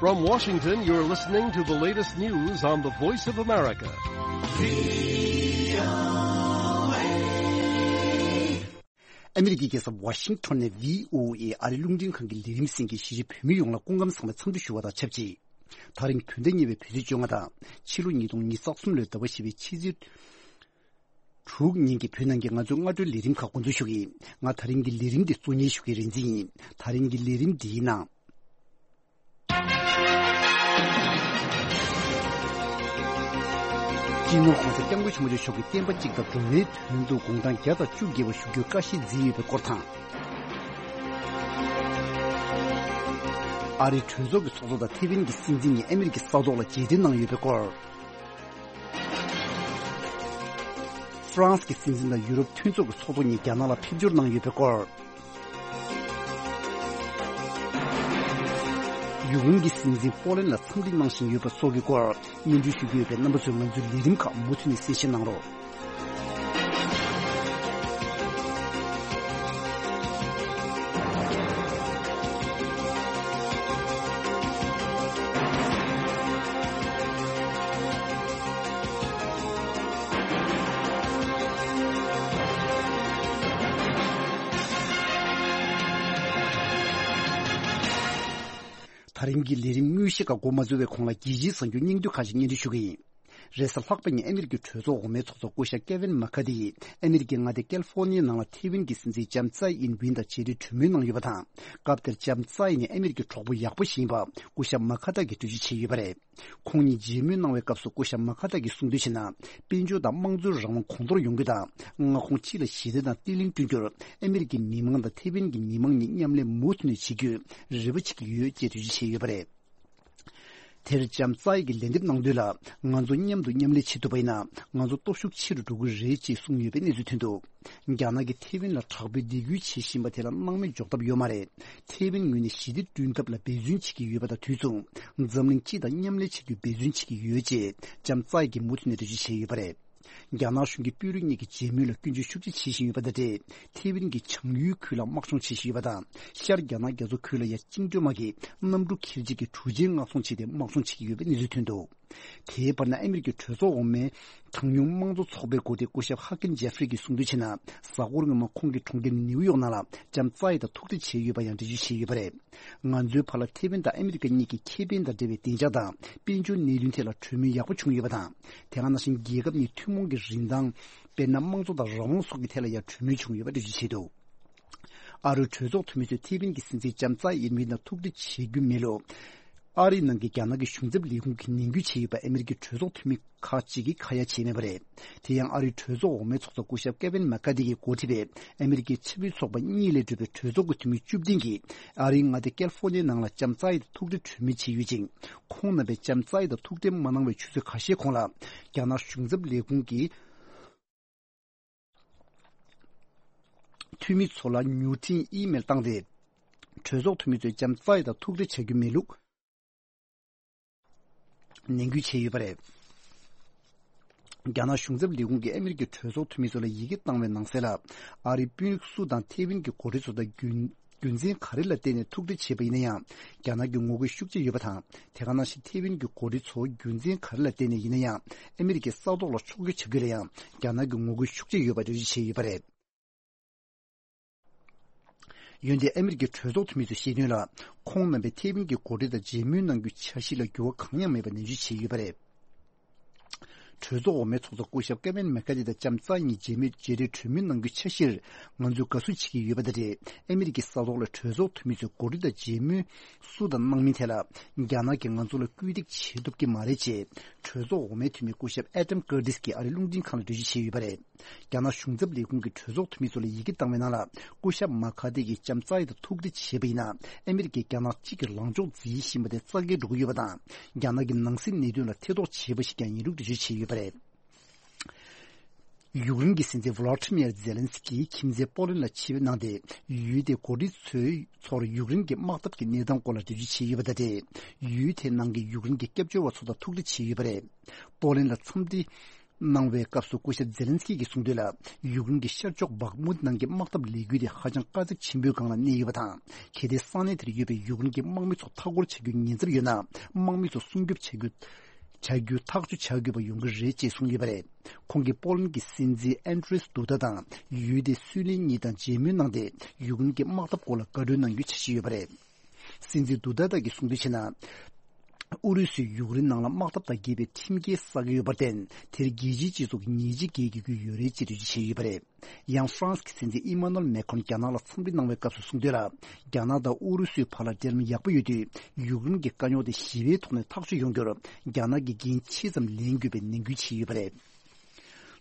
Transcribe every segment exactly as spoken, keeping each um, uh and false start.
From Washington, you're listening to the latest news on the Voice of America. ཨ་མི་རི་ཀའི་རྒྱལ་ས་ཝ་ཤིང་ཊོན་ནས་བྷི་ཨོ་ཨེ་ཨ་རིའི་རླུང་འཕྲིན་ཁང་གི་ལས་རིམ་གསན་མཁན་གཞིས་བྱེས་བོད་མི་ཡོངས་ལ་སྐུ་ཁམས་བཟང་བའི་འཚམས་འདྲི་ཞུ་བ་དང་ཆབས་ཅིག་ད་རིང་བོད་ཟླ་གཉིས་པའི་བོད་ཚེས་བཅོ་ལྔ་དང་ཕྱི་ལོ་ཉིས་སྟོང་ཉི་ཤུ་རྩ་གསུམ་ལོའི་ཟླ་བ་བཞི་པའི་ཕྱི་ཚེས་དྲུག་ཉིན་གྱི་བོད་ནང་གི་ང་ཚོའི་སྔ་དྲོའི་ལས་རིམ་ཁག་འགོ་འཛུགས་ཞུ་གི་ཡིན། ང་ད་རིང་གི་ལས་རིམ་འདི་གཙོ་གཉེར་ཞུ་མཁན་རིག་འཛིན་ཡིན། ད་རིང་གི་ལས་རིམ་འདིའི་ནང་། སྤྱི་ནོར་༸གོང་ས་༸སྐྱབས་མགོན་ཆེན་པོ་མཆོག་གིས་བསྟན་པ་གཅིག་དང་སྒྲོལ་མའི་དོན་དུ་དགུང་གྲངས་བརྒྱ་དང་བཅུ་བརྒལ་བ་བཞུགས་རྒྱུའི་བཀའ་བཞེས་མཛད་ཡོད་པའི་སྐོར་དང་། ཨ་རིའི་གྲོས་ཚོགས་ཀྱི་ཚོགས་གཙོ་དང་ཐེ་ཝན་གྱི་སྲིད་འཛིན་གཉིས་ཨ་མི་རི་ཀའི་ས་ཐོག་ལ་མཇལ་འཕྲད་གནང་ཡོད་པའི་སྐོར། ཧྥ་རན་སི་གི་སྲིད་འཛིན་དང་ཡུ་རོབ་མཐུན་ཚོགས་ཀྱི་ཚོགས་གཙོ་གཉིས་རྒྱ་ནག་ལ་ཕེབས་འབྱོར་གནང་ཡོད་པའི་སྐོར། ཡུཀ་རེན་གྱི་སྲིད་འཛིན་པོ་ལན་ལ་འཚམས་འདྲི་གནང་བཞིན་ཡོད་པ་སོགས་ཀྱི་སྐོར་སྙན་སྒྲོན་ཞུ་རྒྱུ་ཡོད་པས། རྣམ་པ་ཚོས་ང་ཚོའི་ལས་རིམ་ཁག་མུ་མཐུད་ནས་གསན་བཞེས་གནང་རོགས། ད་རིང་གི་ལས་རིམ་དངོས་གཞི་ཁག་འགོ་མ་འཛུགས་པའི་གོང་ལ་རྒྱལ་སྤྱིའི་གསར་འགྱུར་སྙིང་བསྡུས་ཁག་ཅིག་སྙན་སྒྲོན་ཞུ་གི་ཡིན། རེས་གཟའ་ལྷག་པ་ཉིན་ཨ་མི་རི་ཀའི་གྲོས་ཚོགས་འོག་མའི་ཚོགས་གཙོ་སྐུ་ཞབས་ཀེ་ཝིན་མ་ཁ་ཏི་ཡིས་ཨ་མི་རི་ཀའི་མངའ་སྡེ་ཀལ་ཧྥོ་ནི་ཡའི་ནང་ལ་ཐེ་ཝན་གྱི་སྲིད་འཛིན་ལྕམ་ཙའེ་ཨིན་ཝིན་དང་མཇལ་འཕྲད་གྲོས་མོལ་གནང་ཡོད་པ་དང་། སྐབས་དེར་ལྕམ་ཙའེ་ནི་ཨ་མི་རི་ཀའི་གྲོགས་པོ་ཡག་པོ་ཞིག་ཡིན་པ་སྐུ་ཞབས་མ་ཁ་ཏི་གིས་འགྲེལ་བརྗོད་བྱས་ཡོད་པ་རེད། ཁོང་གཉིས་མཇལ་མོལ་གནང་བའི་སྐབས་སུ་སྐུ་ཞབས་མ་ཁ་ཏི་གིས་གསུངས་དོན་བྱས་ན། དཔལ་འབྱོར་དང་དམངས་གཙོའི་རང་དབང་གོང་མཐོར་ཡོང་རྒྱུ་དང་། མངའ་ཁོངས་སྤྱི་ལ་ཞི་བདེ་དང་བརྟན་ལྷིང་བསྐྲུན་རྒྱུར་ཨ་མི་རི་ཀའི་མི་མང་དང་ཐེ་ཝན་གྱི་མི་མང་གཉིས་མཉམ་ལས་མུ་མཐུད་ནས་བྱེད་རྒྱུའི་རེ་བ་བྱེད་ཀྱི་ཡོད་ཅེས་འགྲེལ་བརྗོད་བྱས་ཡོད་པ་རེད། དེར་ལྕམ་ཙའེ་གིས་ལན་འདེབས་གནང་དོན་ལ། ང་ཚོ་མཉམ་དུ་མཉམ་ལས་བྱེད་ཐུབ་པ་ཡིན་ན། ང་ཚོ་སྟོབས་ཤུགས་ཆེ་རུ་འགྲོ་གི་རེད་ཅེས་གསུངས་ཡོད་པའི་གནས་ཚུལ་ཐོན་འདུག་རྒྱ་ནག་གིས་ཐེ་ཝན་ལ་དྲག་པོའི་སྡིགས་སྐུལ་བྱེད་བཞིན་པ་དེ་ལ་སྣང་མེད་འཇོག་ཐབས་ཡོད་མ་རེད། ཐེ་ཝན་ངོས་ནས་ཞི་བདེ་བསྐྲུན་ཐབས་ལ་འབད་བརྩོན་བྱེད་ཀྱི་ཡོད་པ་དང་དུས་མཚུངས། འཛམ་གླིང་སྤྱི་དང་མཉམ་ལས་བྱེད་རྒྱུའི་འབད་བརྩོན་བྱེད་ཀྱི་ཡོད་ཅེས་ལྕམ་ཙའེ་གིས་མུ་མཐུད་ནས་འགྲེལ་བརྗོད་བྱས་ཡོད་པ་རེད། རྒྱ་ནག་གཞུང་གིས་དཔོན་རིགས་གཉིས་ཀྱི་མཇལ་མོལ་ལ་སྐྱོན་བརྗོད་ཤུགས་ཆེ་བྱེད་བཞིན་ཡོད་པ་དང་འབྲེལ། ཐེ་ཝན་གྱི་བྱང་ཡུལ་ཁུལ་ལ་དམག་སྦྱོང་བྱེད་བཞིན་ཡོད་པ་དང་། ཤར་རྒྱ་ནག་རྒྱ་མཚོ་ཁུལ་ལ་ཡང་བཅིངས་འགྲོལ་དམག་གིས་གནམ་གྲུ་འཁྱེར་བྱེད་ཀྱི་གྲུ་ཆེན་མངགས་གཏོང་བྱས་ཏེ་དམག་སྦྱོང་བྱེད་ཀྱི་ཡོད་པའི་གནས་ཚུལ་ཐོན་འདུག་དེའི་བར་ན་ཨ་མི་རི་ཀའི་གྲོས་ཚོགས་འོག་མའི་གྲངས་ཉུང་དམངས་གཙོ་ཚོགས་པའི་འགོ་ཁྲིད་སྐུ་ཞབས་ཧ་ཀིམ་ཇེ་ཧྥི་རི་གིས་གསུངས་དོན་བྱས་ན། གཟའ་འཁོར་སྔོན་མ་ཁོང་གི་གྲོང་ཁྱེར་ནིའུ་ཡོག་ནང་ལ་ལྕམ་ཙའེ་དང་ཐུག་འཕྲད་བྱས་ཡོད་པ་ཡང་འགྲེལ་བརྗོད་བྱས་ཡོད་པ་རེད། ང་ཚོའི་བར་ལ་ཐེ་ཝན་དང་ཨ་མི་རི་ཀ་གཉིས་ཀྱི་ཁེ་ཕན་དང་འབྲེལ་བའི་བདེ་འཇགས་དང་དཔལ་འབྱོར་གནད་དོན་ཐད་ལ་གྲོས་མོལ་ཡག་པོ་བྱུང་ཡོད་པ་དང་། དེ་ག་ནང་བཞིན་རྒྱལ་ཁབ་གཉིས་ཐུན་མོང་གི་རིན་ཐང་། དཔེར་ན་དམངས་གཙོ་དང་རང་དབང་སོགས་ཀྱི་ཐད་ལ་ཡང་གྲོས་མོལ་བྱུང་ཡོད་པ་འགྲེལ་བརྗོད་བྱས་འདུག་ཨ་རིའི་གྲོས་ཚོགས་འཐུས་མི་ཚོས་ཐེ་ཝན་གྱི་སྲིད་འཛིན་ལྕམ་ཙའེ་ཡིན་མིན་དང་ཐུག་འཕྲད་བྱེད་རྒྱུ་མེད་ལུགས། ཨ་རིའི་ནང་གི་རྒྱ་ནག་གི་གཞུང་ཚབ་ལས་ཁུངས་ཀྱིས་ནན་སྐུལ་བྱས་ཡོད་པ་ཨ་མི་རི་ཀའི་གྲོས་ཚོགས་འཐུས་མི་ཁག་ཅིག་གིས་ཁ་ཡ་བྱས་མེད་པ་རེད། དེ་ཡང་ཨ་རིའི་གྲོས་ཚོགས་འོག་མའི་ཚོགས་གཙོ་སྐུ་ཞབས་ཀེ་ཝིན་མེག་ཀ་ཏི་གིས་འགོ་ཁྲིད་པའི་ཨ་མི་རི་ཀའི་ཆབ་སྲིད་ཚོགས་པ་གཉིས་ལས་གྲུབ་པའི་གྲོས་ཚོགས་ཀྱི་འཐུས་མི་བཅུ་བདུན་གྱིས་ཨ་རིའི་མངའ་སྡེ་ཀལ་ཧྥོ་ནི་ཡའི་ནང་ལ་ལྕམ་ཙའེ་དང་ཐུག་འཕྲད་གྲོས་མོལ་བྱས་ཡོད་ཅིང་། ཁོང་རྣམ་པས་ལྕམ་ཙའེ་དང་ཐུག་འཕྲད་མ་གནང་བའི་ཆུ་ཚོད་ཁ་ཤས་གོང་ལ། རྒྱ་ནག་གཞུང་ཚབ་ལས་ཁུངས་ཀྱི་འཐུས་མི་ཚོ་ལ་མྱུར་འཕྲིན་ཨི་མེལ་བཏང་སྟེ། གྲོས་ཚོགས་འཐུས་མི་ཚོས་ལྕམ་ཙའེ་དང་ཐུག་འཕྲད་བྱ་རྒྱུ་མེད་ལུགས་ནན་སྐུལ་བྱས་ཡོད་པ་རེད། རྒྱ་ནག་གཞུང་ཚབ་ལས་ཁུངས་ཀྱིས་ཨ་མི་རི་ཀའི་གྲོས་ཚོགས་འཐུས་མི་ཚོ་ལ་ཡི་གེ་བཏང་བའི་ནང་གསལ་ལ། ཨ་རིའི་དཔོན་རིགས་སུ་དང་ཐེ་ཝན་གྱི་འགོ་ཁྲིད་ཚོ་དང་རྒྱུན་རྒྱུ་མཚན་ག་རེ་ལ་བརྟེན་ནས་ཐུག་འཕྲད་བྱས་པ་ཡིན་ན་ཡང་། རྒྱ་ནག་གི་ངོ་རྒོལ་ཤུགས་ཆེ་ཡོད་པ་དང་། དེ་ག་ནང་བཞིན་ཐེ་ཝན་གྱི་འགོ་ཁྲིད་ཚོ་རྒྱུ་མཚན་ག་རེ་ལ་བརྟེན་ནས་ཡིན་ན་ཡང་ཨ་མི་རི་ཀའི་ས་ཐོག་ལ་ཕྱོགས་བསྐྱོད་བྱ་རྒྱུ་ལ་ཡང་རྒྱ་ནག་གི་ངོ་རྒོལ་ཤུགས་ཆེ་ཡོད་པ་འགྲེལ་བརྗོད་བྱས་ཡོད་པ་རེད། འོན་ཏེ་ཨ་མི་རི་ཀའི་གྲོས་ཚོགས་འཐུས་མི་ཚོས་བཤད་དོན་ལ། ཁོང་རྣམ་པས་ཐེ་ཝན་གྱི་འགོ་ཁྲིད་དང་མཇལ་མོལ་གནང་རྒྱུའི་འཆར་གཞི་ལ་འགྱུར་བ་གང་ཡང་མེད་པ་ནན་བརྗོད་བྱས་ཡོད་པ་རེད། གྲོས་ཚོགས་འོག་མའི་ཚོགས་གཙོ་སྐུ་ཞབས་ཀེ་ཝིན་མེག་ཀ་ཏི་དང་ལྕམ་ཙའེ་གཉིས་མཇལ་མོལ་མཇལ་འཕྲད་གྲོས་མོལ་གནང་རྒྱུའི་འཆར་གཞིར་ང་ཚོས་དགའ་བསུ་བྱེད་ཀྱི་ཡོད་པ་དང་འབྲེལ། ཨ་མི་རི་ཀའི་ས་ཐོག་ལ་གྲོས་ཚོགས་འཐུས་མི་ཚོས་འགོ་ཁྲིད་དང་མཇལ་མོལ་སུ་དང་གནང་མིན་ཐད་ལ། རྒྱ་ནག་གིས་ང་ཚོ་ལ་སྐུལ་འདེད་བྱེད་ཐུབ་ཀྱི་མ་རེད་ཅེས་གྲོས་ཚོགས་འོག་མའི་འཐུས་མི་སྐུ་ཞབས་ཨེ་ཏམ་ཀར་ཏིས་ཀྱིས་ཨ་རིའི་རླུང་འཕྲིན་ཁང་ལ་འགྲེལ་བརྗོད་བྱས་ཡོད་པ་རེད། རྒྱ་ནག་གཞུང་ཚབ་ལས་ཁུངས་ཀྱིས་གྲོས་ཚོགས་འཐུས་མི་ཚོ་ལ་ཡི་གེ་བཏང་བའི་ནང་ལ། སྐུ་ཞབས་མ་ཁ་ཏི་གིས་ལྕམ་ཙའེ་དང་ཐུག་འཕྲད་བྱས་པ་ཡིན་ན། ཨ་མི་རི་ཀས་རྒྱ་ནག་གཅིག་གི་ལངས་ཕྱོགས་འཛིན་བཞིན་པ་དེ་རྩ་འགེངས་འགྲོ་གི་ཡོད་པ་དང་། རྒྱ་ནག་གི་ནང་སྲིད་གནད་དོན་ལ་ཐེ་གཏོགས་བྱས་པ་ཞིག་ཀྱང་ཡིན་ལུགས་འགྲེལ་བརྗོད་བྱས་ཡོད་པ་རེད། ཡུཀ་རེན་གྱི་སྲིད་འཛིན་ཝོ་ལོ་ཏི་མིར་ཛེ་ལན་སི་ཀིས་ཁྱིམ་མཚེས་པོ་ལན་ལ་ཆིབས་གནང་སྟེ། ཡུལ་དེའི་འགོ་ཁྲིད་ཚོའི་ཚོར་ཡུཀ་རེན་གྱི་དམག་འཐབ་ཀྱི་གནས་སྟངས་སྐོར་ལ་འགྲེལ་བརྗོད་བྱས་ཡོད་པ་དང་འབྲེལ། ཡུལ་དེའི་ནང་གི་ཡུཀ་རེན་གྱི་སྐྱབས་བཅོལ་བ་ཚོ་དང་ཐུག་འཕྲད་བྱས་ཡོད་པ་རེད། པོ་ལན་ལ་འཚམས་འདྲི། གནང་བའི་སྐབས་སུ་སྐུ་ཞབས་ཛེ་ལན་སི་ཀི་གིས་གསུངས་དོན་ལ། ཡུཀ་རེན་གྱི་ཤར་ཕྱོགས་བྷག་མུད་ནང་གི་དམག་འཐབ་ལས་འགུལ་དེ་ཧ་ཅང་དཀའ་ཚེགས་ཆེན་པོའི་སྒང་ལ་གནས་ཡོད་པ་དང་། གལ་ཏེ་ས་གནས་དེར་ཡོད་པའི་ཡུཀ་རེན་གྱི་དམག་མི་ཚོ་མཐའ་སྐོར་བྱ་རྒྱུའི་ཉེན་ཚབས་ཡོད་ན། དམག་མི་ཚོ་སྲུང་སྐྱོབ་བྱ་རྒྱུ། བྱ་རྒྱུ་ཐག་གཅོད་བྱ་དགོས་པ་ཡོང་གི་རེད་ཅེས་གསུངས་ཡོད་པ་རེད། ཁོང་གིས་པོ་ལན་གྱི་སྲིད་འཛིན་ཨན་ཏྲེས་དུ་ད་དང་ཡུལ་དེའི་སུའུ་ལེན་གཉིས་དང་མཇལ་མོལ་གནང་སྟེ། ཡུཀ་རེན་གྱི་དམག་འཐབ་སྐོར་ལ་བཀའ་འཁྲོལ་གནང་རྒྱུའི་འཆར་གཞི་ཡོད་པ་རེད། སྲིད་འཛིན་དུ་ད་ད་གིས་གསུངས་དོན་བྱས་ན། ཨུ་རུ་སུས་ཡུཀ་རེན་ནང་ལ་དམག་འཐབ་དང་འགལ་བའི་ཁྲིམས་འགལ་བསགས་ཀྱི་ཡོད་པར་བརྟེན། དེར་རྒྱལ་སྤྱིའི་སྤྱི་ཚོགས་ཀྱིས་ཉེས་ཆད་འགེལ་དགོས་ཀྱི་ཡོད་རེད་ཅེས་འགྲེལ་བརྗོད་བྱས་ཡོད་པ་རེད། ཡང་ཧྥ་རན་སི་གི་སྲིད་འཛིན་ཨི་མ་ནུ་ཨེལ་མེ་ཁོན་རྒྱ་ནག་ལ་འཚམས་འདྲི་གནང་བའི་སྐབས་སུ་གསུངས་དོན་ལ། རྒྱ་ནག་དང་ཨུ་རུ་སུའི་བར་ལ་འབྲེལ་ལམ་ཡག་པོ་ཡོད་དུས། ཡུཀ་རེན་གྱི་དཀའ་རྙོག་དེ་ཞི་བའི་ཐོག་ནས་ཐག་གཅོད་ཡོང་རྒྱུར། རྒྱ་ནག་གིས་འགན་ཆེ་ཙམ་ལེན་དགོས་པའི་ནན་སྐུལ་བྱས་ཡོད་པ་རེད།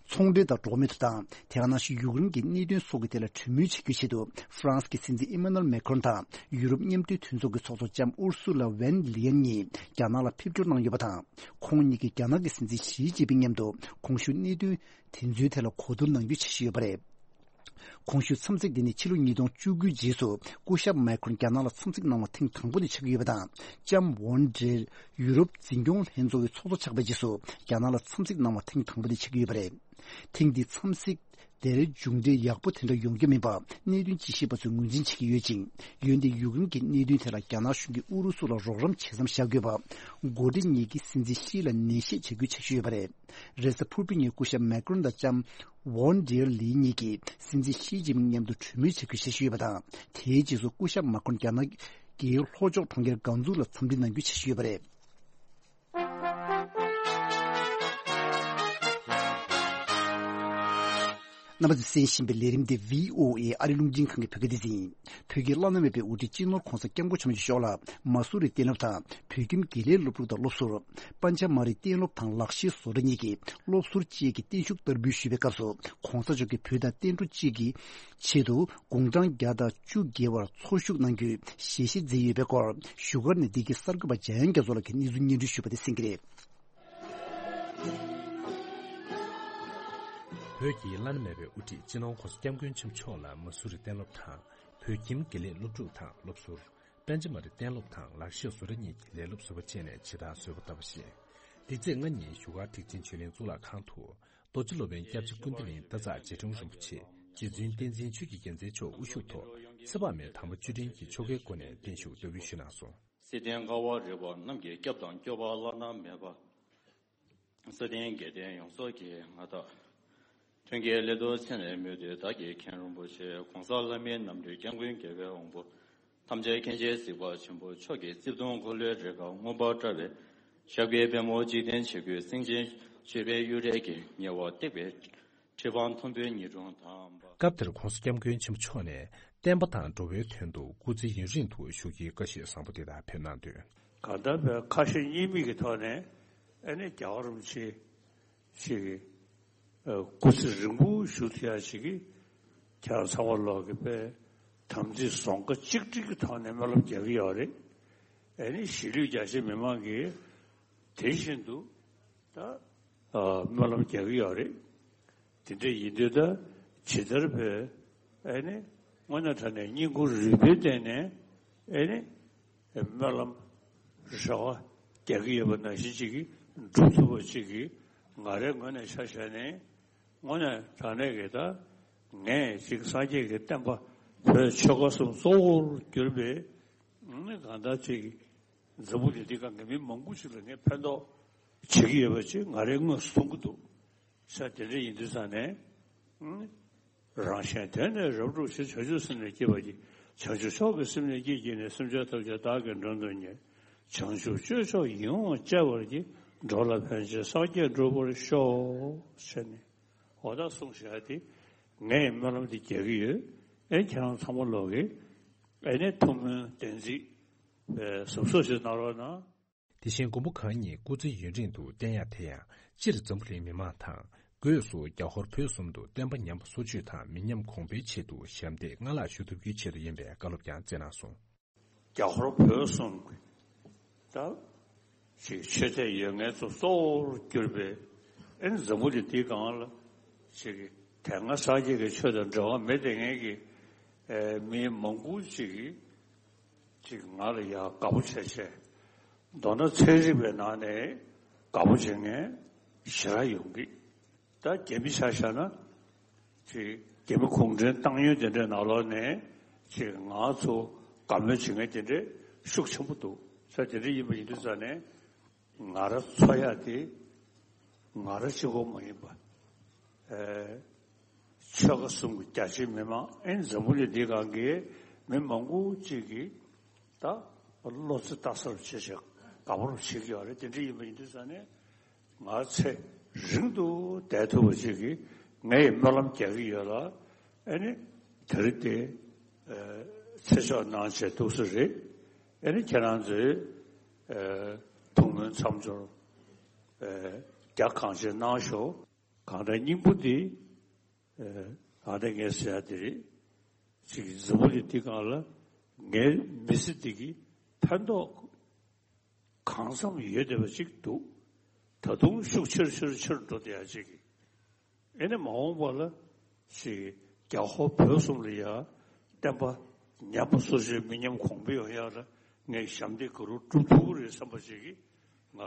ཚོང་འབྲེལ་དང་འགྲོ་བ་མིའི་ཐོབ་ཐང་། དེ་ག་ནང་བཞིན་ཡུཀ་རེན་གྱི་གནད་དོན་སོགས་ཀྱི་ཐད་ལ་གྲོས་མོལ་བྱེད་རྒྱུའི་ཆེད་དུ། ཧྥ་རན་སི་གི་སྲིད་འཛིན་ཨི་མ་ནུ་ཨེལ་མེ་ཁོན་དང་ཡུ་རོབ་མཉམ་འབྲེལ་མཐུན་ཚོགས་ཀྱི་ཚོགས་གཙོ་ལྕམ་ཨུར་སུ་ལ་ཝན་ལི་ཡན་གཉིས་རྒྱ་ནག་ལ་ཕེབས་འབྱོར་གནང་ཡོད་པ་དང་། ཁོང་གཉིས་ཀྱིས་རྒྱ་ནག་གི་སྲིད་འཛིན་ཞི་ཅིན་ཕིང་མཉམ་དུ་གོང་ཞུས་གནད་དོན་དེ་ཚོའི་ཐད་ལ་གོ་བསྡུར་གནང་རྒྱུའི་འཆར་གཞི་ཡོད་པ་རེད། གོང་ཞུས་འཚམས་གཟིགས་འདི་ནི་ཕྱི་ལོ་ཉིས་སྟོང་བཅུ་དགུའི་རྗེས་སུ་སྐུ་ཞབས་མེ་ཁོན་རྒྱ་ནག་ལ་འཚམས་གཟིགས་གནང་བ་ཐེངས་དང་པོ་དེ་ཆགས་ཀྱི་ཡོད་པ་དང་། ལྕམ་ཝོན་ཌེར་ཡུ་རོབ་འཛིན་སྐྱོང་ལྷན་ཚོགས་ཀྱི་ཚོགས་གཙོ་ཆགས་པའི་རྗེས་སུ་རྒྱ་ནག་ལ་འཚམས་གཟིགས་གནང་བ་ཐེངས་དང་པོ་དེ་ཆགས་ཀྱི་ཡོད་པ་རེད། ཐེངས་འདིའི་འཚམས་གཟིགས་དེར་མཇུག་འབྲས་ཡག་པོ་དེ་འདྲ་ཡོང་རྒྱུ་མིན་པ་གནད་དོན་དཔྱད་ཞིབ་པ་ཚོས་ངོས་འཛིན་བྱེད་ཀྱི་ཡོད་ཅིང་། འོན་ཏེ་ཡུཀ་རེན་གྱི་གནད་དོན་ཐད་ལ་རྒྱ་ནག་གཞུང་གིས་ཨུ་རུ་སུ་ལ་རོགས་རམ་བྱེད་མཚམས་བཞག་དགོས་པ། འགོ་ཁྲིད་གཉིས་ཀྱིས་སྲིད་འཛིན་ཤི་ལ་ནན་བཤད་བྱ་རྒྱུའི་འཆར་གཞི་ཡོད་པ་རེད། རེས་གཟའ་ཕུར་བུའི་ཉིན་སྐུ་ཞབས་མེ་ཀྲོན་དང་ལྕམ་ཝོན་ཌེར་ལི་གཉིས་ཀྱིས་སྲིད་འཛིན་ཤི་ཅིན་ཕིང་མཉམ་དུ་གྲོས་མོལ་བྱ་རྒྱུའི་འཆར་གཞི་ཡོད་པ་དང་། དེའི་རྗེས་སུ་སྐུ་ཞབས་མེ་ཀྲོན་རྒྱ་ནག་གི་ལྷོ་ཕྱོགས་གྲོང་ཁྱེར་ཀང་ཙུའུ་ལ་འཚམས་འདྲི་གནང་རྒྱུའི་འཆར་གཞི་ཡོད་པ་རེད། རྣམ་པ་ཚོས་གསན་བཞིན་པའི་ལས་རིམ་འདི་བྷི་ཨོ་ཨེ་ཨ་རི་རླུང་འཕྲིན་ཁང་གི་བོད་སྐད་སྡེ་ཚན་ཡིན། བོད་ཀྱི་བླ་ན་མེད་པའི་དབུ་ཁྲིད་སྤྱི་ནོར་༧གོང་ས་༧སྐྱབས་མགོན་ཆེན་པོ་མཆོག་ལ་མ་སུ་རི་གཏན་སློབ་དང་བོད་ཁྱིམ་དགེ་ལས་སློབ་ཕྲུག་དང་སློབ་ཟུར། པཎ་ཆ་མ་རི་གཏན་སློབ་དང་ལག་ཤེས་བཟོ་གྲྭ་གཉིས་ཀྱི་སློབ་ཟུར་བཅས་ཀྱིས་བརྟན་བཞུགས་བསྟར་འབུལ་ཞུས་པའི་སྐབས་སུ། ༧གོང་ས་མཆོག་གིས་བོད་དང་བསྟན་འགྲོ་གཅིག་གི་ཆེད་དུ་དགུང་གྲངས་བརྒྱ་དང་བཅུ་བརྒལ་བར་འཚོ་བཞུགས་གནང་རྒྱུའི་ཞལ་བཞེས་མཛད་ཡོད་པའི་སྐོར། བཞུགས་སྒར་ནས་འདི་གའི་གསར་འགོད་པ་འཇམ་དབྱངས་རྒྱ་མཚོ་ལགས་ཀྱིས་གནས་ཚུལ་སྙན་སྒྲོན་ཞུས་པ་དེ་གསན་གྱི་རེད། བོད་ཀྱི་བླ་ན་མེད་པའི་དབུ་ཁྲིད་སྤྱི་ནོར་༧གོང་ས་༧སྐྱབས་མགོན་ཆེན་པོ་མཆོག་ལ་མ་སུ་རི་གཏན་སློབ་དང་། བོད་ཁྱིམ་དགེ་ལས་སློབ་ཕྲུག་དང་སློབ་ཟུར། པཎ་ཆ་མ་རི་གཏན་སློབ་དང་ལག་ཤེས་བཟོ་གྲྭ་གཉིས་ཀྱི་ལས་སློབ་ཟུར་པ་བཅས་ནས་ཇི་ལྟར་གསོལ་བ་བཏབ་པ་བཞིན། འདི་ཚེས་ལྔ་ཉིན་བཞུགས་སྒར་ཐེག་ཆེན་ཆོས་གླིང་གཙུག་ལག་ཁང་དུ། རྡོ་རྗེ་སློབ་དཔོན་སྐྱབས་རྗེ་ཀུན་བདེ་གླིང་བདག་ཉིད་རྗེ་དྲུང་རིན་པོ་ཆེ། རྗེ་བཙུན་བསྟན་འཛིན་ཆོས་ཀྱི་རྒྱལ་མཚན་མཆོག་དབུ་བཞུགས་ཐོག་ཚེ་དཔག་མེད་དམ་པ་བཅུ་དྲུག་གིས་ཆོ་གའི་སྒོ་ནས་བརྟན་བཞུགས་བསྟར་འབུལ་ཞུས་གནང་སོང་། བསིལ་ལྡན་དཀར་བ་རི་བོ་རྣམས་ཀྱི་སྐྱབས་དང་སྐྱོབ་པ་བླ་ན་མེད་པ། བསོད་ལྡན་དགེ་ལྡན་ཡོངས་རྫོགས་ཀྱི་མངའ་བདག་མཐུན་རྐྱེན་སླད་དུ་མཚན་ནས་སྨོས་ཏེ་བདག་གིས་མཁན་རིན་པོ་ཆེ་གོང་ས་ལྷ་མིའི་རྣམ་འདྲེན་སྐྱབས་མགོན་རྒྱལ་བའི་དབང་པོ། ཐམས་ཅད་མཁྱེན་ཅིང་གཟིགས་པ་ཆེན་པོ་མཆོག་གི་རྩིབས་སྟོང་འཁོར་ལོའི་རིགས་པ་མངོན་པར་བཀྲ་བའི་ཞབས་ཀྱི་པདྨོ་འཇིག་རྟེན་ཆོས་ཀྱི་སེང་ཆེན་སྤྱོད་པའི་གཡུ་སྒྲས་ཀྱི་ཉེ་བར་བཏེགས་པའི་ཁྲི་འཕང་མཐོན་པོའི་ཉི་སྲིང་དང་། སྐབས་དེར་༧གོང་ས་༧སྐྱབས་མགོན་ཆེན་པོ་མཆོག་ནས་བསྟན་པ་དང་འགྲོ་བའི་དོན་དུ་སྐུ་ཚེ་ཡུན་རིང་དུ་བཞུགས་རྒྱུའི་བཀའ་ཤོག་བཟང་པོ་འདི་དག་ཕེབས་གནང་དོན། གང་ལྟར་བའི་ཁ་ཞེ་གཉིས་མེད་ཀྱི་ཐོག་ནས་ཨ་ནི་རྒྱལ་བ་རིན་པོ་ཆེ་ཞིག་གི་སྐུ་ཚེ་རིང་པོ་བཞུགས་ཐུབ་ཡ་ཞིག་གི་ཁྱེད་རང་ཚང་མ་ལོག་གི་པའི་དམ་ཚིག་བཟང་ཁ་གཅིག་སྒྲིལ་གྱི་ཐོག་ནས་སྨོན་ལམ་རྒྱག་གི་ཡོད་རེད། ཨ་ནི་གཞིས་ལུས་རྒྱ་ཆེ་མི་མང་གིས་དེ་བཞིན་དུ་ད་སྨོན་ལམ་རྒྱག་གི་ཡོད་རེད། དེ་འདྲ་ཡིན་དུས་ད་ཇི་ལྟར་བས་ཨ་ནི་དངོས་གནས་དྲང་གནས་སྙིང་ཁུང་རུས་པའི་སྟེང་ནས་ཨ་ནི་སྨོན་ལམ་རེ་བ་རྒྱག་གི་ཡོད་པ་ནང་བཞིན་ཅིག་གིས་འགྲུབ་ཐུབ་པ་ཅིག་གིས་ང་རའི་ངོས་ནས་ཆ་བཞག་ནས་དངོས་གནས་དྲང་གནས་ཀྱི་ད་ངས་ཅིག་སངས་རྒྱས་ཀྱི་བསྟན་པ་བོད་ཆོལ་ཁ་གསུམ་གཙོ་བོར་གྱུར་པའི་ཨ་ནི་གང་ལྟར་ཅིག་འཛམ་བུ་གླིང་འདི་སྒང་གི་མི་མང་པོ་ཞིག་ལ་ངས་ཕན་ཐོགས་བྱེད་ཀྱི་ཡོད་པ་ཅིག་ང་རའི་ངོས་སུ་མཐོང་གི་འདུག་ས། དེ་འདྲ་ཡིན་དུས་ཙང་ནས། རང་གཞན་དོན་ནི་རབ་བསྒྲུབ་ཕྱིར། བྱང་ཆུབ་སེམས་ནི་བསྐྱེད་པར་བགྱི། བྱང་ཆུབ་མཆོག་གི་སེམས་ནི་བསྐྱེད་བགྱིས་ནས། སེམས་ཅན་ཐམས་ཅད་བདག་གིས་མགྲོན་དུ་གཉེར། བྱང་ཆུབ་སྤྱོད་མཆོག་ཡིད་འོང་སྤྱད་པར་བགྱི། འགྲོ་ལ་ཕན་ཕྱིར་སངས་རྒྱས་འགྲུབ་པར་ཤོག་ཟེར་ནས་འོ་ད་གསུངས་བཞག་དེ་ངས་སྨོན་ལམ་འདི་རྒྱག་གི་ཡོད། ཨེ་ཁྱེད་རང་ཚང་མ་ལོག་གིས་ཨེ་ནས་ཐུགས་སྨོན་བདེན་ཚིག་གཟབ་གཟབ་ཞིག་གནང་རོགས་གནང་། དེ་བཞིན་མགོན་པོ་གང་ཉིད་སྐུ་ཚེ་ཡུན་རིང་དུ་བརྟན་ཡག་དེ་ཡང་སྤྱིར་འཛམ་བུ་གླིང་མི་མང་དང་སྒོས་སུ་རྒྱ་ཧོར་བོད་གསུམ་དུ་བསྟན་པ་ཉམས་པ་སོར་ཆུད་དང་མི་ཉམས་གོང་འཕེལ་ཆེད་དུ་ཞབས་འདེགས་སྔར་ལྷག་ཞུ་ཐུབ་རྒྱུའི་ཆེད་དུ་ཡིན་པའི་བཀའ་སློབ་ཀྱང་སྩལ་གནང་སོང་། རྒྱ་ཧོར་བོད་གསུམ་ད་ཅིག་ཆོས་དད་ཡོད་མཁན་ཚོ་གཙོ་བོར་གྱུར་པའི་ཨེ་འཛམ་བུ་གླིང་འདིའི་སྒང་ལ་ཅིག་དེ་སྔ་སངས་རྒྱས་ཀྱི་ཆོས་དང་འབྲེལ་བ་མེད་དེ་ངེད་ཀྱི་མི་མང་པོ་ཅིག་གིས། ཅིག་ང་ལ་ཡ་དགའ་པོ་བྱས་བྱས། མདོར་ན་ཚན་རིག་པའི་ནང་ནས་དགའ་པོ་བྱེད་མཁན་ཞེ་དྲག་ཡོང་གི། ད་རྒྱ་མི་ཆ་བཞག་ན་ཅིག་རྒྱ་མི་གུང་ཁྲན་ཏང་ཡོན་དེ་འདྲའི་ནང་ལོགས་ནས་ཅིག་ང་ཚོ་དགའ་མོས་བྱེད་མཁན་དེ་འདྲའི་ཤུགས་ཆེན་པོ་འདུག་ས། དེ་འདྲ་ཡིན་པ་ཡིན་དུས་ཙང་ནས་ང་རང་ཚོ་ཡག་དེ་ང་རང་གཅིག་པོ་མ་ཡིན་པ། ཨེ། ཆོལ་ཁ་གསུམ་གྱི་རྒྱ་ཆེའི་མི་མང་ཨེ་འཛམ་བུ་གླིང་འདི་སྒང་གི་མི་མང་པོ་ཅིག་གིས་ད་བློ་རྩེ་ལྟ་ས་རུ་བྱེད་བྱེད་དགའ་པོ་རུ་བྱེད་ཀྱི་ཡོད་རེད། དེ་འདྲ་ཡིན་པ་ཡིན་དུས་ཙང་ནས་ང་ཚེ་རིང་དུ་བསྡད་ཐུབ་པ་ཅིག་གིས་ངས་སྨོན་ལམ་རྒྱག་གི་ཡོད་ལ། ཨེ་ནི་དེ་རིང་དེ་ཚེ་ཆོག་གནང་བྱས་ཐུགས་སུ་རེད། ཨེ་ནི་ཁྱེད་རང་ཚོས་ཐུགས་སྨོན་མཚམས་སྦྱོར་རྒྱ་གང་ཆེ་གནང་ཤོག་གང་ལྟར་སྙིང་པོ་འདི་ཨ་ནི་ངས་ཟེར་ཡ་དེ་རེད། ཅིག་འཛམ་བུ་གླིང་འདི་སྒང་ལ་ངའི་མི་ཚེ་འདི་གི་ཕན་ཐོགས་གང་འཚམ་ཡོད་བསྡད་པ་ཅིག་འདུག་ད་དུང་ཤུགས་ཆེར་ཆེར་ཆེར་འགྲོ་བསྡད་ཡ་ཅིག་གི། ཨེ་ནི་མ་འོངས་པ་ལ་ཅིག་རྒྱ་ཧོར་བོད་གསུམ་ལ་ཡ་བསྟན་པ་ཉམས་པ་སོར་ཆུད་མི་ཉམས་གོང་འཕེལ་ཡོང་ཡ་ལ་ངས་ཞབས་འདེགས་ག་རུ་སྒྲུབ་ཐུབ་ཀྱི་རེད་བསམ་པ་ཅིག་གི་ང་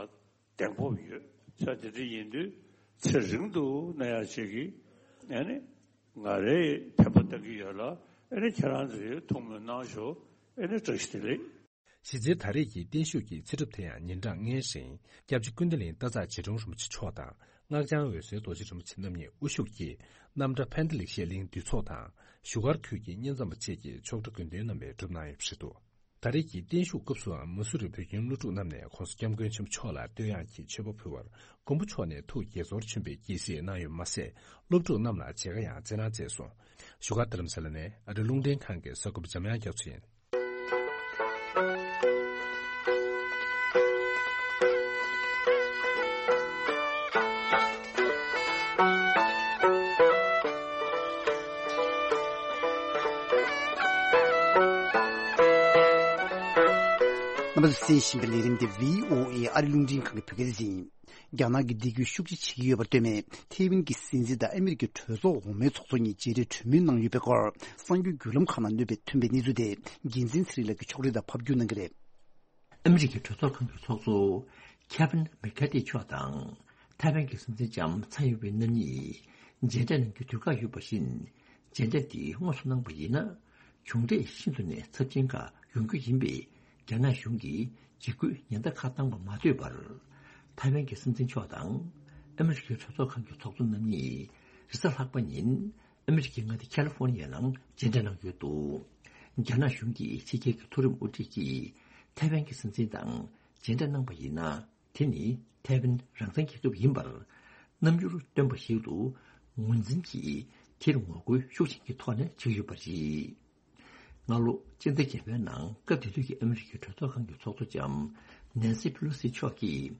གདེང་སྤོབས་ཡོད། ས་དེ་འདྲ་ཡིན་དུས་ཚེ་རིང་དུ་གནས་ཡག་ཅིག་གིས་ཨ་ནི་ང་རའི་ཕན་པ་བཏང་གི་ཡོད་ལ། ཨ་ནི་ཁྱེད་རང་ཚོས་ཐུགས་སྨོན་གནང་ཤོག་ཨ་ནི་བཀྲ་ཤིས་བདེ་ལེགས། གཞི་རྩའི་ད་རེས་ཀྱི་བརྟན་བཞུགས་ཀྱི་ཚེ་སྒྲུབ་དེ་ཡང་ཉིན་གྲངས་ལྔའི་རིང་སྐྱབས་རྗེ་ཀུན་བདེ་གླིང་སྟག་འཚག་རྗེ་དྲུང་རིན་པོ་ཆེ་མཆོག་དང་སྔགས་འཆང་འོད་ཟེར་རྡོ་རྗེ་རིན་པོ་ཆེ་རྣམ་གཉིས་དབུ་བཞུགས་ཀྱིས་རྣམ་གྲྭ་ཕན་བདེ་ལེགས་བཤད་གླིང་འདུས་ཚོགས་དང་བཞུགས་སྒར་ཁུལ་གྱི་བསྙེན་མཚམས་པ་བཅས་ཀྱི་ཆོག་གྲྭ་དགོན་སྡེ་རྣམ་པས་སྒྲུབ་གནང་ཡོད་པ་རེད་འདུག་ད་རེས་ཀྱི་བརྟན་བཞུགས་སྐབས་སུའང་མ་སུ་རི་བོད་ཁྱིམ་སློབ་ཕྲུག་རྣམས་ནས་༸གོང་ས་༸སྐྱབས་མགོན་ཆེན་པོ་མཆོག་ལ་བསྟོད་དབྱངས་ཀྱི་མཆོད་པ་ཕུལ་བར་མགོན་པོ་མཆོག་ནས་ཐུགས་དགྱེས་ཚོར་ཆེན་པོས་དགྱེས་གཟིགས་གནང་ཡོད་མ་ཟད། སློབ་ཕྲུག་རྣམས་ལ་མཇལ་ཁ་ཡང་སྩལ་གནང་མཛད་སོང་། བཞུགས་སྒར་རྡ་རམ་ས་ལ་ནས་ཨ་རི་རླུང་འཕྲིན་ཁང་གི་གསར་འགོད་པ་འཇམ་དབྱངས་རྒྱ་མཚོ་ཡིན། རྣམ་པ་ཚོས་གསན་བཞིན་པའི་ལས་རིམ་འདི་བྷི་ཨོ་ཨེ་ཨ་རི་རླུང་འཕྲིན་ཁང་གི་བོད་སྐད་སྡེ་ཚན་ཡིན། རྒྱ་ནག་གིས་འདེད་སྐྱོན་ཤུགས་ཆེ་བྱེད་ཀྱི་ཡོད་པར་ལྟོས་ནས་ཐའེ་ཝན་གྱི་སྲིད་འཛིན་དང་ཨ་མི་རི་ཀའི་གྲོས་ཚོགས་འོག་མའི་ཚོགས་གཙོ་གཉིས་མཇལ་འཕྲད་གྲོས་མོལ་གནང་ཡོད་པའི་སྐོར་གསར་འགྱུར་བརྒྱུད་ལམ་ཁག་ནང་ཐོན་པའི་གནས་ཚུལ་དེ་རྒྱལ་མཚན་ཚེ་རིང་ལགས་ཀྱིས་ཕྱོགས་སྒྲིག་དང་ཕབ་སྒྱུར་གནང་གི་རེད། ཨ་མི་རི་ཀའི་གྲོས་ཚོགས་ཁང་གི་ཚོགས་གཙོ་ཁེ་ཝིན་མེག་ཁ་ཏི་མཆོག་དང་ཐའེ་ཝན་གྱི་སྲིད་འཛིན་ལྕམ་ཚའེ་ཡིན་ཝེན་རྣམ་གཉིས་མཇལ་འཕྲད་གནང་རྒྱུའི་དུས་བཀག་ཡོད་པ་བཞིན། མཇལ་འཕྲད་འདི་དངོས་སུ་གནང་པ་ཡིན་ན། གྱོང་འབྲས་ཤིན་ཏུ་ནས་ཚབས་ཆེན་ཁག་ཡོང་རྒྱུ་ཡིན་པས། རྒྱ་ནག་གཞུང་གིས་འཇིགས་སྐུལ་ཉེན་བརྡ་ཁ་བཏང་བ་མ་ཐོས་པར། ཐའེ་ཝན་གྱི་སྲིད་འཛིན་མཆོག་དང་ཨ་མི་རི་ཀའི་གྲོས་ཚོགས་ཁང་གི་ཚོགས་གཙོ་རྣམ་གཉིས་རེས་གཟའ་ལྷག་པ་ཉིན་ཨ་མི་རི་ཀའི་མངའ་སྡེ་ཁ་ལི་ཧྥོ་ནི་ཡའི་ནང་མཇལ་འཕྲད་གནང་ཡོད་འདུག་རྒྱ་ནག་གཞུང་གིས་ཕྱི་རྒྱལ་གྱི་མཐོ་རིམ་དབུ་ཁྲིད་ཀྱིས་ཐའེ་ཝན་གྱི་སྲིད་འཛིན་དང་མཇལ་འཕྲད་གནང་པ་ཡིན་ན། དེ་ནི་ཐའེ་ཝན་རང་བཙན་རྒྱལ་ཁབ་ཡིན་པར་རྣམ་འགྱུར་སྟོན་པ་ཞིག་ཏུ་ངོས་འཛིན་གྱིས་དེར་ངོ་རྒོལ་ཤུགས་ཆེན་གྱི་ཐོག་ནས་བྱེད་ཀྱི་ཡོད་པ་རེད། སྔ་ལོ་སྤྱི་ཟླ་བརྒྱད་པའི་ནང་སྐབས་དེ་དུས་ཀྱི་ཨ་མི་རི་ཀའི་གྲོས་ཚོགས་ཁང་གི་ཚོགས་གཙོ་ལྕམ་ནན་སི་ཕེ་ལོ་སི་མཆོག་གིས་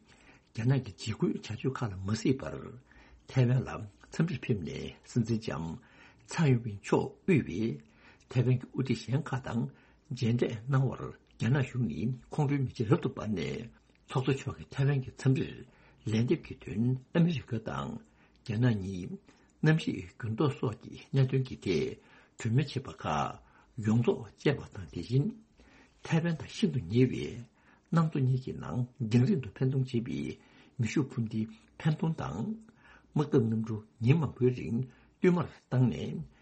རྒྱ་ནག་གི་འཇིགས་སྐུལ་བྱ་སྤྱོད་ཁག་ལ་མ་གཟིགས་པར་ཐའེ་ཝན་ལ་འཚམས་འདྲིར་ཕེབས་ནས་སྲིད་འཛིན་ལྕམ་ཚའེ་ཡིན་ཝེན་མཆོག་དབུས་པའི་ཐའེ་ཝན་གྱི་དབུ་ཁྲིད་གཞན་ཁག་དང་མཇལ་འཕྲད་གནང་བར་རྒྱ་ནག་གཞུང་ནས་ཁོང་ཁྲོའི་མེ་ལྕེ་རབ་ཏུ་འབར་ནས། ཚོགས་གཙོ་མཆོག་གིས་ཐའེ་ཝན་གྱི་འཚམས་འདྲིར་ལན་འདེབས་ཀྱི་དོན་ཨ་མི་རི་ཀ་དང་རྒྱ་ནག་གཉིས་གནམ་གཤིས་འགྱུར་ལྡོག་སོགས་ཀྱི་གནད་དོན་གྱི་ཐད་གྲོས་མོལ་བྱས་པ་ཁག་ཡོངས་རྫོགས་བཅད་པ་དང་། དེ་བཞིན་ཐའེ་ཝན་དང་ཤིན་ཏུ་ཉེ་བའི་གནམ་མཚོ་གཉིས་ཀྱི་ནང་རྒྱང་རིང་དུ་འཕེན་གཏོང་བྱེད་པའི་མེ་ཤུགས་འཕུར་མདེལ་འཕེན་གཏོང་དང་། དམག་འཐབ་གནམ་གྲུ་ཉིན་མང་པོའི་རིང་བསྟུད་མར་བཏང་ནས་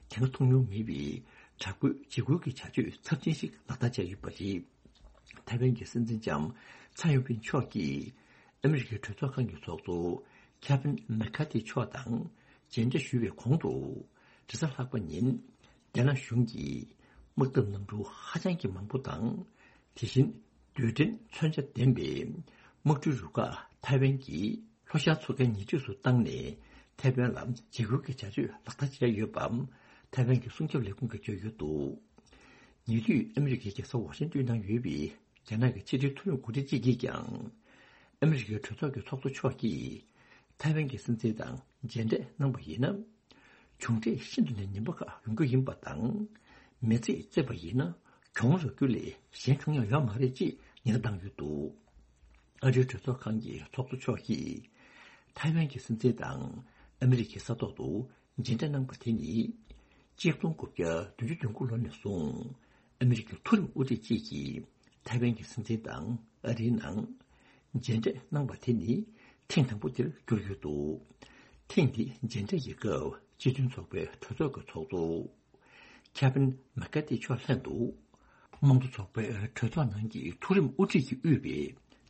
དེ་སྔ་མཐོང་མྱོང་མེད་པའི་དྲག་པོའི་འཇིགས་སྐུལ་གྱི་བྱ་སྤྱོད་ཚབས་ཆེན་ཞིག་ལག་བསྟར་བྱས་ཡོད་པ་རེད། ཐའེ་ཝན་གྱི་སྲིད་འཛིན་ལྕམ་ཚའེ་ཡིན་ཝེན་མཆོག་གིས་ཨ་མི་རི་ཀའི་གྲོས་ཚོགས་ཁང་གི་ཚོགས་གཙོ་ཁེ་ཝིན་མེ་ཁ་ཐི་མཆོག་དང་མཇལ་འཕྲད་ཞུས་པའི་གོང་དུ། རེས་གཟའ་ལྷག་པ་ཉིན་རྒྱ་ནག་གཞུང་གིས་དམག་འཐབ་གནམ་གྲུ་ཧ་ཅང་གི་མང་པོ་དང་། དེ་བཞིན་རྡུལ་ཕྲན་མཚོན་ཆ་ལྡན་པའི་དམག་གྲུའི་རུ་ཁག་ཐའེ་ཝན་གྱི་ལྷོ་ཤར་མཚོ་ཁའི་ཉེ་འཁྲིས་སུ་བཏང་ནས་ཐའེ་ཝན་ལ་འཇིགས་སྐུལ་གྱི་བྱ་སྤྱོད་ལག་བསྟར་བྱས་ཡོད་པ་ཐའེ་ཝན་གྱི་སྲུང་སྐྱོབ་ལས་ཁུངས་ཀྱིས་བརྗོད་ཡོད་འདུག་ཉེ་དུས་ཨ་མི་རི་ཀའི་རྒྱལ་ས་ཝ་ཤིང་ཏོན་ནང་ཡོད་པའི་རྒྱ་ནག་གི་ཕྱི་དྲིལ་མཐོ་རིམ་འགོ་ཁྲིད་ཅིག་གིས་ཀྱང་། ཨ་མི་རི་ཀའི་གྲོས་ཚོགས་ཀྱི་ཚོགས་གཙོ་མཆོག་གིས་ཐའེ་ཝན་གྱི་སྲིད་འཛིན་དང་མཇལ་འཕྲད་གནང་པ་ཡིན་ན། གྱོང་འབྲས་ཤིན་ཏུ་ནས་ངན་པ་ཁག་ཡོང་རྒྱུ་ཡིན་པ་དང་། མི་ཚེ་བརྩིས་པ་ཡིན་ན་གྱོང་རག་རྒྱུ་ལས་གཞན་གང་ཡང་ཡོད་མ་རེད་ཅེས་ཉེན་བརྡ་བཏང་ཡོད་འདུག་ཨ་རིའི་གྲོས་ཚོགས་ཁང་གི་ཚོགས་གཙོ་མཆོག་གིས་ཐའེ་ཝན་གྱི་སྲིད་འཛིན་དང་ཨ་མི་རི་ཀའི་ས་ཐོག་ཏུ་མཇལ་འཕྲད་གནང་པ་དེ་ནི། གཅིག་སྟོང་དགུ་བརྒྱ་བདུན་ཅུ་དོན་དགུ་ལོ་ནས་བཟུང་ཨ་མི་རི་ཀའི་མཐོ་རིམ་དབུ་ཁྲིད་ཅིག་གིས་ཐའེ་ཝན་གྱི་སྲིད་འཛིན་དང་ཨ་རིའི་ནང་མཇལ་འཕྲད་གནང་པ་དེ་ནི་ཐེངས་དང་པོ་དེར་གྱུར་ཡོད་འདུག་ཐེངས་འདིའི་མཇལ་འཕྲད་ཀྱི་སྐབས་སྤྱི་མཐུན་ཚོགས་པའི་གྲོས་ཚོགས་ཀྱི་ཚོགས་གཙོ་ཁེ་བྷིན་མེག་ཀ་ཏི་མཆོག་ལྷན་དུ། དམངས་གཙོ་ཚོགས་པའི་གྲོས་ཚོགས་ནང་གི་མཐོ་རིམ་དབུ་ཁྲིད་ཀྱིས་དབུས་པའི་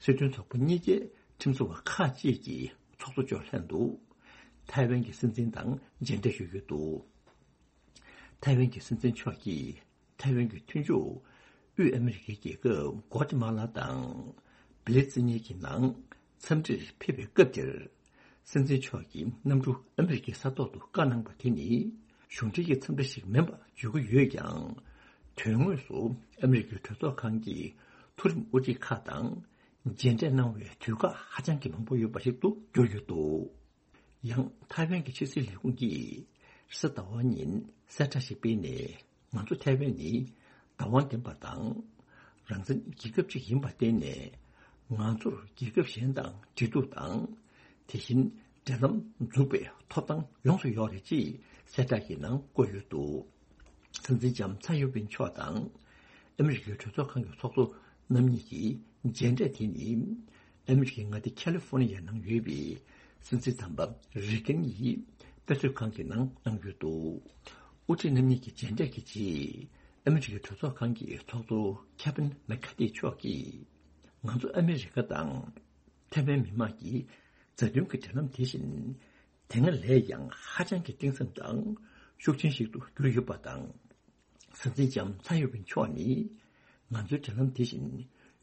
སྲིད་དོན་ཚོགས་པ་གཉིས་ཀའི་ཁྲིམས་བཟོ་བ་ཁག་ཅིག་གི་ཚོགས་གཙོ་མཆོག་ལྷན་དུ། ཐའེ་ཝན་གྱི་སྲིད་འཛིན་དང་མཇལ་འཕྲད་ཞུས་ཡོད་འདུག་ཐའེ་ཝན་གྱི་སྲིད་འཛིན་མཆོག་གིས་ཐའེ་ཝན་གྱི་མཐུན་ཕྱོགས་དབུས་ཨ་མི་རི་ཀའི་རྒྱལ་ཁབ་ཀོ་ཏི་མ་ལ་དང་བེ་ལི་ཙི་ནི་གྱི་ནང་འཚམས་འདྲིར་ཕེབས་པའི་སྐབས་དེར། སྲིད་འཛིན་མཆོག་གིས་གནམ་གྲུ་ཨ་མི་རི་ཀའི་ས་ཐོག་ཏུ་བཀའ་གནང་པ་དེ་ནི་གཞུང་འབྲེལ་གྱི་འཚམས་འདྲི་ཞིག་མིན་པ་བརྗོད་ཀྱི་ཡོད་ཀྱང་། དོན་དངོས་སུ་ཨ་མི་རི་ཀའི་གྲོས་ཚོགས་ཁང་གི་མཐོ་རིམ་དབུ་ཁྲིད་ཁག་དང་མཇལ་འཕྲད་གནང་བའི་དུས་བཀག་ཧ་ཅང་གི་མང་པོ་ཡོད་པ་ཞིག་ཏུ་གྱུར་ཡོད་འདུག་ཡང་ཐའེ་ཝན་གྱི་ཕྱི་སྲིད་ལས་ཁུངས་ཀྱིས་རེས་གཟའ་ཟླ་བ་ཉིན་གསལ་བསྒྲགས་ཤིག་སྤེལ་ནས། ང་ཚོ་ཐའེ་ཝན་ནི་བདག་དབང་ལྡན་པ་དང་རང་བཙན་རྒྱལ་ཁབ་ཅིག་ཡིན་པར་བརྟེན་ནས། ང་ཚོར་རྒྱལ་ཁབ་གཞན་དང་འབྲེལ་གཏུག་དང་། དེ་བཞིན་འབྲེལ་ལམ་འཛུགས་པའི་ཐོབ་ཐང་ཡོངས་སུ་ཡོད་རེད་ཅེས་གསལ་བསྒྲགས་ཀྱི་ནང་བཀོད་ཡོད་འདུག་སྲིད་འཛིན་ལྕམ་ཚའེ་ཡོ་ཝིན་མཆོག་དང་ཨ་མི་རི་ཀའི་གྲོས་ཚོགས་ཁང་གི་ཚོགས་གཙོ་རྣམ་གཉིས་ཀྱི་མཇལ་འཕྲད་དེ་ནི། ཨ་མི་རི་ཀའི་མངའ་སྡེ་ཁ་ལི་ཧྥོ་ནི་ཡའི་ནང་ཡོད་པའི་སྲིད་འཛིན་དམ་པ་རེ་གན་ཡིས་དཔེ་མཛོད་ཁང་གི་ནང་གནང་ཡོད་འདུག་དབུ་ཁྲིད་རྣམ་གཉིས་ཀྱི་མཇལ་འཕྲད་ཀྱི་རྗེས། ཨ་མི་རི་ཀའི་གྲོས་ཚོགས་ཁང་གི་ཚོགས་གཙོ་ཁེ་བྷིན་མེག་ཁ་ཏི་མཆོག་གིས། ང་ཚོ་ཨ་མི་རི་ཀ་དང་ཐའེ་ཝན་མི་དམངས་ཀྱི་མཛའ་མཐུན་གྱི་འབྲེལ་ལམ་དེ་བཞིན་དེ་སྔ་ལས་ཀྱང་ཧ་ཅང་གི་གཏིང་ཟབ་དང་ཤུགས་ཆེན་ཞིག་ཏུ་གྱུར་ཡོད་པ་དང་། སྲིད་འཛིན་ལྕམ་ཚའེ་ཡོ་ཝིན་མཆོག་ནི་ང་ཚོའི་འབྲེལ་ལམ་དེ་བཞིན་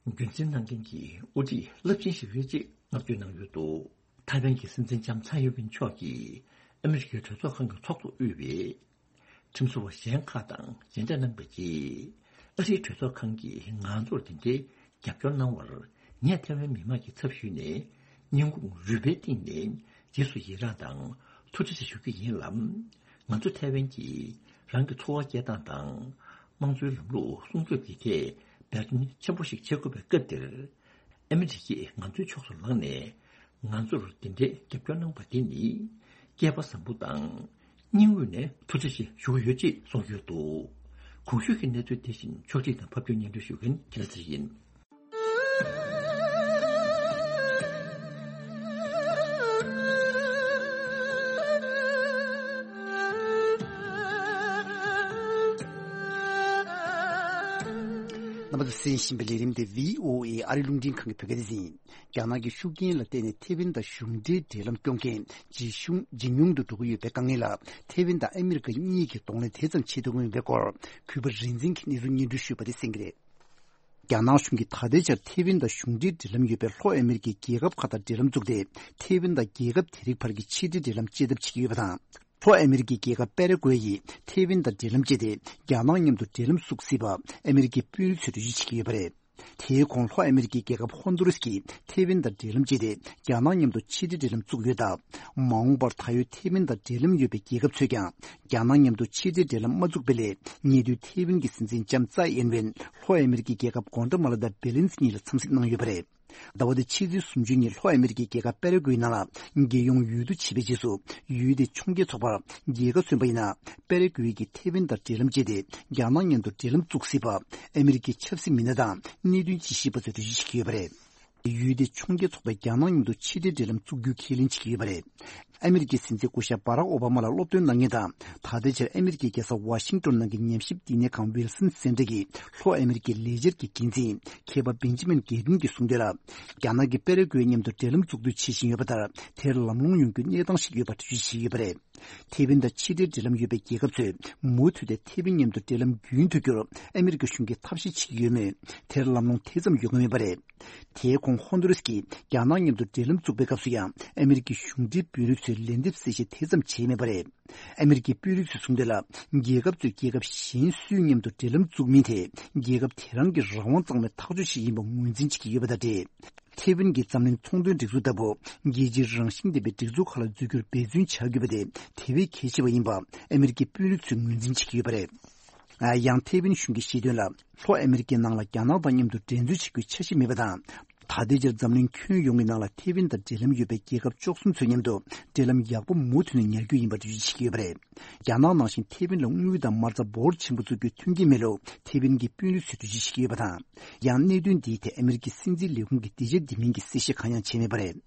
རྒྱུན་འཛིན་གནང་མཁན་གྱི་དབུ་ཁྲིད་རླབས་ཆེན་ཞིག་རེད་ཅེས་བསྔགས་བརྗོད་གནང་ཡོད་འདུག་ཐའེ་ཝན་གྱི་སྲིད་འཛིན་ལྕམ་ཚའེ་ཡོ་ཝིན་མཆོག་གིས་ཨ་མི་རི་ཀའི་གྲོས་ཚོགས་ཁང་གི་ཚོགས་གཙོ་དབུས་པའི་ཁྲིམས་བཟོ་བ་གཞན་ཁག་དང་མཇལ་འཕྲད་གནང་པའི་རྗེས། ཨ་རིའི་གྲོས་ཚོགས་ཁང་གིས་ང་ཚོར་དེ་འདྲའི་རྒྱབ་སྐྱོར་གནང་བར། ངས་ཐའེ་ཝན་མི་དམངས་ཀྱི་ཚབ་ཞུས་ནས་སྙིང་ཁོང་རུས་པའི་གཏིང་ནས་རྗེས་སུ་ཡི་རང་དང་ཐུགས་རྗེ་ཆེ་ཞུ་རྒྱུ་ཡིན་ལ། ང་ཚོ་ཐའེ་ཝན་གྱིས་རང་གི་འཚོ་བ་སྐྱེལ་སྟངས་དང་། དམངས་གཙོའི་ལམ་ལུགས་སྲུང་སྐྱོབ་ཀྱི་ཐད་འབད་བརྩོན་ཆེན་པོ་ཞིག་བྱེད་དགོས་པའི་སྐབས་འདིར། ཨ་མི་རི་ཀས་ང་ཚོའི་ཕྱོགས་སུ་ལངས་ནས་ང་ཚོར་འདི་འདྲའི་རྒྱབ་སྐྱོར་གནང་པ་དེ་ནི་སྐལ་པ་བཟང་པོ་དང་སྙིང་དབུས་ནས་ཐུགས་རྗེ་ཆེ་ཞུ་གི་ཡོད་ཅེས་གསུངས་ཡོད་འདུག་གོང་ཞུས་ཀྱི་གནས་ཚུལ་དེ་བཞིན་ཕྱོགས་སྒྲིག་དང་ཕབ་སྒྱུར་སྙན་སྒྲོན་ཞུ་མཁན་ཁྱེད་ཚེ་རིང་ཡིན། རྣམ་པ་ཚོ་གསན་བཞིན་པའི་ལས་རིམ་དེ་བྷི་ཨོ་ཨེ་ཨ་རི་རླུང་འཕྲིན་ཁང་གི་བོད་སྐད་སྡེ་ཚན་ཡིན། རྒྱ་ནག་གི་ཤུགས་རྐྱེན་ལ་བརྟེན་ནས་ཐེ་ཝན་དང་གཞུང་འབྲེལ་འབྲེལ་ལམ་སྐྱོང་མཁན་ཇེ་ཆུང་ཇེ་ཉུང་དུ་འགྲོ་གི་ཡོད་པའི་དཀའ་ངལ་ལ་ཐེ་ཝན་དང་ཨ་མི་རི་ཀ་གཉིས་ཀྱིས་གདོང་ལེན་དེ་ཙམ་བྱེད་ཐུབ་ཀྱི་མེད་པའི་སྐོར་གུས་པ་རིག་འཛིན་གྱིས་གནས་ཚུལ་སྙན་སྒྲོན་ཞུས་པ་དེ་གསན་གྱི་རེད། རྒྱ་ནག་གཞུང་གིས་ད་ལྟའི་ཆར་ཐེ་ཝན་དང་གཞུང་འབྲེལ་འབྲེལ་ལམ་ཡོད་པའི་ལྷོ་ཨ་མེ་རི་ཀའི་རྒྱལ་ཁབ་ཁག་དང་འབྲེལ་ལམ་བཙུགས་ཏེ། ཐེ་ཝན་དང་རྒྱལ་ཁབ་དེ་རིགས་བར་གྱི་ཕྱི་འབྲེལ་འབྲེལ་ལམ་བཅད་ཐབས་བྱེད་ཀྱི་ཡོད་པ་དང་། ལྷོ་ཨ་མེ་རི་ཀའི་རྒྱལ་ཁབ་པེ་ར་ཀུའེ་ཡིས་ཐེ་ཝན་དང་འབྲེལ་ལམ་བཅད་དེ། རྒྱ་ནག་མཉམ་དུ་འབྲེལ་ལམ་བཙུགས་སྲིད་པ་ཨ་མེ་རི་ཀའི་དཔོན་རིགས་ཚོས་གྲོས་ཆོད་བྱེད་ཀྱི་ཡོད་པ་རེད། དེའི་གོང་ལྷོ་ཨ་མེ་རི་ཀའི་རྒྱལ་ཁབ་ཧོན་དུ་རུས་ཀྱིས་ཐེ་ཝན་དང་འབྲེལ་ལམ་བཅད་དེ། རྒྱ་ནག་མཉམ་དུ་ཕྱི་འབྲེལ་འབྲེལ་ལམ་བཙུགས་ཡོད་སྟབས། མ་འོངས་པར་ད་ཡོད་ཐེ་ཝན་དང་འབྲེལ་ལམ་ཡོད་པའི་རྒྱལ་ཁབ་ཚོས་ཀྱང་། རྒྱ་ནག་མཉམ་དུ་ཕྱི་འབྲེལ་འབྲེལ་ལམ་མ་བཙུགས་པའི་སླད། ཉེ་དུས་ཐེ་ཝན་གྱི་སྲིད་འཛིན་ལྕམ་ཙའེ་ཨིན་ཝེན་ལྷོ་ཨ་མེ་རི་ཀའི་རྒྱལ་ཁབ་གོ་ཏྲ་མ་ལ་དང་བེ་ལིན་ཙི་གཉིས་ལ་འཚམས་གཟིགས་གནང་ཡོད་པ་རེད། ཟླ་བ་འདིའི་ཕྱི་ཚེས་སུམ་ཅུ་ཉིན་ལྷོ་ཨ་མེ་རི་ཀའི་རྒྱལ་ཁབ་པེ་ར་ཀུའི་ནང་ལ་རྒྱལ་ཡོངས་འོས་བསྡུ་བྱས་པའི་རྗེས་སུ། འོས་བསྡུའི་ཕྱོགས་འགལ་ཚོགས་པར་རྒྱལ་ཁ་སོན་པ་ཡིན་ན། པེ་ར་ཀུའི་གིས་ཐེ་ཝན་དང་འབྲེལ་ལམ་བཅད་དེ། རྒྱ་ནག་མཉམ་དུ་འབྲེལ་ལམ་བཙུགས་སྲིད་པ་ཨ་མེ་རི་ཀའི་ཆབ་སྲིད་མི་སྣ་དང་གནད་དོན་དཔྱད་ཞིབ་པ་ཚོས་འགྲེལ་བརྗོད་བྱེད་ཀྱི་ཡོད་པ་རེད། འོས་བསྡུའི་ཕྱོགས་འགལ་ཚོགས་པས་རྒྱ་ནག་མཉམ་དུ་ཕྱི་འབྲེལ་འབྲེལ་ལམ་བཙུགས་རྒྱུའི་ཁས་ལེན་བྱེད་ཀྱི་ཡོད་པ་རེད། ཨ་མེ་རི་ཀའི་སྲིད་འཛིན་སྐུ་ཞབས་བྷ་རག་ཨོ་བྷ་མ་ལ་སློབ་སྟོན་གནང་མཁན་དང་། ད་ལྟའི་ཆར་ཨ་མེ་རི་ཀའི་རྒྱལ་ས་ཝ་ཤིང་ཏོན་ནང་གི་ཉམས་ཞིབ་བསྟི་གནས་ཁང་ཝིལ་སན་སེན་ཏྲ་གི་ལྷོ་ཨ་མེ་རི་ཀའི་ལས་འཆར་གྱི་འགན་འཛིན་མཁས་པ་བེན་ཇི་མིན་གེ་ཏིན་གྱིས་གསུངས་དོན་ལ། རྒྱ་ནག་གིས་པེ་ར་ཀུའེ་མཉམ་དུ་འབྲེལ་ལམ་བཙུགས་འདོད་བྱེད་བཞིན་ཡོད་པ་ལྟར། དེར་ལམ་ལྷོང་ཡོང་རྒྱུའི་གནས་སྟངས་ཤིག་ཡོད་པ་འགྲེལ་བརྗོད་བྱས་ཡོད་པ་རེད། ཐེ་ཝན་དང་ཕྱི་འབྲེལ་འབྲེལ་ལམ་ཡོད་པའི་རྒྱལ་ཁབ་ཚོས་མུ་མཐུད་དེ་ཐེ་ཝན་མཉམ་དུ་འབྲེལ་ལམ་རྒྱུན་མཐུད་རྒྱུར་ཨ་མེ་རི་ཀ་གཞུང་གིས་ཐབས་ཤེས་བྱེད་ཀྱི་ཡོད་མོད། དེར་ལམ་ལྷོང་དེ་ཙམ་ཡོང་གི་མེད་པ་རེད། དེའི་གོང་ཧོན་དུ་རུས་ཀྱིས་རྒྱ་ནག་མཉམ་དུ་འབྲེལ་ལམ་བཙུགས་པའི་སྐབས་སུ་ཡང་ཨ་མེ་རི་ཀའི་གཞུང་འབྲེལ་དཔོན་རིགས་ཚོས་ལན་འདེབས་གསལ་བཤད་དེ་ཙམ་བྱས་མེད་པ་རེད། ཨ་མེ་རི་ཀའི་དཔོན་རིགས་ཚོས་གསུངས་དོན་ལ། རྒྱལ་ཁབ་ཚོས་རྒྱལ་ཁབ་གཞན་སུའི་མཉམ་དུ་འབྲེལ་ལམ་བཙུགས་མིན་དེ། རྒྱལ་ཁབ་དེ་རང་གི་རང་དབང་གཙང་མའི་ཐག་གཅོད་ཞིག་ཡིན་པ་ངོས་འཛིན་བྱེད་ཀྱི་ཡོད་པ་དང་འབྲེལ། ཐེ་ཝན་གྱིས་འཛམ་གླིང་ཚོང་དོན་སྒྲིག་འཛུགས་ལྟ་བུ་རྒྱལ་སྤྱིའི་རང་བཞིན་ལྡན་པའི་སྒྲིག་འཛུགས་ཁག་ལ་འཛུལ་རྒྱུར་འབད་བརྩོན་བྱ་དགོས་པ་དེ་དེ་བས་གལ་ཆེ་བ་ཡིན་པ་ཨ་མེ་རི་ཀའི་དཔོན་རིགས་ཚོས་ངོས་འཛིན་བྱེད་ཀྱི་ཡོད་པ་རེད། ཡང་ཐེ་ཝན་གཞུང་གིས་བཤད་དོན་ལ། ལྷོ་ཨ་མེ་རི་ཀའི་ནང་ལ་རྒྱ་ནག་དང་མཉམ་དུ་འགྲན་རྩོད་བྱེད་རྒྱུའི་འཆར་གཞི་མེད་པ་དང་། ད་ལྟའི་ཆར་འཛམ་གླིང་ཁྱོན་ཡོངས་ཀྱི་ནང་ལ་ཐེ་ཝན་དང་འབྲེལ་ལམ་ཡོད་པའི་རྒྱལ་ཁབ་བཅུ་གསུམ་ཚོའི་མཉམ་དུ་འབྲེལ་ལམ་ཡག་པོ་མུ་མཐུད་ནས་ཉར་རྒྱུ་ཡིན་པ་འགྲེལ་བརྗོད་བྱེད་ཀྱི་ཡོད་པ་རེད། རྒྱ་ནག་ནང་བཞིན་ཐེ་ཝན་ལ་དངུལ་དང་མ་རྩ་འབོར་ཆེན་པོ་བཙུགས་རྒྱུའི་མཐུན་རྐྱེན་མེད་ལུགས་ཐེ་ཝན་གྱི་དཔོན་རིགས་ཚོས་འགྲེལ་བརྗོད་བྱེད་ཀྱི་ཡོད་པ་དང་། ཡང་གནད་དོན་འདིའི་ཐད་ཨ་མེ་རི་ཀའི་སྲིད་འཛིན་ལས་ཁུངས་ཀྱིས་འདི་བྱས་འདི་མིན་གྱི་གསལ་བཤད་གང་ཡང་བྱས་མེད་པ་རེད།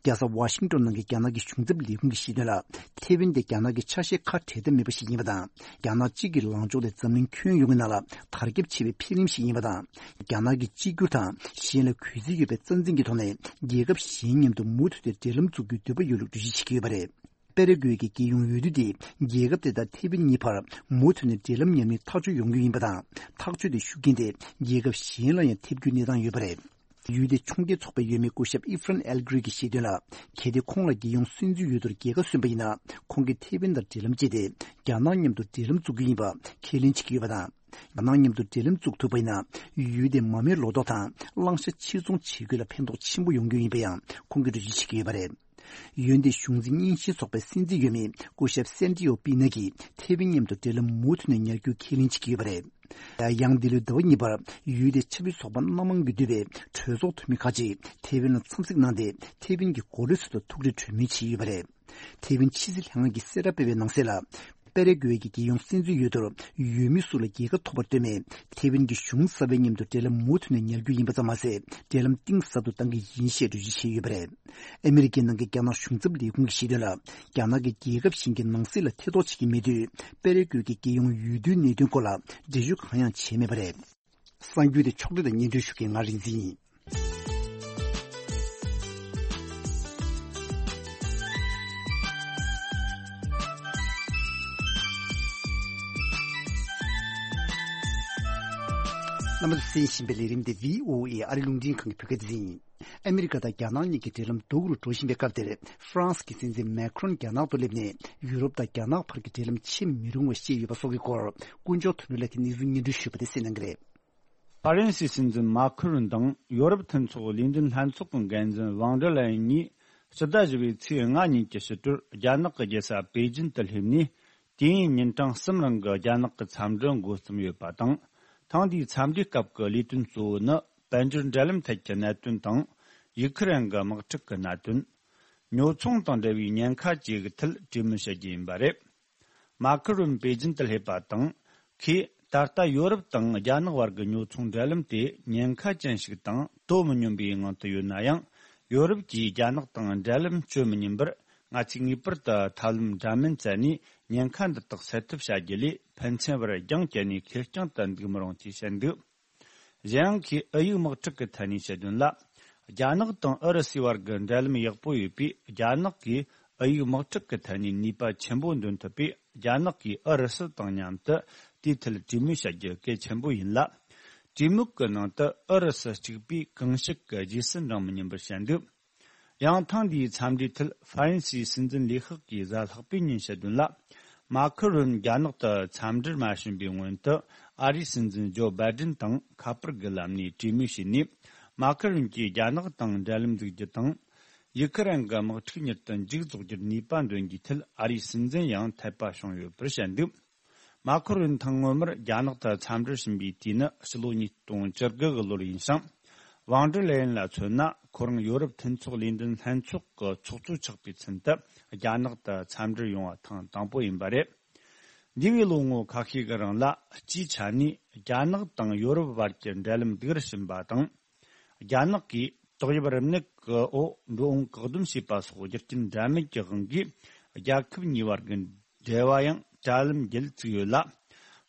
རྒྱལ་ས་ཝ་ཤིང་ཏོན་ནང་གི་རྒྱ་ནག་གི་གཞུང་ཚབ་ལས་ཁུངས་ཀྱིས་བཤད་དོན་ལ། ཐེ་ཝན་དེ་རྒྱ་ནག་གི་ཆ་ཤས་ཁ་བྲལ་ཐབས་མེད་པ་ཞིག་ཡིན་པ་དང་། རྒྱ་ནག་གཅིག་གི་ལངས་ཕྱོགས་དེ་འཛམ་གླིང་ཁྱོན་ཡོངས་ཀྱི་ནང་ལ་དར་ཁྱབ་ཆེ་བའི་འཕེལ་རིམ་ཞིག་ཡིན་པ་དང་། རྒྱ་ནག་གི་གཅིག་གྱུར་དང་གཞན་ལ་གུས་བརྩི་ཡོད་པའི་རྩ་འཛིན་གྱི་ཐོག་ནས་རྒྱལ་ཁབ་གཞན་མཉམ་དུ་མུ་མཐུད་དེ་འབྲེལ་ལམ་འཛུགས་རྒྱུའི་འདོད་པ་ཡོད་ལུགས་འགྲེལ་བརྗོད་བྱེད་ཀྱི་ཡོད་པ་རེད། པེ་ར་གུའེ་གྱི་རྒྱལ་ཡོངས་འོས་བསྡུ་དེ་རྒྱལ་ཁབ་དེ་དང་ཐེ་ཝན་གཉིས་བར་མུ་མཐུད་ནས་འབྲེལ་ལམ་ཉམས་ནས་ཐག་གཅོད་ཡོང་རྒྱུ་ཡིན་པ་དང་། ཐག་གཅོད་དེ་ཤུགས་རྐྱེན་དེ་རྒྱལ་ཁབ་གཞན་ལ་ཡང་ཐེབས་རྒྱུའི་གནས་སྟངས་ཡོད་པ་རེད། ཡུལ་དེའི་ཕྱོགས་འགལ་ཚོགས་པའི་འོས་མི་སྐུ་ཞབས་ཨི་ཧྥ་རན་ཨེལ་ཀྲི་གྱིས་བཤད་དོན་ལ། གལ་ཏེ་ཁོང་ལ་རྒྱལ་ཡོངས་སྲིད་འཛིན་འོས་བསྡུར་རྒྱལ་ཁ་སོན་པ་ཡིན་ན། ཁོང་གིས་ཐེ་ཝན་དང་འབྲེལ་ལམ་བཅད་དེ་རྒྱ་ནག་མཉམ་དུ་འབྲེལ་ལམ་འཛུགས་རྒྱུ་ཡིན་པ་ཁས་ལེན་བྱེད་ཀྱི་ཡོད་པ་དང་། རྒྱ་ནག་མཉམ་དུ་འབྲེལ་ལམ་འཛུགས་ཐུབ་པ་ཡིན་ན། ཡུལ་དེ་མ་རྨོས་ལོ་ཏོག་དང་བླང་བྱ་ཕྱིར་ཚོང་བྱེད་རྒྱུ་ལ་ཕན་ཐོགས་ཆེན་པོ་ཡོང་རྒྱུ་ཡིན་པ་ཡང་ཁོང་གིས་འགྲེལ་བརྗོད་བྱེད་ཀྱི་ཡོད་པ་རེད། ཡུལ་དེའི་གཞུང་འཛིན་རྙིང་ཞེན་ཚོགས་པའི་སྲིད་འཛིན་འོས་མི་སྐུ་ཞབས་སན་ཏི་ཨོ་པི་ན་གིས་ཐེ་ཝན་མཉམ་དུ་འབྲེལ་ལམ་མུ་མཐུད་ནས་ཉར་རྒྱུའི་ཁས་ལེན་བྱེད་ཀྱི་ཡོད་པ་རེད། ཡང་འདི་ལོའི་ཟླ་བ་གཉིས་པར་ཡུལ་དེའི་ཆབ་སྲིད་ཚོགས་པ་སྣ་མང་གིས་འདུས་པའི་གྲོས་ཚོགས་འཐུས་མི་ཁག་ཅིག་ཐེ་ཝན་ལ་འཚམས་གཟིགས་གནང་སྟེ། ཐེ་ཝན་གྱི་འགོ་ཁྲིད་ཚོ་དང་ཐུག་འཕྲད་གྲོས་མོལ་བྱས་ཡོད་པ་རེད། ཐེ་ཝན་ཕྱི་སྲིད་ལྷན་ཁང་གིས་གསལ་བསྒྲགས་སྤེལ་བའི་ནང་གསལ་ལ། པེ་ར་གུའེ་གྱི་རྒྱལ་ཡོངས་སྲིད་འཛིན་འོས་བསྡུར་འོས་མི་སུ་ལ་རྒྱལ་ཁ་ཐོབ་པར་ལྟོས་མེད། ཐེ་ཝན་གྱི་གཞུང་གསར་པའི་མཉམ་དུ་འབྲེལ་ལམ་མུ་མཐུད་ནས་ཉར་རྒྱུ་ཡིན་པ་ཙམ་མ་ཟད། འབྲེལ་ལམ་གཏིང་ཟབ་ཏུ་གཏང་གི་ཡིན་ཞེས་འགྲེལ་བརྗོད་བྱས་ཡོད་པ་རེད། ཨ་མི་རི་ཀའི་ནང་གི་རྒྱ་ནག་གཞུང་ཚབ་ལས་ཁུངས་ཀྱིས་བཤད་དོན་ལ། རྒྱ་ནག་གིས་རྒྱལ་ཁབ་གཞན་གྱི་ནང་སྲིད་ལ་ཐེ་གཏོགས་བྱེད་ཀྱི་མེད་དུས། པེ་ར་གུའེ་གྱི་རྒྱལ་ཡོངས་འོས་བསྡུའི་གནད་དོན་སྐོར་ལ་འགྲེལ་བརྗོད་གང་ཡང་བྱས་མེད་པ་རེད། གསར་འགྱུར་དེ་ཕྱོགས་སྒྲིག་དང་སྙན་སྒྲོན་ཞུ་མཁན་ང་རིག་འཛིན་ཡིན། རྣམ་པ་ཚོས་གསན་བཞིན་པའི་ལས་རིམ་དེ་བྷི་ཨོ་ཨེ་ཨ་རི་རླུང་འཕྲིན་ཁང་གི་བོད་སྐད་སྡེ་ཚན་ཡིན། ཨ་མི་རི་ཀ་དང་རྒྱ་ནག་གཉིས་ཀྱི་འབྲེལ་ལམ་སྡུག་རུ་འགྲོ་བཞིན་པའི་སྐབས་དེར། ཧྥ་རན་སི་གི་སྲིད་འཛིན་མེ་ཁྲོན་རྒྱ་ནག་ཏུ་སླེབས་ནས་ཡུ་རོབ་དང་རྒྱ་ནག་བར་གྱི་འབྲེལ་ལམ་ཆེས་མི་རུང་བ་བཤད་ཡོད་པ་སོགས་ཀྱི་སྐོར། དཀོན་མཆོག་དོན་གྲུབ་ལགས་ཀྱིས་གནས་ཚུལ་སྙན་སྒྲོན་ཞུས་པ་དེ་གསན་གནང་གི་རེད། ཧྥ་རན་སིའི་སྲིད་འཛིན་མཱ་ཁུ་རུན་དང་ཡོ་རོབ་མཐུན་ཚོགས་ལས་འཛིན་ལྷན་ཚོགས་ཀྱི་འགན་འཛིན་ཝང་ཌར་ལེ་ཡན་གཉིས་ཕྱི་ཟླ་བཞི་པའི་ཚེས་ལྔ་ཉིན་གྱི་ཕྱི་དྲོར་རྒྱ་ནག་གི་རྒྱལ་ས་པེ་ཅིན་དུ་སླེབས་ནས། དུས་ཡུན་ཉིན་གྲངས་གསུམ་རིང་གི་རྒྱ་ནག་གི་འཚམས་འདྲི་འགོ་རྩོམ་ཡོད་པ་དང་། ཐེངས་འདིའི་འཚམས་འདྲིའི་སྐབས་ཀྱི་ལས་དོན་གཙོ་བོ་ནི། དཔལ་འབྱོར་འབྲེལ་ལམ་ཐད་ཀྱི་གནད་དོན་དང་། ཡུ་ཁུ་རེན་གྱི་དམག་འཁྲུག་གི་གནད་དོན། ཉོ་ཚོང་དང་འབྲེལ་བའི་ཉེན་ཁ་བཅས་ཀྱི་ཐད་གྲོས་མོལ་བྱ་རྒྱུ་ཡིན་པ་རེད། མཱ་ཁུ་རུན་པེ་ཅིན་དུ་སླེབས་པ་དང་། ཁོས་ད་ལྟ་ཡོ་རོབ་དང་རྒྱ་ནག་བར་གྱི་ཉོ་ཚོང་འབྲེལ་ལམ་དེ་ཉེན་ཁ་ཅན་ཞིག་དང་དོ་མི་སྙོམས་པའི་ངང་དུ་ཡོད་ན་ཡང་། ཡོ་རོབ་ཀྱིས་རྒྱ་ནག་དང་འབྲེལ་ལམ་གཅོད་མི་ཉན་པར། ང་ཚོས་ངེས་པར་དུ་ཐབས་ལམ་འདྲ་མིན་བཙལ་ནས་ཉེན་ཁ་འདི་དག་སེལ་ཐབས་བྱ་རྒྱུ་ལས། ཕན་ཚུན་བར་རྒྱང་བཀྱེད་ནས་ཁེར་རྐྱང་དུ་འདུག་མི་རུང་ཅེས་བཤད་འདུག་གཞན་ཡང་། ཁོས་ཨུ་ཡིག་དམག་འཁྲུག་གི་ཐད་ནས་བཤད་དོན་ལ། རྒྱ་ནག་དང་ཨུ་རུ་སུའི་བར་གྱི་འབྲེལ་ལམ་ཡག་པོ་ཡོད་པས། རྒྱ་ནག་གིས་ཨུ་ཡིག་དམག་འཁྲུག་གི་ཐད་ནས་ནུས་པ་ཆེན་པོ་འདོན་ཐུབ་པས། རྒྱ་ནག་གིས་ཨུ་རུ་སུ་དང་མཉམ་དུ་དེའི་ཐད་གྲོས་མོལ་བྱ་རྒྱུ་གལ་ཆེན་པོ་ཡིན་ལ། གྲོས་མོལ་གྱི་ནང་དུ་ཨུ་རུ་སུ་གཅིག་པུས་གང་ཞིག་གི་རྗེས་སུ་འབྲང་མི་ཉན་པར་བཤད་འདུག་ཡང་། ཐེངས་འདིའི་འཚམས་འདྲིའི་ཐད་ཧྥ་རན་སིའི་སྲིད་འཛིན་ལས་ཁག་གི་གཟའ་ལྷག་པའི་ཉིན་བཤད་དོན་ལ། མཱ་ཁུ་རུན་རྒྱ་ནག་ཏུ་འཚམས་འདྲིར་མ་ཕྱིན་པའི་སྔོན་དུ། ཨ་རིའི་སྲིད་འཛིན་ཇོ་བྷའི་ཌེན་དང་ཁ་པར་གྱི་ལམ་ནས་གྲོས་མོལ་བྱས་ནས། མཱ་ཁུ་རུན་གྱིས་རྒྱ་ནག་དང་འབྲེལ་ལམ་འཛུགས་རྒྱུ་དང་། ཡུ་ཁུ་རེན་གྱི་དམག་འཁྲུག་མྱུར་དུ་མཇུག་རྫོགས་རྒྱུར་ནུས་པ་འདོན་རྒྱུའི་ཐད་ཨ་རིའི་སྲིད་འཛིན་ཡང་འཐད་པ་བྱུང་ཡོད་པར་བཤད་འདུག་མཱ་ཁུ་རུན་ཐེངས་སྔོན་མར་རྒྱ་ནག་ཏུ་འཚམས་འདྲིར་ཕྱིན་པའི་དུས་ནི་ཕྱི་ལོ་ཉིས་སྟོང་བཅུ་དགུ་གི་ལོར་ཡིན་ཞིང་། ཝང་ཀྲི་ལེ་ཡིན་ལ་མཚོན་ན། ཁོ་རང་ཡོ་རོབ་མཐུན་ཚོགས་ལས་འཛིན་ལྷན་ཚོགས་ཀྱི་ཚོགས་གཙོ་ཆགས་པའི་ཚུན་དུ་རྒྱ་ནག་ཏུ་འཚམས་འདྲིར་ཡོང་བ་ཐེངས་དང་པོ་ཡིན་པ་རེད། འདས་པའི་ལོ་ངོ་ཁ་ཤས་ཀྱི་རིང་ལ། སྤྱིའི་ཆ་ནས་རྒྱ་ནག་དང་ཡོ་རོབ་བར་གྱི་འབྲེལ་ལམ་སྡུག་རུ་ཕྱིན་པ་དང་། རྒྱ་ནག་གིས་ཏོག་དབྱིབས་རིམས་ནད་ཀྱི་འོག་འགྲོ་འོང་བཀག་སྡོམ་བྱས་པ་སོགས་རྒྱུ་རྐྱེན་འདྲ་མིན་གྱི་དབང་གིས། རྒྱལ་ཁབ་གཉིས་བར་གྱི་འབྲེལ་བ་ཡང་དྲ་ལམ་བརྒྱུད་བཙུགས་ཡོད་ལ།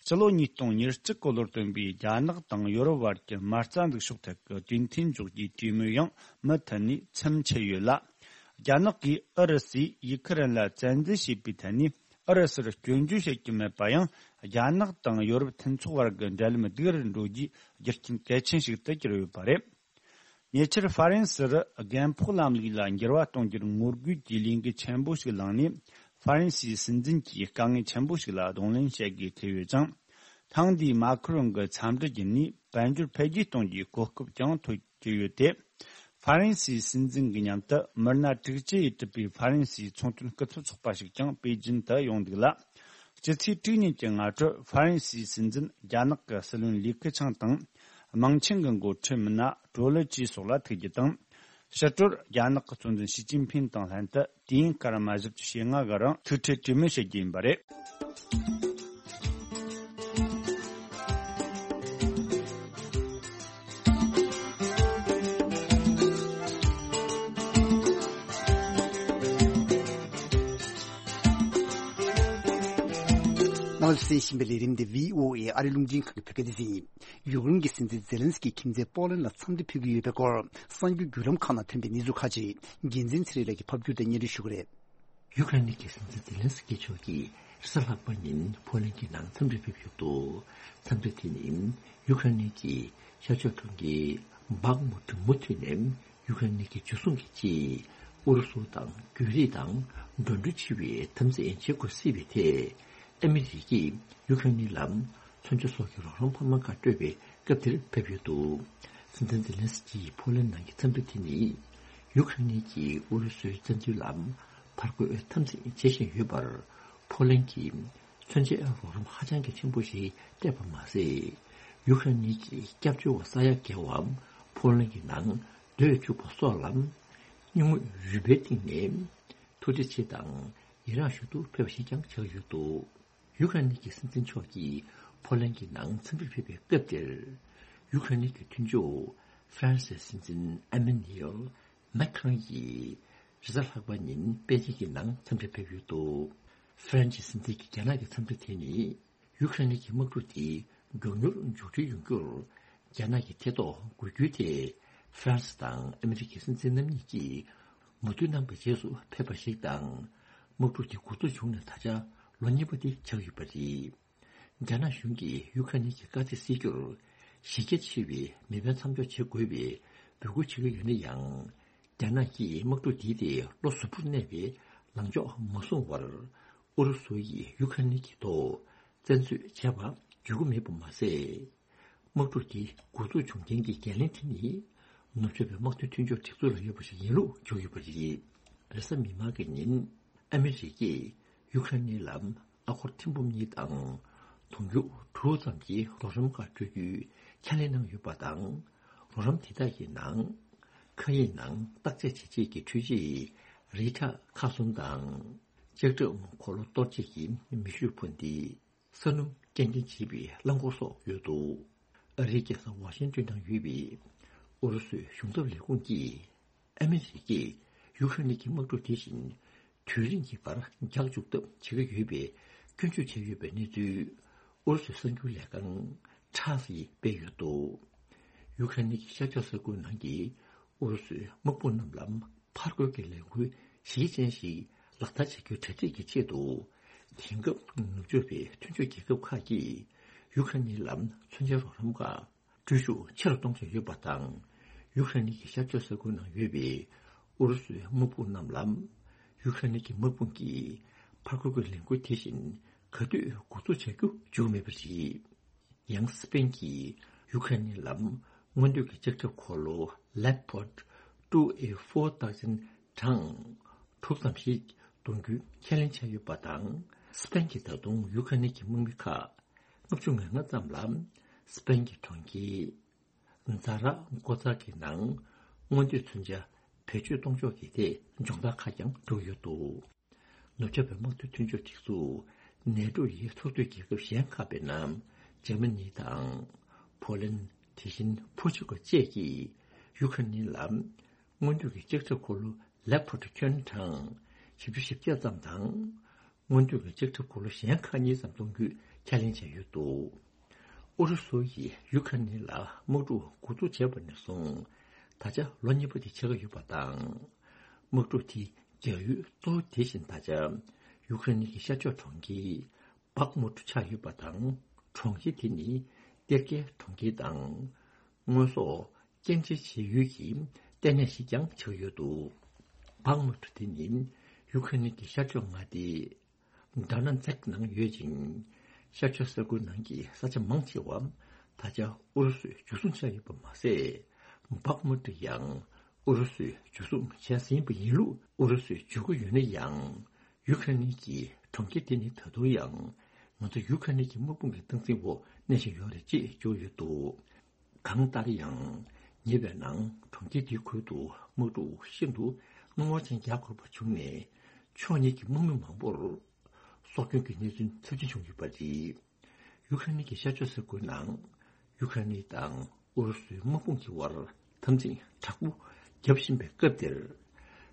ཕྱི་ལོ་ཉིས་སྟོང་ཉེར་གཅིག་གི་ལོར་བཏོན་པའི་རྒྱ་ནག་དང་ཡོ་རོབ་བར་གྱི་མ་རྩ་འཛུགས་ཕྱོགས་ཐད་ཀྱི་གྲོས་མཐུན་འཇོག་རྒྱུའི་གྲོས་མོལ་ཡང་མུ་མཐུད་ནས་མཚམས་ཆད་ཡོད་ལ། རྒྱ་ནག་གིས་ཨུ་རུ་སུས་ཡུ་ཁུ་རེན་ལ་བཙན་འཛུལ་བྱས་པའི་ཐད་ནས་ཨུ་རུ་སུར་སྐྱོན་བརྗོད་བྱེད་ཀྱི་མེད་པ་ཡང་། རྒྱ་ནག་དང་ཡོ་རོབ་མཐུན་ཚོགས་བར་གྱི་འབྲེལ་ལམ་སྡུག་རུ་འགྲོ་རྒྱུའི་རྒྱུ་རྐྱེན་གལ་ཆེན་ཞིག་ཏུ་གྱུར་ཡོད་པ་རེད། ཉེ་ཆར་ཧྥ་རན་སིར་རྒན་ཕོགས་ལམ་ལུགས་ལ་འགྱུར་བ་གཏོང་རྒྱུར་ངོ་རྒོལ་གྱི་ལས་འགུལ་ཆེན་པོ་ཞིག་ལངས་ནས། ཧྥ་རན་སིའི་སྲིད་འཛིན་གྱིས་དཀའ་ངལ་ཆེན་པོ་ཞིག་ལ་གདོང་ལེན་བྱེད་དགོས་ཐུག་ཡོད་ཅིང་། ཐེངས་འདིའི་མཱ་ཁུ་རོན་གྱི་འཚམས་འདྲི་བརྒྱུད་ནས་དཔལ་འབྱོར་འཕེལ་རྒྱས་གཏོང་རྒྱུའི་གོ་སྐབས་ཀྱང་ཐོབ་ཀྱི་ཡོད་དེ། ཧྥ་རན་སིའི་སྲིད་འཛིན་གྱི་མཉམ་དུ་མི་སྣ་དྲུག་ཅུ་ཡིས་གྲུབ་པའི་ཧྥ་རན་སིའི་ཚོང་དོན་སྐུ་ཚབ་ཚོགས་པ་ཞིག་ཀྱང་པེ་ཅིན་དུ་ཡོང་འདུག་ལ། སྤྱི་ཚེས་དྲུག་ཉིན་གྱི་སྔ་དྲོར་ཧྥ་རན་སིའི་སྲིད་འཛིན་རྒྱ་ནག་གི་སྲིད་བློན་ལི་ཁེ་ཆང་དང་ དམངས་ཆིངས་ཀྱི་འགོ་ཁྲིད་མི་སྣ་ཀྲོ་ལི་ཅི་སོགས་ལ་ཐུག་རྒྱུ་དང་། ཕྱི་དྲོར་རྒྱ་ནག་གི་གཙོ་འཛིན་ཞི་ཅིན་ཕིན་དང་ལྷན་དུ་དུས་ཡུན་སྐར་མ་བཞི་བཅུ་ཞེ་ལྔ་གི་རིང་ཐུག་འཕྲད་གྲོས་མོལ་བྱེད་རྒྱུ་ཡིན་པ་རེད། རྣམ་པ་ཚོས་གསན་བཞིན་པའི་ལས་རིམ་འདི་བྷི་ཨོ་ཨེ་ཨ་རི་རླུང་འཕྲིན་ཁང་གི་བོད་སྐད་སྡེ་ཚན་ཡིན། ཡུཀ་རེན་གྱི་སྲིད་འཛིན་ཛེ་ལན་སི་ཀི་མཁྱེན་བརྩེ་པོ་ལན་ལ་འཚམས་འདྲི་ཕུལ་གྱི་ཡོད་པའི་སྐོར་གསར་འགྱུར་བརྒྱུད་ལམ་ཁག་ནང་ཐོན་པའི་གནས་ཚུལ་ཁག་ཅིག་རྒྱལ་མཚན་ཚེ་རིང་ལགས་ཀྱིས་ཕབ་སྒྱུར་དང་སྙན་སྒྲོན་ཞུ་གི་རེད། ཡུཀ་རེན་གྱི་སྲིད་འཛིན་ཛེ་ལན་སི་ཀི་མཆོག་གིས་རེས་གཟའ་ལྷག་པ་ཉིན་ཕོ་ལན་གྱི་ནང་འཚམས་འདྲིར་ཕེབས་ཡོད་འདུག་འཚམས་འདྲི་དེ་ནི་ཡུཀ་རེན་གྱི་ཤར་ཕྱོགས་གྲོང་ཁྱེར་བྷག་མུ་ཊི་མུ་མཐུད་ནས་ཡུཀ་རེན་གྱི་འཇུ་བཟུང་གི་ཆེད་ཨུ་རུ་སུ་དང་བརྒྱུད་རིས་དང་འགྲོ་འགྲུལ་ཆེ་བའི་འཐབ་འཛིང་བྱེད་དགོས་སྲིད་པའི་ཐད། ཨ་མི་རི་ཀས་ཡུཀ་རེན་ལ་མཚོན་ཆ་སོགས་ཀྱི་རོགས་རམ་འཕར་མ་ཁག་སྤྲོད་པའི་སྐབས་དེར་ཕེབས་ཡོད་འདུག་སྲིད་འཛིན་ཛེ་ལན་སི་ཀིའི་ཕོ་ལན་ནང་གི་འཚམས་འདྲི་དེ་ནི། ཡུཀ་རེན་གྱིས་ཨུ་རུ་སུའི་བཙན་འཛུལ་ལ་ཕར་རྒོལ་འཐབ་འཛིང་བྱེད་བཞིན་ཡོད་པར། ཕོ་ལན་གྱིས་མཚོན་ཆའི་རོགས་རམ་ཧ་ཅང་གི་ཆེན་པོ་ཞིག་སྤྲད་པ་མ་ཟད། ཡུཀ་རེན་གྱི་སྐྱབས་བཅོལ་བ་ས་ཡ་བརྒལ་བ་ཕོ་ལན་གྱི་ནང་སྡོད་བཅུག་པ་སོགས་ལ། སྙིང་དབུས་རུས་སྦལ་གཏིང་ནས་ཐུགས་རྗེ་ཆེ་དང་ཡི་རངས་ཞུ་ཐུགས་ཕེབས་པ་ཞིག་ཀྱང་ཆགས་ཡོད་འདུག་ཡུ་ཁ་ནི་གི་སྲིད་འཛིན་མཆོག་གིས་ཕོ་ལན་གྱི་ནང་འཚམས་འདྲིར་ཕེབས་པའི་སྐབས་དེར། ཡུ་ཁ་ནི་གི་མཐུན་ཕྱོགས་ཧྥ་རན་སིའི་སྲིད་འཛིན་ཨ་མེ་ནུ་ཨེལ་མེག་ཁྲོན་གྱིས་རེས་གཟའ་ལྷག་པ་ཉིན་པེ་ཅིང་གི་ནང་འཚམས་འདྲིར་ཕེབས་ཡོད་འདུག་ཧྥ་རན་སིའི་སྲིད་འཛིན་གྱི་རྒྱ་ནག་གི་འཚམས་འདྲི་དེ་ནི། ཡུ་ཁ་ནི་གི་དམག་འཁྲུག་དེ་མགྱོགས་མྱུར་མཇུག་སྒྲིལ་ཡོང་རྒྱུར། རྒྱ་ནག་གི་ཐེ་གཏོགས་དགོས་རྒྱུའི་ཐད། ཧྥ་རན་སི་དང་ཨ་མི་རི་ཀའི་སྲིད་འཛིན་རྣམ་གཉིས་ཀྱིས་མོས་མཐུན་གནང་བའི་རྗེས་སུ་ཕེབས་པ་ཞིག་དང་། དམག་འཁྲུག་དེ་འགོ་འཛུགས་བྱུང་ནས་ད་ཆ་ལོ་གཉིས་པ་དེ་ཆགས་ཡོད་པ་རེད། རྒྱ་ནག་གཞུང་གིས་ཡུ་ཁ་ནི་གི་དཀའ་ཚེགས་སེལ་རྒྱུར་གཞི་རྒྱ་ཆེ་བའི་མི་དཔོན་མཚམས་འཇོག་བྱེད་དགོས་པའི་འབོད་སྐུལ་བྱེད་ཀྱི་ཡོད་ན་ཡང་། རྒྱ་ནག་གིས་དམག་འཁྲུག་འདི་དེ་ལོ་གཟུ་བོར་གནས་པའི་ལངས་ཕྱོགས་མ་བཟུང་བར། ཨུ་རུ་སུ་ཡིས་ཡུ་ཁ་ནི་གི་ཐོག་བཙན་འཛུལ་བྱས་པ་འཇུག་གི་མེད་པ་མ་ཟད། དམག་འཁྲུག་འདི་འགོ་འཛུགས་བྱུང་རྐྱེན་གྱི་འགན་ལེན་དེ་ནི། ནུབ་ཕྱོགས་པའི་དམག་དོན་མཐུན་ཕྱོགས་སྒྲིག་འཛུགས་ལ་ཡོད་པ་ཞིག་ཡིན་ལུགས་བརྗོད་ཡོད་པ་རེད། རེས་གཟའ་མིག་དམར་གྱི་ཉིན། ཨ་མི་རི་ཀས་ཡུ་ཁ་ནི་ལ་ཨ་སྒོར་ཐེར་འབུམ་གཉིས་དང་། དུང་ཕྱུར་དྲུག་ཙམ་གྱི་རོགས་རམ་ཁག་སྤྲོད་རྒྱུའི་ཁས་ལེན་གནང་ཡོད་པ་དང་། རོགས་རམ་དེ་དག་གི་ནང་། མཁའ་དབྱིངས་ནང་བརྟག་དཔྱད་བྱེད་ཆེད་ཀྱི་འཕྲུལ་ཆས་རི་ཊ་ཁག་གསུམ་དང་། ལྕགས་ཁྲབ་འཁོར་ལོ་གཏོར་བྱེད་ཀྱི་མེ་ཤུགས་འཕུར་མདེལ། ས་སྣུམ་སྐྱེལ་འདྲེན་བྱེད་པའི་རླངས་འཁོར་སོགས་ཡོད་འདུག་ཨ་རིའི་རྒྱལ་ས་ཝ་ཤིང་ཏོན་ནང་ཡོད་པའི་ཨུ་རུ་སུའི་གཞུང་ཚབ་ལས་ཁུངས་ཀྱིས། ཨ་མི་རི་ཀས་ཡུ་ཁ་ནི་གི་དམག་འཁྲུག་དེ་བཞིན་དུས་རིང་གི་བར་འགྱངས་བཅུག་ཐབས་བྱེད་ཀྱི་ཡོད་པའི་སྐྱོན་བརྗོད་བྱས་ཡོད་པའི་གནས་ཚུལ། ཨུ་རུ་སུའི་གསར་འགྱུར་ལས་ཁང་ཁྲ་སིས་སྤེལ་ཡོད་འདུག་ཡུ་ཁ་ནི་གི་ཤར་ཕྱོགས་ས་ཁུལ་ནང་གི་ཨུ་རུ་སུའི་དམག་དཔུང་རྣམས་ལ་ཕར་རྒོལ་གྱི་ལས་འགུལ་གཞི་རྐྱེན་ཞིག་ལག་བསྟར་བྱ་རྒྱུའི་གྲ་སྒྲིག་གི་ཆེད་དུ། དེང་སྐབས་ནུབ་ཕྱོགས་པའི་མཐུན་ཕྱོགས་རྒྱལ་ཁབ་ཁག་གིས་ཡུ་ཁ་ནི་ལ་མཚོན་ཆའི་རོགས་རམ་ཁག་སྤྲོད་ཤུགས་ཆེ་རུ་གཏོང་བཞིན་ཡོད་པ་དང་། ཡུ་ཁ་ནི་གི་ཤར་ཕྱོགས་ས་ཁུལ་ནང་ཡོད་པའི་ཨུ་རུ་སུའི་དམག་དཔུང་རྣམས་ལ། ཡུ་ཁ་ནི་གི་དམག་དཔུང་གིས་ཕར་རྒོལ་གྱི་ལས་འགུལ་དེ་བཞིན་ག་དུས་འགོ་འཛུགས་བྱ་རྒྱུ་བརྗོད་མེད་པ་རེད། ཡང་སི་པེན་གྱིས་ཡུ་ཁ་ནི་ལ་སྔོན་ཐོན་གྱི་ལྕགས་ཁྲབ་འཁོར་ལོ་Leopard two A four thousand གྲངས་དྲུག་ཙམ་ཞིག་གཏོང་རྒྱུའི་ཁས་ལེན་བྱས་ཡོད་པ་དང་། སི་པེན་གྱིས་ད་དུང་ཡུ་ཁ་ནི་གི་དམག་མི་ཁག་ལྔ་བཅུ་ང་ལྔ་ཙམ་ལ་སི་པེན་གྱི་གྲོང་ཁྱེར་ཛ་ར་གོ་ཙ་གི་ནང་སྔོན་ཐོན་མཚོན་ཆ་བེད་སྤྱོད་གཏོང་ཕྱོགས་ཀྱི་ཐད་སྦྱོང་བརྡར་ཁག་ཀྱང་བསྒྲུབས་ཡོད་འདུག་ནུབ་ཕྱོགས་པའི་དམག་དོན་མཐུན་ཕྱོགས་སྒྲིག་འཛུགས་ནེ་ཊོ་ཡི་ཚོགས་འཐུས་རྒྱལ་ཁབ་གཞན་ཁག་པའི་ནང་འཇར་མ་ནི་དང་། ཕོ་ལན། དེ་བཞིན་པོར་ཅུ་གལ་བཅས་ཀྱིས་ཡུ་ཁ་ནི་ལ་སྔོན་ཐོན་གྱི་ལྕགས་ཁྲབ་འཁོར་ལོ་Leopard ཁྱོན་གྲངས་བཞི་བཅུ་ཞེ་བརྒྱད་ཙམ་དང་། སྔོན་ཐོན་གྱི་ལྕགས་ཁྲབ་འཁོར་ལོ་གཞན་ཁག་གཉིས་ཙམ་གཏོང་རྒྱུའི་ཁས་ལེན་བྱས་ཡོད་འདུག་ཨུ་རུ་སུ་ཡིས་ཡུ་ཁ་ནི་ལ་དམག་འཁྲུག་འགོ་འཛུགས་བྱས་པ་ནས་བཟུང་ད་ཆ་ལོ་གཉིས་པ་དེ་ཆགས་ཀྱི་ཡོད་པ་དང་། དམག་འཁྲུག་དེ་རྒྱག་ཡུལ་གཙོ་བོ་དེ་བཞིན་ད་ཆ་ཡུ་ཁ་ནི་གི་ཤར་ཕྱོགས་གྲོང་ཁྱེར་བག་མུ་ཊུ་ཆགས་ཡོད་པ་དང་། གྲོང་ཁྱེར་དེ་ནི་གཏེར་ཁའི་གྲོང་ཁྱེར་དང་། དངོས་ཟོག་སྐྱེལ་འདྲེན་བྱེད་ཡུལ་གྱི་ལྟེ་གནས་ཤིག་ཀྱང་ཆགས་ཡོད་འདུག་བག་མུ་ཊུ་དེ་ནི་ཡུ་ཁ་ནི་གི་ཤར་ཕྱོགས་མངའ་སྡེ་ཌོ་ནེ་ཚེག་ནང་ཡོད་ཅིང་། ཤར་ཕྱོགས་ས་ཁུལ་ནང་གི་ས་ཆ་མང་ཆེ་བ་ད་ཆ་ཨུ་རུ་སུས་འཇུ་བཟུང་བྱས་ཡོད་པ་མ་ཟད། བག་མུ་ཊུ་ཡང་ཨུ་རུ་སུས་འཇུ་བཟུང་བྱས་ཟིན་པ་ཡིན་ལུགས། ཨུ་རུ་སུས་བརྗོད་ཀྱི་ཡོད་ན་ཡང་། ཡུ་ཁ་ནི་གི་གྲོང་ཁྱེར་དེ་ནི་ད་དུང་ཡང་ང་ཚོ་ཡུ་ཁ་ནི་གི་དམག་དཔུང་གི་སྟངས་འཛིན་འོག་གནས་བཞིན་ཡོད་རེད་ཅེས་བརྗོད་ཡོད་འདུག་གང་ལྟར་ཡང་། ཉེ་བའི་ནང་གྲོང་ཁྱེར་དེའི་ཁུལ་དུ་དམག་འཁྲུག་ཤིན་ཏུ་སྣང་བ་ཅན་རྒྱག་དགོས་པ་བྱུང་ནས། ཕྱོགས་གཉིས་ཀྱི་དམག་མི་མང་པོར་སྲོག་སྐྱོན་གྱི་གནས་ཚུལ་ཚབས་ཆེན་བྱུང་ཡོད་པ་རེད། ཡུ་ཁ་ནི་གི་ཤར་ཕྱོགས་ས་ཁུལ་ནང་ཡུ་ཁ་ནི་དང་ཨུ་རུ་སུའི་དམག་དཔུང་གི་དབར་འཐབ་འཛིང་དྲག་པོ་བརྒྱབ་བཞིན་པའི་སྐབས་དེར།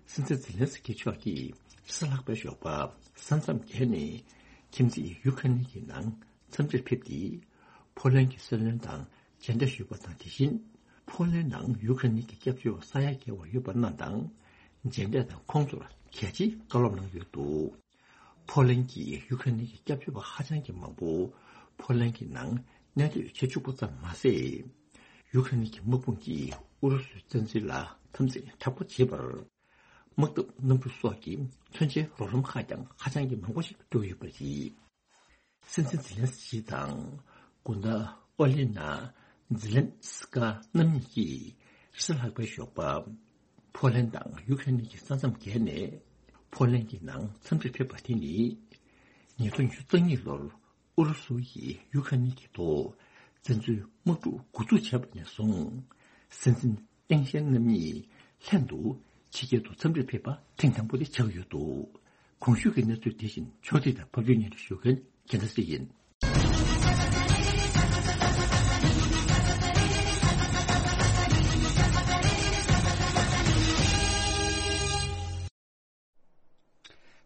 སྲིད་འཛིན་ཛེ་ལན་སི་ཀི་མཆོག་གིས་རེས་གཟའ་ལྷག་པའི་ཞོགས་པ་ས་མཚམས་བརྒལ་ནས་ཁྱིམ་མཚེས་ཡུ་ཁ་ནི་གི་ནང་འཚམས་འདྲིར་ཕེབས་ཏེ། ཕོ་ལན་གྱི་སྲིད་བློན་དང་མཇལ་འཕྲད་ཞུས་པ་དང་། དེ་བཞིན་ཕོ་ལན་ནང་ཡུ་ཁ་ནི་གི་སྐྱབས་བཅོལ་བ་ས་ཡ་བརྒལ་བ་ཡོད་པ་རྣམས་དང་མཇལ་འཕྲད་དང་ཁོང་ཚོར་གལ་ཆེའི་བཀའ་སློབ་གནང་ཡོད་འདུག་ཕོ་ལན་གྱིས་ཡུ་ཁ་ནི་གི་སྐྱབས་བཅོལ་བ་ཧ་ཅང་གི་མང་པོ་ཕོ་ལན་གྱི་ནང་གནས་སྡོད་བྱེད་བཅུག་པ་ཙམ་མ་ཟད། ཡུ་ཁ་ནི་གི་དམག་དཔུང་གིས་ཨུ་རུ་སུའི་བཙན་འཛུལ་ལ་འཐབ་འཛིང་དྲག་པོ་བྱེད་པར། དམག་འཐབ་གནམ་གྲུ་སོགས་ཀྱི་མཚོན་ཆའི་རོགས་རམ་ཁག་ཀྱང་ཧ་ཅང་གི་མང་པོ་ཞིག་སྤྲོད་ཡོད་པ་རེད། སྲིད་འཛིན་ཛི་ལན་སི་ཀི་དང་སྐུ་ཟླ་ཨོ་ལི་ན་ཛི་ལན་སི་ཀ་རྣམ་གཉིས་ཀྱིས་རེས་གཟའ་ལྷག་པའི་ཞོགས་པ། ཕོ་ལན་དང་ཡུ་ཁ་ནི་གི་ས་མཚམས་བརྒལ་ནས་ཕོ་ལན་གྱི་ནང་འཚམས་འདྲིར་ཕེབས་པ་དེ་ནི། ཉིས་སྟོང་ཉི་ཤུ་རྩ་གཉིས་ལོར་ཨུ་རུ་སུ་ཡིས་ཡུ་ཁ་ནི་གི་ཐོག་བཙན་འཛུལ་དམག་འཁྲུག་འགོ་འཛུགས་བྱས་པ་ནས་བཟུང་། སྲིད་འཛིན་ཏེང་ཞན་རྣམ་གཉིས་ལྷན་དུ་ཕྱི་རྒྱལ་དུ་འཚམས་འདྲིར་ཕེབས་པ་ཐེངས་དང་པོ་དེ་ཆགས་ཡོད་འདུག་གོང་ཞུས་ཀྱི་གནས་ཚུལ་དེ་བཞིན་ཕྱོགས་སྒྲིག་དང་ཕབ་སྒྱུར་སྙན་སྒྲོན་ཞུ་མཁན་རྒྱལ་མཚན་ཚེ་རིང་ཡིན།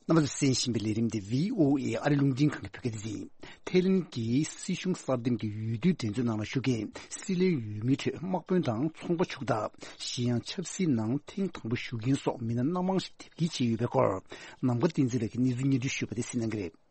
རྣམ་པ་ཚོས་གསན་བཞིན་པའི་ལས་རིམ་འདི་བྷི་ཨོ་ཨེ་ཨ་རི་རླུང་འཕྲིན་ཁང་གི་བོད་སྐད་སྡེ་ཚན། ཐའི་ལེན་གྱི་སྲིད་གཞུང་གསར་འདེམས་ཀྱི་འོས་བསྡུའི་འགྲན་རྩོད་ནང་ལ་ཞུགས་མཁན་སྲིད་བློན་འོས་མི་ཁྲོད་དམག་དཔོན་དང་ཚོང་པ་ཕྱུག་བདག་གཞན་ཡང་ཆབ་སྲིད་ནང་ཐེངས་དང་པོ་ཞུགས་མཁན་སོགས་མི་སྣ་སྣ་མང་ཞིག་དེབ་སྐྱེལ་བྱས་ཡོད་པའི་སྐོར། ནམ་མཁའ་བསྟན་འཛིན་ལགས་ཀྱིས་གནས་ཚུལ་སྙན་སྒྲོན་ཞུས་པ་དེ་གསན་གནང་གི་རེད། ཐའི་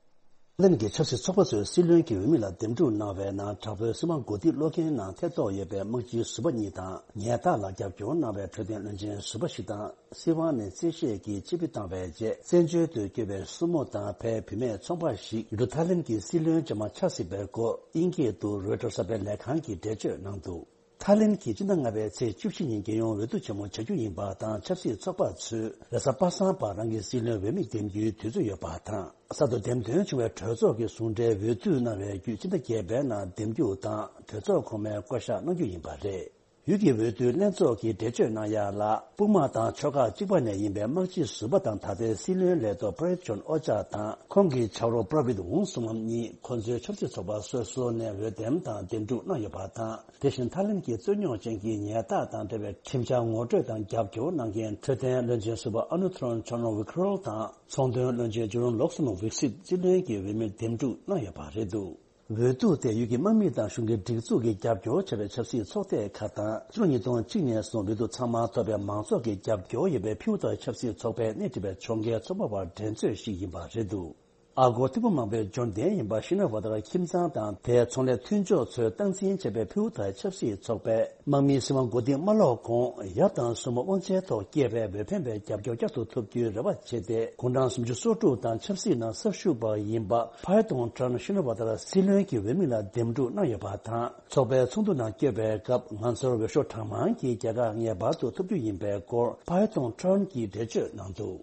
ལེན་གྱི་ཆབ་སྲིད་ཚོགས་པ་ཚོས་སྲིད་བློན་གྱི་འོས་མི་ལ་འདེམས་སྒྲུག་གནང་བའི་ནང་དྲག་པོའི་སྲིད་དབང་གོ་སྒྲིག་སློག་མཁན་ནང་ཐེ་གཏོགས་ཡོད་པའི་དམག་སྤྱི་ཟུར་པ་གཉིས་དང་། ཉལ་ཐ་ལ་རྒྱབ་སྐྱོར་གནང་བའི་འཕྲོད་བསྟེན་བློན་ཆེན་ཟུར་པ་ཞིག་དང་། སྲིད་དབང་ནས་རྩོད་གཞི་གི་སྤྱི་བེ་བཏང་བའི་རྗེས་བཙན་བྱོལ་དུ་བསྐྱོད་པའི་སྲུ་མོ་དང་ཕའི་བུད་མེད་ཚོང་པ་ཞིག་ཡུལ་གྲུ་ཐའི་ལེན་གྱི་སྲིད་བློན་བཅོ་ལྔ་ཆགས་སྲིད་པའི་སྐོར་དབྱིན་སྐད་དུ་རོའི་ཊར་གསར་པའི་ལས་ཁང་གིས་འགྲེལ་བརྗོད་གནང་འདུག་ཐའི་ལེན་གྱིས་སྤྱི་ཟླ་ལྔ་པའི་ཚེས་བཅུ་བཞི་ཉིན་རྒྱལ་ཡོངས་འོས་བསྡུ་ཆེན་མོ་བྱ་རྒྱུ་ཡིན་པ་དང་། ཆབ་སྲིད་ཚོགས་པ་ཚོས་རེས་གཟའ་པ་སངས་པར་རང་གི་སྲིད་བློན་འོས་མི་འདེམས་རྒྱུའི་དུས་ཚོད་ཡོད་པ་དང་། གསར་དུ་འདེམས་ཐོན་བྱུང་བའི་གྲོས་ཚོགས་ཀྱི་ཟུང་འབྲེལ་འོས་བསྡུ་གནང་བའི་བརྒྱུད་སྤྱི་ཟླ་བརྒྱད་པའི་ནང་འདེམས་རྒྱུ་དང་གྲོས་ཚོགས་གོང་མའི་བསྐོ་གཞག་གནང་རྒྱུ་ཡིན་པ་རེད། ཡུལ་གྱི་འོས་བསྡུའི་ལྷན་ཚོགས་ཀྱིས་འགྲེལ་བརྗོད་གནང་ཡ་ལ། དཔུང་དམག་དང་ཕྱོགས་ཁག་གཅིག་པ་ནས་ཡིན་པའི་དམག་སྤྱི་ཟུར་པ་དང་ད་ལྟའི་སྲིད་བློན་ལས་ཐོག་པྲ་ཡུད་ཅོན་ཨོ་ཅཱ་དང་ཁོང་གི་ཆ་རོགས་པྲ་བིད་ཝུན་གསུམ་གཉིས་ཁོ་ཚོའི་ཆབ་སྲིད་ཚོགས་པ་སོ་སོ་ནས་འོས་འདེམས་དང་འདེམས་སྒྲུག་གནང་ཡོད་པ་དང་། དེ་བཞིན་ཐའི་ལེན་གྱི་རྩོད་རྙོག་ཅན་གྱི་ཉལ་ཐ་དང་འབྲེལ་བའི་ཁྲིམས་འཆར་ངོ་སྤྲོད་དང་རྒྱབ་སྐྱོར་གནང་མཁན་འཕྲོད་བསྟེན་བློན་ཆེན་ཟུར་པ་ཨ་ནུ་ཐུ་རན་ཆོན་ནོ་ཝི་ཁྲོལ་དང་ཚོང་དོན་བློན་ཆེན་ཇུ་རོན་ལོག་སོན་ཝིག་སིད་སྲིད་བློན་གྱི་འོས་མིར་འདེམས་སྒྲུག་གནང་ཡོད་པ་རེད་འདུག་འོས་བསྡུ་དེ་ཡུལ་གྱི་དམག་མི་དང་གཞུང་གི་སྒྲིག་འཛུགས་ཀྱིས་རྒྱབ་སྐྱོར་བྱས་པའི་ཆབ་སྲིད་ཚོགས་སྡེ་ཁག་དང་། ཕྱི་ལོ་ཉིས་སྟོང་གཅིག་ནས་བཟུང་འོས་བསྡུ་ཚང་མ་ཐོབ་པའི་མང་ཚོགས་ཀྱི་རྒྱབ་སྐྱོར་ཡོད་པའི་ཕིའུ་ཐའི་ཆབ་སྲིད་ཚོགས་པའི་སྣེ་ཁྲིད་པའི་ཕྱོགས་འགལ་ཚོགས་པ་བར་འགྲན་རྩོད་ཞིག་ཡིན་པ་རེད་འདུག་ཨ་སྒོར་ཐེར་འབུམ་མང་པོའི་འབྱོར་ལྡན་ཡིན་པ་ཤི་ན་ཝ་ཏར་ཁྱིམ་ཚང་དང་དེའི་ཚོང་ལས་མཐུན་ཕྱོགས་ཚོས་སྟངས་འཛིན་བྱས་པའི་ཕིའུ་ཐའི་ཆབ་སྲིད་ཚོགས་པས། དམག་མིའི་སྲིད་དབང་གོ་སྒྲིག་མ་སློག་གོང་ཡབ་དང་སྲུ་མོ་དབང་ཆའི་ཐོག་སྐྱེས་པའི་འོས་འཕེན་པའི་རྒྱབ་སྐྱོར་བསྐྱར་དུ་ཐོབ་རྒྱུའི་རེ་བ་བྱས་ཏེ། དགུང་གྲངས་སུམ་ཅུ་སོ་དྲུག་དང་ཆབ་སྲིད་ནང་གསར་ཞུགས་པ་ཡིན་པ་ཕ་ཡི་ཏོང་ཀྲན་ཤི་ན་ཝ་ཏར་སྲིད་བློན་གྱི་འོས་མི་ལ་འདེམས་སྒྲུག་གནང་ཡོད་པ་དང་། ཚོགས་པའི་ཚོགས་འདུ་ནང་བསྐྱོད་པའི་སྐབས། ང་ཚོར་འོས་ཤོག་གྲངས་མང་གི་རྒྱལ་ཁ་ངེས་པར་དུ་ཐོབ་རྒྱུ་ཡིན་པའི་སྐོར་ཕ་ཡི་ཏོང་ཀྲན་གྱིས་འགྲེལ་བརྗོད་གནང་འདུག་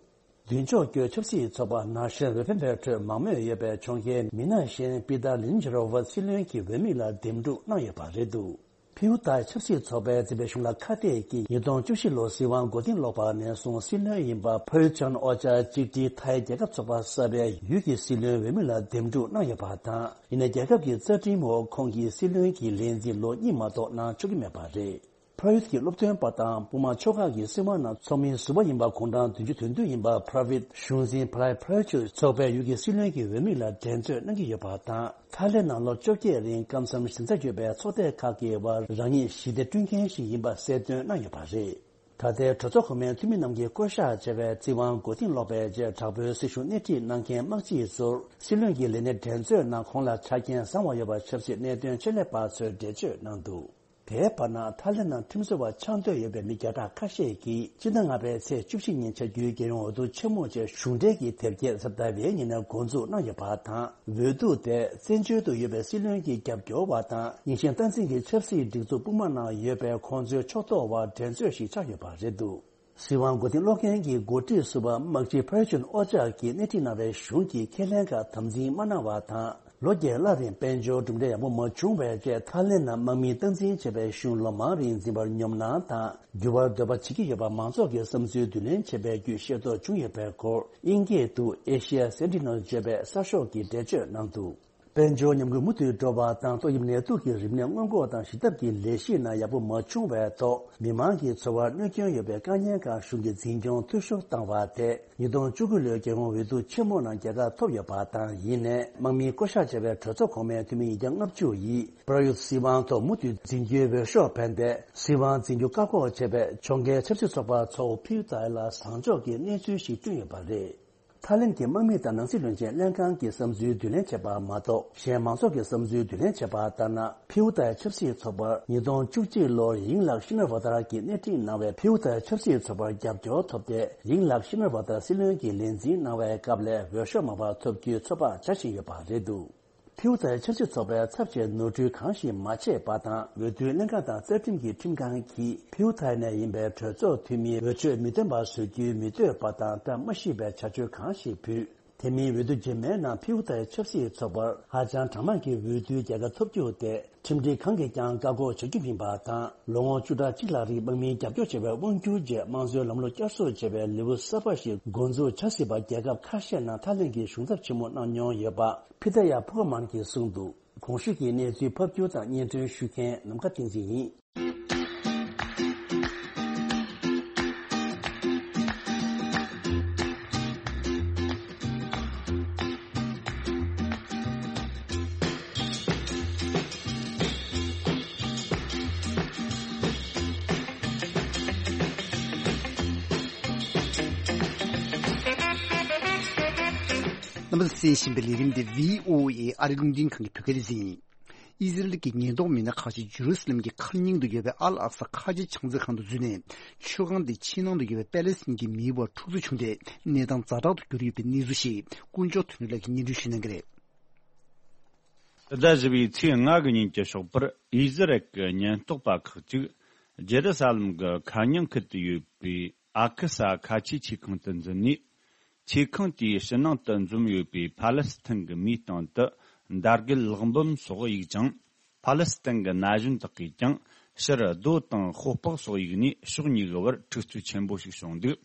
མདུན་ཕྱོགས་བསྐྱོད་ཆབ་སྲིད་ཚོགས་པ་ནང་བཞིན་འོས་འཕེན་པའི་ཁྲོད་མང་མོས་ཡོད་པའི་ཕྱོགས་འགལ་མི་སྣ་གཞན་པི་ཏར་ལིན་ཇི་རོ་ཝ་སྲིད་བློན་གྱི་འོས་མི་ལ་འདེམས་སྒྲུག་གནང་ཡོད་པ་རེད་འདུག་ཕིའུ་ཐའི་ཆབ་སྲིད་ཚོགས་པའི་འཛིན་པའི་གཞུང་ལ་ཁ་གཏད་ཀྱིས་ཉིས་སྟོང་བཅུ་བཞི་ལོར་སྲིད་དབང་མགོ་རྟིང་སློག་པ་ནས་བཟུང་སྲིད་བློན་ཡིན་པ་ཕ་ཡུ་ཅན་ཨོ་ཅཱ་གཅིག་སྒྲིལ་ཐའི་རྒྱལ་ཁབ་ཚོགས་པ་གསར་པའི་ཡུལ་གྱི་སྲིད་བློན་འོས་མི་ལ་འདེམས་སྒྲུག་གནང་ཡོད་པ་དང་། ཡིན་ནའི་རྒྱལ་ཁབ་ཀྱི་རྩ་ཁྲིམས་འོག་ཁོང་གིས་སྲིད་བློན་གྱི་ལས་འཛིན་ལོ་གཉིས་མ་གཏོགས་གནང་ཆོག་གི་མེད་པ་རེད། ཕ་ཡུད་ཀྱི་སློབ་སྟོན་པ་དང་དཔུང་དམག་ཕྱོགས་ཁག་གི་སྲིད་དབང་ནང་ཚོགས་མིའི་ཟུར་པ་ཡིན་པ་གུང་ཁྲན་བདུན་ཅུ་དོན་བདུན་ཡིན་པ་པྲ་བིད་གཞུང་འཛིན་ཕ་ལའི་པྲ་ཡུད་ཚོགས་པའི་ཡུལ་གྱི་སྲིད་བློན་གྱི་འོས་མི་ལ་འགྲན་རྩོད་གནང་གི་ཡོད་པ་དང་། ཐའི་ལེན་ནང་ལོ་བཅོ་བརྒྱད་རིང་སྐབས་མཚམས་ཞེ་མཛའ་ཡོད་པའི་ཚོགས་སྡེ་ཁག་གི་དབར་རང་ཉིད་ཞི་བདེ་བསྐྲུན་མཁན་ཞིག་ཡིན་པ་གསལ་སྟོན་གནང་ཡོད་པ་རེད། ད་ལྟའི་གྲོས་ཚོགས་གོང་མའི་འཐུས་མི་རྣམས་ཀྱིས་བསྐོ་གཞག་བྱས་པའི་སྲིད་དབང་མགོ་རྟིང་སློག་པའི་རྗེས་དྲག་པོའི་སྲིད་ཤུགས་སྣེ་ཁྲིད་གནང་མཁན་དམག་སྤྱི་ཚོར་སྲིད་བློན་གྱི་ལས་གནས་འགྲན་རྩོད་ནང་ཁོང་ལ་ཆ་རྐྱེན་བཟང་བ་ཡོད་པ་ཆབ་སྲིད་གནད་དོན་ཆེད་ལས་པ་ཚོས་འགྲེལ་བརྗོད་གནང་འདུག་དེའི་བར་ན་ཐའི་ལེན་ནང་ཁྲིམས་བཟོ་བ་ཆགས་འདོད་ཡོད་པའི་མི་བརྒྱ་ཕྲག་ཁ་ཤས་ཀྱིས་སྤྱི་ཟླ་ལྔ་པའི་ཚེས་བཅུ་བཞི་ཉིན་བྱ་རྒྱུའི་རྒྱལ་ཡོངས་འོས་བསྡུ་ཆེན་མོ་བཅས་གཞུང་འབྲེལ་གྱི་དེབ་སྐྱེལ་གཟའ་ཟླ་བའི་ཉིན་ནས་འགོ་འཛུགས་གནང་ཡོད་པ་དང་། འོས་བསྡུ་དེ་བཙན་བྱོལ་དུ་ཡོད་པའི་སྲིད་བློན་གྱི་རྒྱབ་སྐྱོར་བ་དང་། རྙིང་ཞེན་སྟངས་འཛིན་གྱི་ཆབ་སྲིད་སྒྲིག་འཛུགས་དཔུང་དམག་ནང་ཡོད་པའི་ཁོང་ཚོའི་ཕྱོགས་གཏོགས་བར་འགྲན་རྩོད་ཞིག་ཆགས་ཡོད་པ་རེད་འདུག་སྲིད་དབང་མགོ་རྟིང་སློག་མཁན་གྱི་འགོ་ཁྲིད་ཟུར་པ་དམག་སྤྱི་ཕ་ཡུ་ཅུན་ཨོ་ཅག་གིས་སྣེ་ཁྲིད་གནང་བའི་གཞུང་གིས་ཁས་ལེན་ཁག་དམ་འཛིན་མ་གནང་བ་དང་ ལོ་བརྒྱད་ལྷག་རིང་དཔལ་འབྱོར་གྲུབ་འབྲས་ཡག་པོ་མ་བྱུང་བའི་རྗེས་ཐའི་ལེན་ནང་དམག་མིས་སྟངས་འཛིན་བྱས་པའི་གཞུང་ལོ་མང་རིང་འཛིན་པར་ཉོབ་སྣང་དང་འགྱུར་བར་འདོད་པ་བྱེད་ཀྱི་ཡོད་པ་མང་ཚོགས་ཀྱི་བསམ་ཚུལ་བསྡུ་ལེན་བྱས་པའི་བརྒྱུད་ཤེས་རྟོགས་བྱུང་ཡོད་པའི་སྐོར་དབྱིན་སྐད་དུ་Asia Sentinel་ཅེས་པའི་གསར་ཤོག་གིས་འགྲེལ་བརྗོད་གནང་འདུག་དཔལ་འབྱོར་ཉམས་རྒུད་མུ་མཐུད་འགྲོ་བ་དང་ཏོག་དབྱིབས་ནད་དུག་གི་རིམས་ནད་སྔོན་འགོག་དང་ཞི་ཐབས་ཀྱི་ལས་གཞི་ནང་ཡག་པོ་མ་བྱུང་བའི་ཐོག་མི་མང་གི་འཚོ་བར་གནོད་སྐྱོན་ཡོད་པའི་དཀའ་ཉེན་ཁག་གཞུང་གིས་འཛིན་སྐྱོང་འཐུས་ཤོར་བཏང་བ་དེ་ཉིས་སྟོང་བཅུ་དགུ་ལོའི་རྒྱལ་ཡོངས་འོས་བསྡུ་ཆེན་མོ་ནང་རྒྱལ་ཁ་ཐོབ་ཡོད་པ་དང་། ཡིན་ནའི་དམག་མིས་བསྐོ་བཞག་བྱས་པའི་གྲོས་ཚོགས་གོང་མའི་འཐུས་མི་ཉིས་བརྒྱ་ལྔ་བཅུ་ཡིས་པྲ་ཡུད་སྲིད་དབང་ཐོག་མུ་མཐུད་འཛིན་རྒྱུའི་འོས་ཤོག་འཕེན་ཏེ། སྲིད་དབང་འཛིན་རྒྱུ་བཀག་འགོག་བྱས་པའི་ཕྱོགས་འགལ་ཆབ་སྲིད་ཚོགས་པ་ཚོགས་ཕིའུ་ཏའི་ལ་བཟང་ཕྱོགས་ཀྱི་གནས་ཚུལ་ཞིག་བསྐྲུན་ཡོད་པ་རེད། ཐའི་ལེན་གྱི་དམག་མི་དང་ནང་སྲིད་བློན་ཆེན་ལྷན་ཁང་གི་བསམ་ཚུལ་བསྡུ་ལེན་བྱས་པ་མ་གཏོགས། གཞན་མང་ཚོགས་ཀྱི་བསམ་ཚུལ་བསྡུ་ལེན་བྱས་པ་ལྟར་ན། ཕིའུ་ཏའི་ཆབ་སྲིད་ཚོགས་པར་ཉིས་སྟོང་བཅུ་གཅིག་ལོར་ཡིང་ལགས་ཤི་ན་ཝ་ཏར་གྱིས་སྣེ་ཁྲིད་གནང་བའི་ཕིའུ་ཏའི་ཆབ་སྲིད་ཚོགས་པར་རྒྱབ་སྐྱོར་ཐོབ་སྟེ། ཡིང་ལགས་ཤི་ན་ཝ་ཏར་སྲིད་བློན་གྱི་ལས་འཛིན་གནང་བའི་སྐབས་ལས་འོས་ཤོག་མང་བ་ཐོབ་རྒྱུའི་ཚོད་དཔག་བྱ་བཞིན་ཡོད་པ་རེད་འདུག་ཕིའུ་ཏའི་ཆབ་སྲིད་ཚོགས་པའི་ཚབ་བྱས་ནོར་འཁྲུལ་གང་ཞིག་མ་བྱས་པ་དང་། འོས་བསྡུའི་ལྷན་ཁང་དང་རྩ་ཁྲིམས་ཀྱི་ཁྲིམས་ཁང་གིས་ཕིའུ་ཏའི་ནས་ཡིན་པའི་གྲོས་ཚོགས་འཐུས་མིའི་འོས་ཆོས་མི་འདོན་པ་བཟོ་རྒྱུའི་མི་འདོད་པ་དང་བཀྲ་མ་ཤིས་པའི་བྱ་སྤྱོད་གང་ཞིག་ཕུད། དེ་མིན་འོས་བསྡུ་རྗེས་མའི་ནང་ཕིའུ་ཏའི་ཆབ་སྲིད་ཚོགས་པར་ཧ་ཅང་གྲངས་མང་གི་འོས་བསྡུའི་རྒྱལ་ཁ་ཐོབ་རྒྱུ་དེ་ཁྲིམས་སྒྲིག་གང་གིས་ཀྱང་བཀག་འགོག་བྱ་རྒྱུ་མིན་པ་དང་། ལོ་ངོ་བཅུ་ཕྲག་གཅིག་ལྷག་རིང་དམག་མིའི་རྒྱབ་སྐྱོར་བྱས་པའི་དབང་སྒྱུར་རྗེས་དམངས་གཙོའི་ལམ་ལུགས་བསྐྱར་གསོ་བྱས་པའི་ལེའུ་གསར་པ་ཞིག་འགོ་འཛུགས་བྱ་སྲིད་པ་རྒྱལ་ཁབ་ཁ་ཤས་ནང་ཐའི་ལེན་གྱིས་ཞུ་ཐབས་ཆེན་མོ་གནང་མྱོང་ཡོད་པ། ཕི་ཏ་ཡ་ཕུ་ཁ་མན་གྱིས་གསུངས་འདུག་གོང་ཞུས་ཀྱི་གནས་ཚུལ་ཕབ་སྒྱུར་དང་སྙན་སྒྲོན་ཞུ་མཁན་ནམ་མཁའ་བསྟན་འཛིན་ཡིན། རྣམ་པ་ཚོས་གསན་བཞིན་པའི་ལས་རིམ་འདི་བྷི་ཨོ་ཨེ་ཨ་རིའི་རླུང་འཕྲིན་ཁང་གི་བོད་སྐད་སྡེ་ཚན་ཡིན། ཨི་ཟི་རལ་གྱི་ཉེན་རྟོག་མི་སྣ་ཁག་ཅིག་ཇེ་རུ་སི་ལེམ་གྱི་མཁར་རྙིང་དུ་ཡོད་པའི་ཨལ་ཨག་ས་ཁ་ཆེ་ཕྱག་འཚལ་ཁང་དུ་འཛུལ་ནས། མཆོད་ཁང་དེའི་ཕྱི་ནང་དུ་ཡོད་པའི་པེ་ལེ་སི་ཐན་གྱི་མིའི་བར་འཁྲུག་རྩོད་བྱུང་སྟེ། གནས་སྟངས་ཛ་དྲག་ཏུ་གྱུར་ཡོད་པའི་གནས་ཚུལ་ཞིག་དཀོན་མཆོག་དོན་གྲུབ་ལགས་ཀྱིས་སྙན་སྒྲོན་ཞུ་གནང་གི་རེད། ཟླ་བཞི་པའི་ཚེས་ལྔ་གི་ཉིན་གྱི་ཞོགས་པར་ཨི་ཟི་རལ་གྱི་ཉེན་རྟོག་པ་ཁག་ཅིག་ཇེ་རུ་ས་ལམ་གྱི་མཁའ་རྙིང་ཁུལ་དུ་ཡོད་པའི་ཨ་ཁུ་ས་ཁ་ཆེའི་ཆེ་ཁང་དུ་འཛུལ་ནས། ཆེ་ཁང་དེའི་ཕྱི་ནང་དུ་འཛོམས་ཡོད་པའི་ཕ་ལེ་སི་ཐན་གྱི་མིའི་སྟེང་དུ་འདར་རྒུད་ལག་འབུམ་སོགས་གཡུགས་ཅིང་། ཕ་ལེ་སི་ཐན་གྱི་ན་གཞོན་དག་གིས་ཀྱང་ཕྱིར་རྡོ་དང་ཤོག་སྦག་སོགས་གཡུགས་ནས་ཕྱོགས་གཉིས་ཀྱི་བར་འཁྲུག་རྩོད་ཆེན་པོ་ཞིག་བྱུང་འདུག་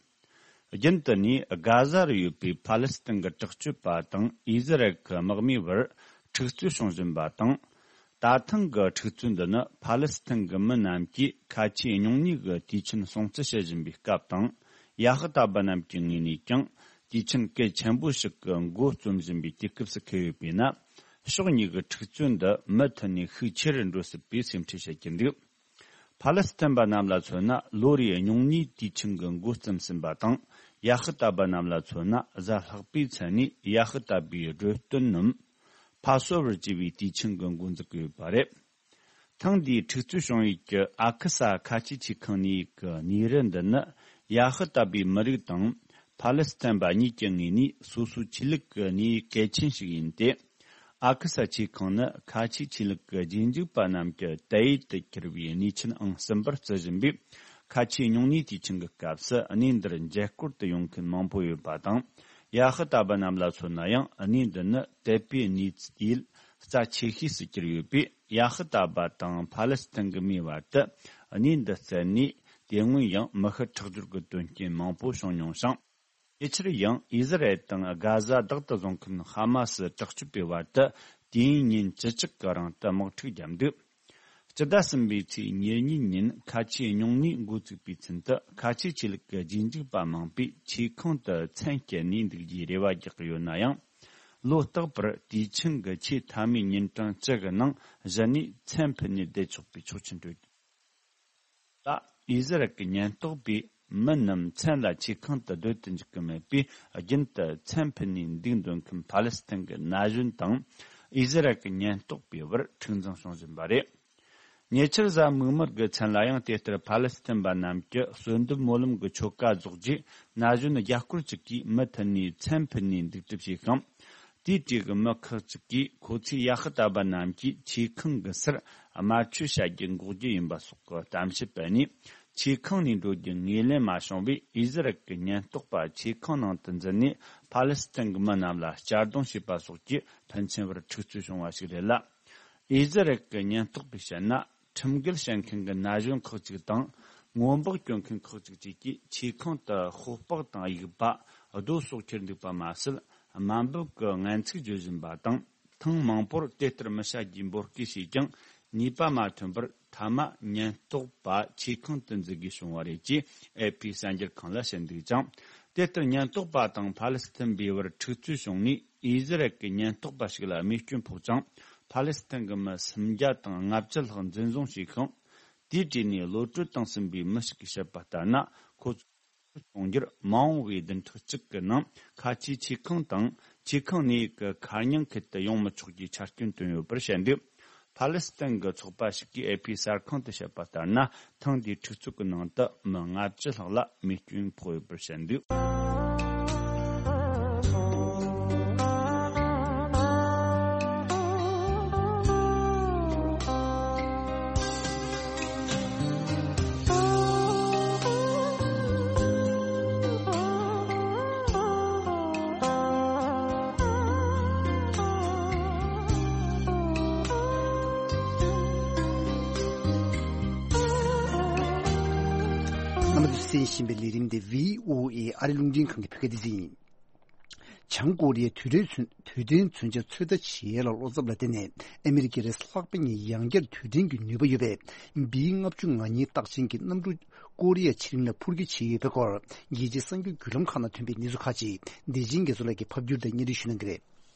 རྒྱུན་དུ་ནས་གྷ་ཟ་རུ་ཡོད་པའི་ཕ་ལེ་སི་ཐན་གྱི་དྲག་སྤྱོད་པ་དང་ཨི་ཟི་རལ་གྱི་དམག་མིའི་བར་འཁྲུག་རྩོད་བྱུང་བཞིན་པ་དང་། ད་ཐེངས་ཀྱི་འཁྲུག་རྩོད་འདི་ནི་ཕ་ལེ་སི་ཐན་གྱི་མི་རྣམས་ཀྱིས་ཁ་ཆེའི་སྨྱུང་གནས་ཀྱི་དུས་ཆེན་སྲུང་བརྩི་བྱེད་བཞིན་པའི་སྐབས་དང་། ཡ་ཧི་ཏ་པ་རྣམས་ཀྱི་ངོས་ནས་ཀྱང་དུས་ཆེན་གལ་ཆེན་པོ་ཞིག་གི་འགོ་རྩོམ་བཞིན་པའི་དུས་སྐབས་སུ་འཁེལ་ཡོད་པས་ན། ཕྱོགས་གཉིས་ཀྱི་འཁྲུག་རྩོད་འདི་མུ་མཐུད་ནས་ཤུགས་ཆེ་རུ་འགྲོ་སྲིད་པའི་སེམས་ཁྲལ་བྱེད་ཀྱི་འདུག་ཕ་ལེ་སི་ཐན་པ་རྣམས་ལ་མཚོན་ན། ལོ་རེའི་སྨྱུང་གནས་དུས་ཆེན་གྱི་འགོ་རྩོམ་ཟིན་པ་དང་། ཡ་ཧི་ཏ་པ་རྣམས་ལ་མཚོན་ན། གཟའ་ལྷག་པའི་ཚེ་ནས་ཡ་ཧི་ཏ་པའི་སྒྲོལ་སྟོན་ནམ། ཕ་སོ་ཝར་ཅེས་པའི་དུས་ཆེན་གྱི་འགོ་འཛུགས་ཀྱི་ཡོད་པ་རེད། ཐེངས་འདིའི་འཁྲུག་རྩོད་བྱུང་ཡུལ་གྱི་ཨ་ཁུ་ས་ཁ་ཆེའི་ཆེ་ཁང་གནས་ཡིག་གི་གནས་རི་འདི་ནི། ཡ་ཧི་ཏ་པའི་མི་རིགས་དང་ཕ་ལེ་སི་ཐན་པ་གཉིས་ཀྱི་ངོས་ནས་སོ་སོའི་ཆོས་ལུགས་ཀྱི་གནས་ཡིག་གལ་ཆེན་ཞིག་ཡིན་ཏེ། ཨ་ཁུ་ས་ཆེ་ཁང་ནི་ཁ་ཆེའི་ཆོས་ལུགས་ཀྱི་རྗེས་འཇུག་པ་རྣམས་ཀྱི་དད་ཡུལ་དུ་གྱུར་བའི་གནས་ཆེན་ཨང་གསུམ་པར་བརྩི་བཞིན་པས། ཁ་ཆེའི་སྨྱུང་གནས་དུས་ཆེན་གྱི་སྐབས་སུ་གནས་འདིར་མཇལ་སྐོར་དུ་ཡོང་མཁན་མང་པོ་ཡོད་པ་དང་། ཡ་ཧི་ཏ་པ་རྣམས་ལ་མཚོན་ན་ཡང་། གནས་འདི་ནི་དད་པའི་གནས་ཚུལ་རྩ་ཆེ་ཤོས་སུ་གྱུར་ཡོད་པས། ཡ་ཧི་ཏ་པ་དང་ཕ་ལེ་སི་ཐན་གྱི་མིའི་བར་དུ་གནས་འདི་བཙལ་ནས། དེ་སྔོན་ཡང་མི་ཤི་ཁྲག་སྦྱོར་གྱི་དོན་རྐྱེན་མང་པོ་བྱུང་མྱོང་ཞིང་། ཉེ་ཆར་ཡང་ཨི་ཟི་རལ་དང་གྷ་ཟ་བདག་ཏུ་བཟུང་མཁན་ཧ་མ་སི་དྲག་སྤྱོད་པའི་བར་དུ་དུས་ཡུན་ཉིན་བཅུ་གཅིག་གི་རིང་དུ་དམག་འཁྲུག་བརྒྱབ་འདུག་སྤྱི་ཟླ་གསུམ་པའི་ཚེས་ཉེར་གཉིས་ཉིན་ཁ་ཆེའི་སྨྱུང་གནས་འགོ་བཙུགས་པའི་ཚུན་དུ། ཁ་ཆེའི་ཆོས་ལུགས་ཀྱི་རྗེས་འཇུག་པ་མང་པོས་ཆེ་ཁང་དུ་མཚན་བསྐྱལ་ནས་འདུག་རྒྱུའི་རེ་བ་རྒྱག་གི་ཡོད་ན་ཡང་། ལོ་རྟག་པར་དུས་ཆེན་གྱི་ཆེས་མཐའ་མའི་ཉིན་གྲངས་བཅུ་གི་ནང་གཞི་ནས་མཚན་ཕུད་ནས་བསྡད་ཆོག་པའི་ཆོག་མཆན་སྤྲོད། ད་ཨི་ཟི་རལ་གྱི་ཉེན་རྟོག་པས་མི་རྣམས་མཚན་ལ་ཆེ་ཁང་དུ་སྡོད་དུ་འཇུག་གི་མེད་པས། རྒྱུན་དུ་མཚན་ཕུད་ནས་འདུག་འདོད་མཁན་ཕ་ལེ་སི་ཐན་གྱི་ན་གཞོན་དང་ཨི་ཟི་རལ་གྱི་ཉེན་རྟོག་པའི་བར་འཁྲུག་འཛིང་བྱུང་བཞིན་པ་རེད། ཉེ་ཆར་གཟའ་མིག་དམར་གྱི་མཚན་ལ་ཡང་། དེ་ལྟར་ཕ་ལེ་སི་ཐན་པ་རྣམས་ཀྱི་གསོལ་འདེབས་སྨོན་ལམ་གྱི་ཆོ་ག་རྫོགས་རྗེས། ན་གཞོན་རྒྱ་སྐོར་ཅིག་གིས་མུ་མཐུད་ནས་མཚན་ཕུད་ནས་འདུག་སྒྲུབ་བྱས་ཤིང་། དེའི་གྲས་ཀྱི་མི་ཁག་ཅིག་གིས་ཁོ་ཚོས་ཡ་ཧི་ཏ་པ་རྣམས་ཀྱིས་ཆེ་ཁང་གི་སར་དམར་མཆོད་བྱ་རྒྱུ་འགོག་རྒྱུ་ཡིན་པ་སོགས་ཀྱི་གཏམ་བཤད་སྤེལ་ནས། ཆེ་ཁང་ནས་འགྲོ་རྒྱུ་ངོས་ལེན་མ་བྱུང་བས། ཨི་ཟི་རལ་གྱི་ཉེན་རྟོག་པ་ཆེ་ཁང་ནང་དུ་འཛུལ་ནས་ཕ་ལེ་སི་ཐན་གྱི་མི་རྣམས་ལ་གཅར་རྡུང་བྱས་པ་སོགས་ཀྱིས་ཕན་ཚུན་བར་འཁྲུག་རྩོད་བྱུང་བ་ཞིག་རེད་ལ། ཨི་ཟི་རལ་གྱི་ཉེན་རྟོག་པས་བཤད་ན། ཁྲིམས་འགལ་བྱེད་མཁན་གྱི་ན་གཞོན་ཁག་ཅིག་དང་། སྔོན་འབག་སྐྱོན་མཁན་ཁག་ཅིག་བཅས་ཀྱིས་ཆེ་ཁང་དུ་ཤོག་སྦག་དང་དབྱུག་པ། རྡོ་སོགས་ཁྱེར་འདུག་པ་མ་ཟད། དམའ་འབེབས་ཀྱི་སྔན་ཚིག་བརྗོད་བཞིན་པ་དང་། ཐེངས་མང་པོར་དེ་ལྟར་མི་བྱ་རྒྱུའི་འབོད་སྐུལ་བྱས་ཀྱང་། ནུས་པ་མ་ཐོན་པར། མཐའ་མ་ཉེན་རྟོག་པ་ཆེ་ཁང་དུ་འཛུལ་དགོས་བྱུང་བ་རེད་ཅེས་ཨེ་ཕི་གསར་འགྱུར་ཁང་ལ་བཤད་འདུག་ཅིང་། དེ་ལྟར་ཉེན་རྟོག་པ་དང་ཕ་ལེ་སི་ཐན་པའི་བར་འཁྲུག་རྩོད་བྱུང་ནས། ཨི་ཟི་རལ་གྱི་ཉེན་རྟོག་པ་ཞིག་ལ་རྨས་སྐྱོན་ཕོག་ཅིང་། ཕ་ལེ་སི་ཐན་གྱི་མི་སུམ་བརྒྱ་དང་ལྔ་བཅུ་ལྷག་འཛིན་བཟུང་བྱས་ཤིང་། དེའི་གྲས་ནས་གློད་གྲོལ་བཏང་ཟིན་པའི་མི་ཞིག་གིས་བཤད་པ་ལྟར་ན། ཁོ་ཚོ་གཏོང་རྒྱུར་མ་འོངས་པའི་བདུན་ཕྲག་གཅིག་གི་ནང་ཁ་ཆེའི་ཆེ་ཁང་དང་། ཆེ་ཁང་ནས་ཀྱི་མཁར་རྙིང་ཁུལ་དུ་ཡོང་མི་ཆོག་རྒྱུའི་ཆ་རྐྱེན་བཏོན་ཡོད་པར་བཤད་འདུག་ཕ་ལེ་སི་ཐན་གྱི་ཚོགས་པ་ཞིག་གིས་ཨེ་ཕི་གསར་ཁང་དུ་བཤད་པ་ལྟར་ན། ཐེངས་འདིའི་འཁྲུག་རྩོད་ཀྱི་ནང་དུ་མི་ལྔ་བཅུ་ལྷག་ལ་རྨས་སྐྱོན་ཕོག་ཡོད་པར་བཤད་འདུག་རྣམ་པ་ཚོས་གསན་བཞིན་པའི་ལས་རིམ་དེ་བྷི་ཨོ་ཨེ་ཨ་རི་རླུང་འཕྲིན་ཁང་གི་བོད་སྐད་སྡེ་ཚན་ཡིན། བྱང་ཀོ་རི་ཡས་དུས་དྲན་མཚོན། དུས་དྲན་མཚོན་ཆ་ཚོད་ལྟ་བྱེད་ཡས་ལ་བློ་འཚབ་ལ་བརྟེན་ནས། ཨ་མི་རི་ཀའི་རེས་ལྷག་པ་ཉིད་ཡང་བསྐྱར་དུས་དྲན་གྱི་ནུས་པ་ཡོད་པའི་བི་ལྔ་བཅུ་ང་གཉིས་རྟགས་ཅན་གྱི་གནམ་གྲུ་ཀོ་རི་ཡ་ཕྱེད་གླིང་ལ་འཕུར་སྐྱོད་བྱས་ཡོད་པའི་སྐོར། རྒྱལ་སྤྱིའི་གསར་འགྱུར་བརྒྱུད་ལམ་ཁག་ནང་ཐོན་པའི་གནས་ཚུལ་ཁག་ཅིག་བདེ་ཆེན་རྒྱ་མཚོ་ལགས་ཀྱིས་ཕབ་བསྒྱུར་དང་སྙན་སྒྲོན་ཞུ་གནང་གི་རེད།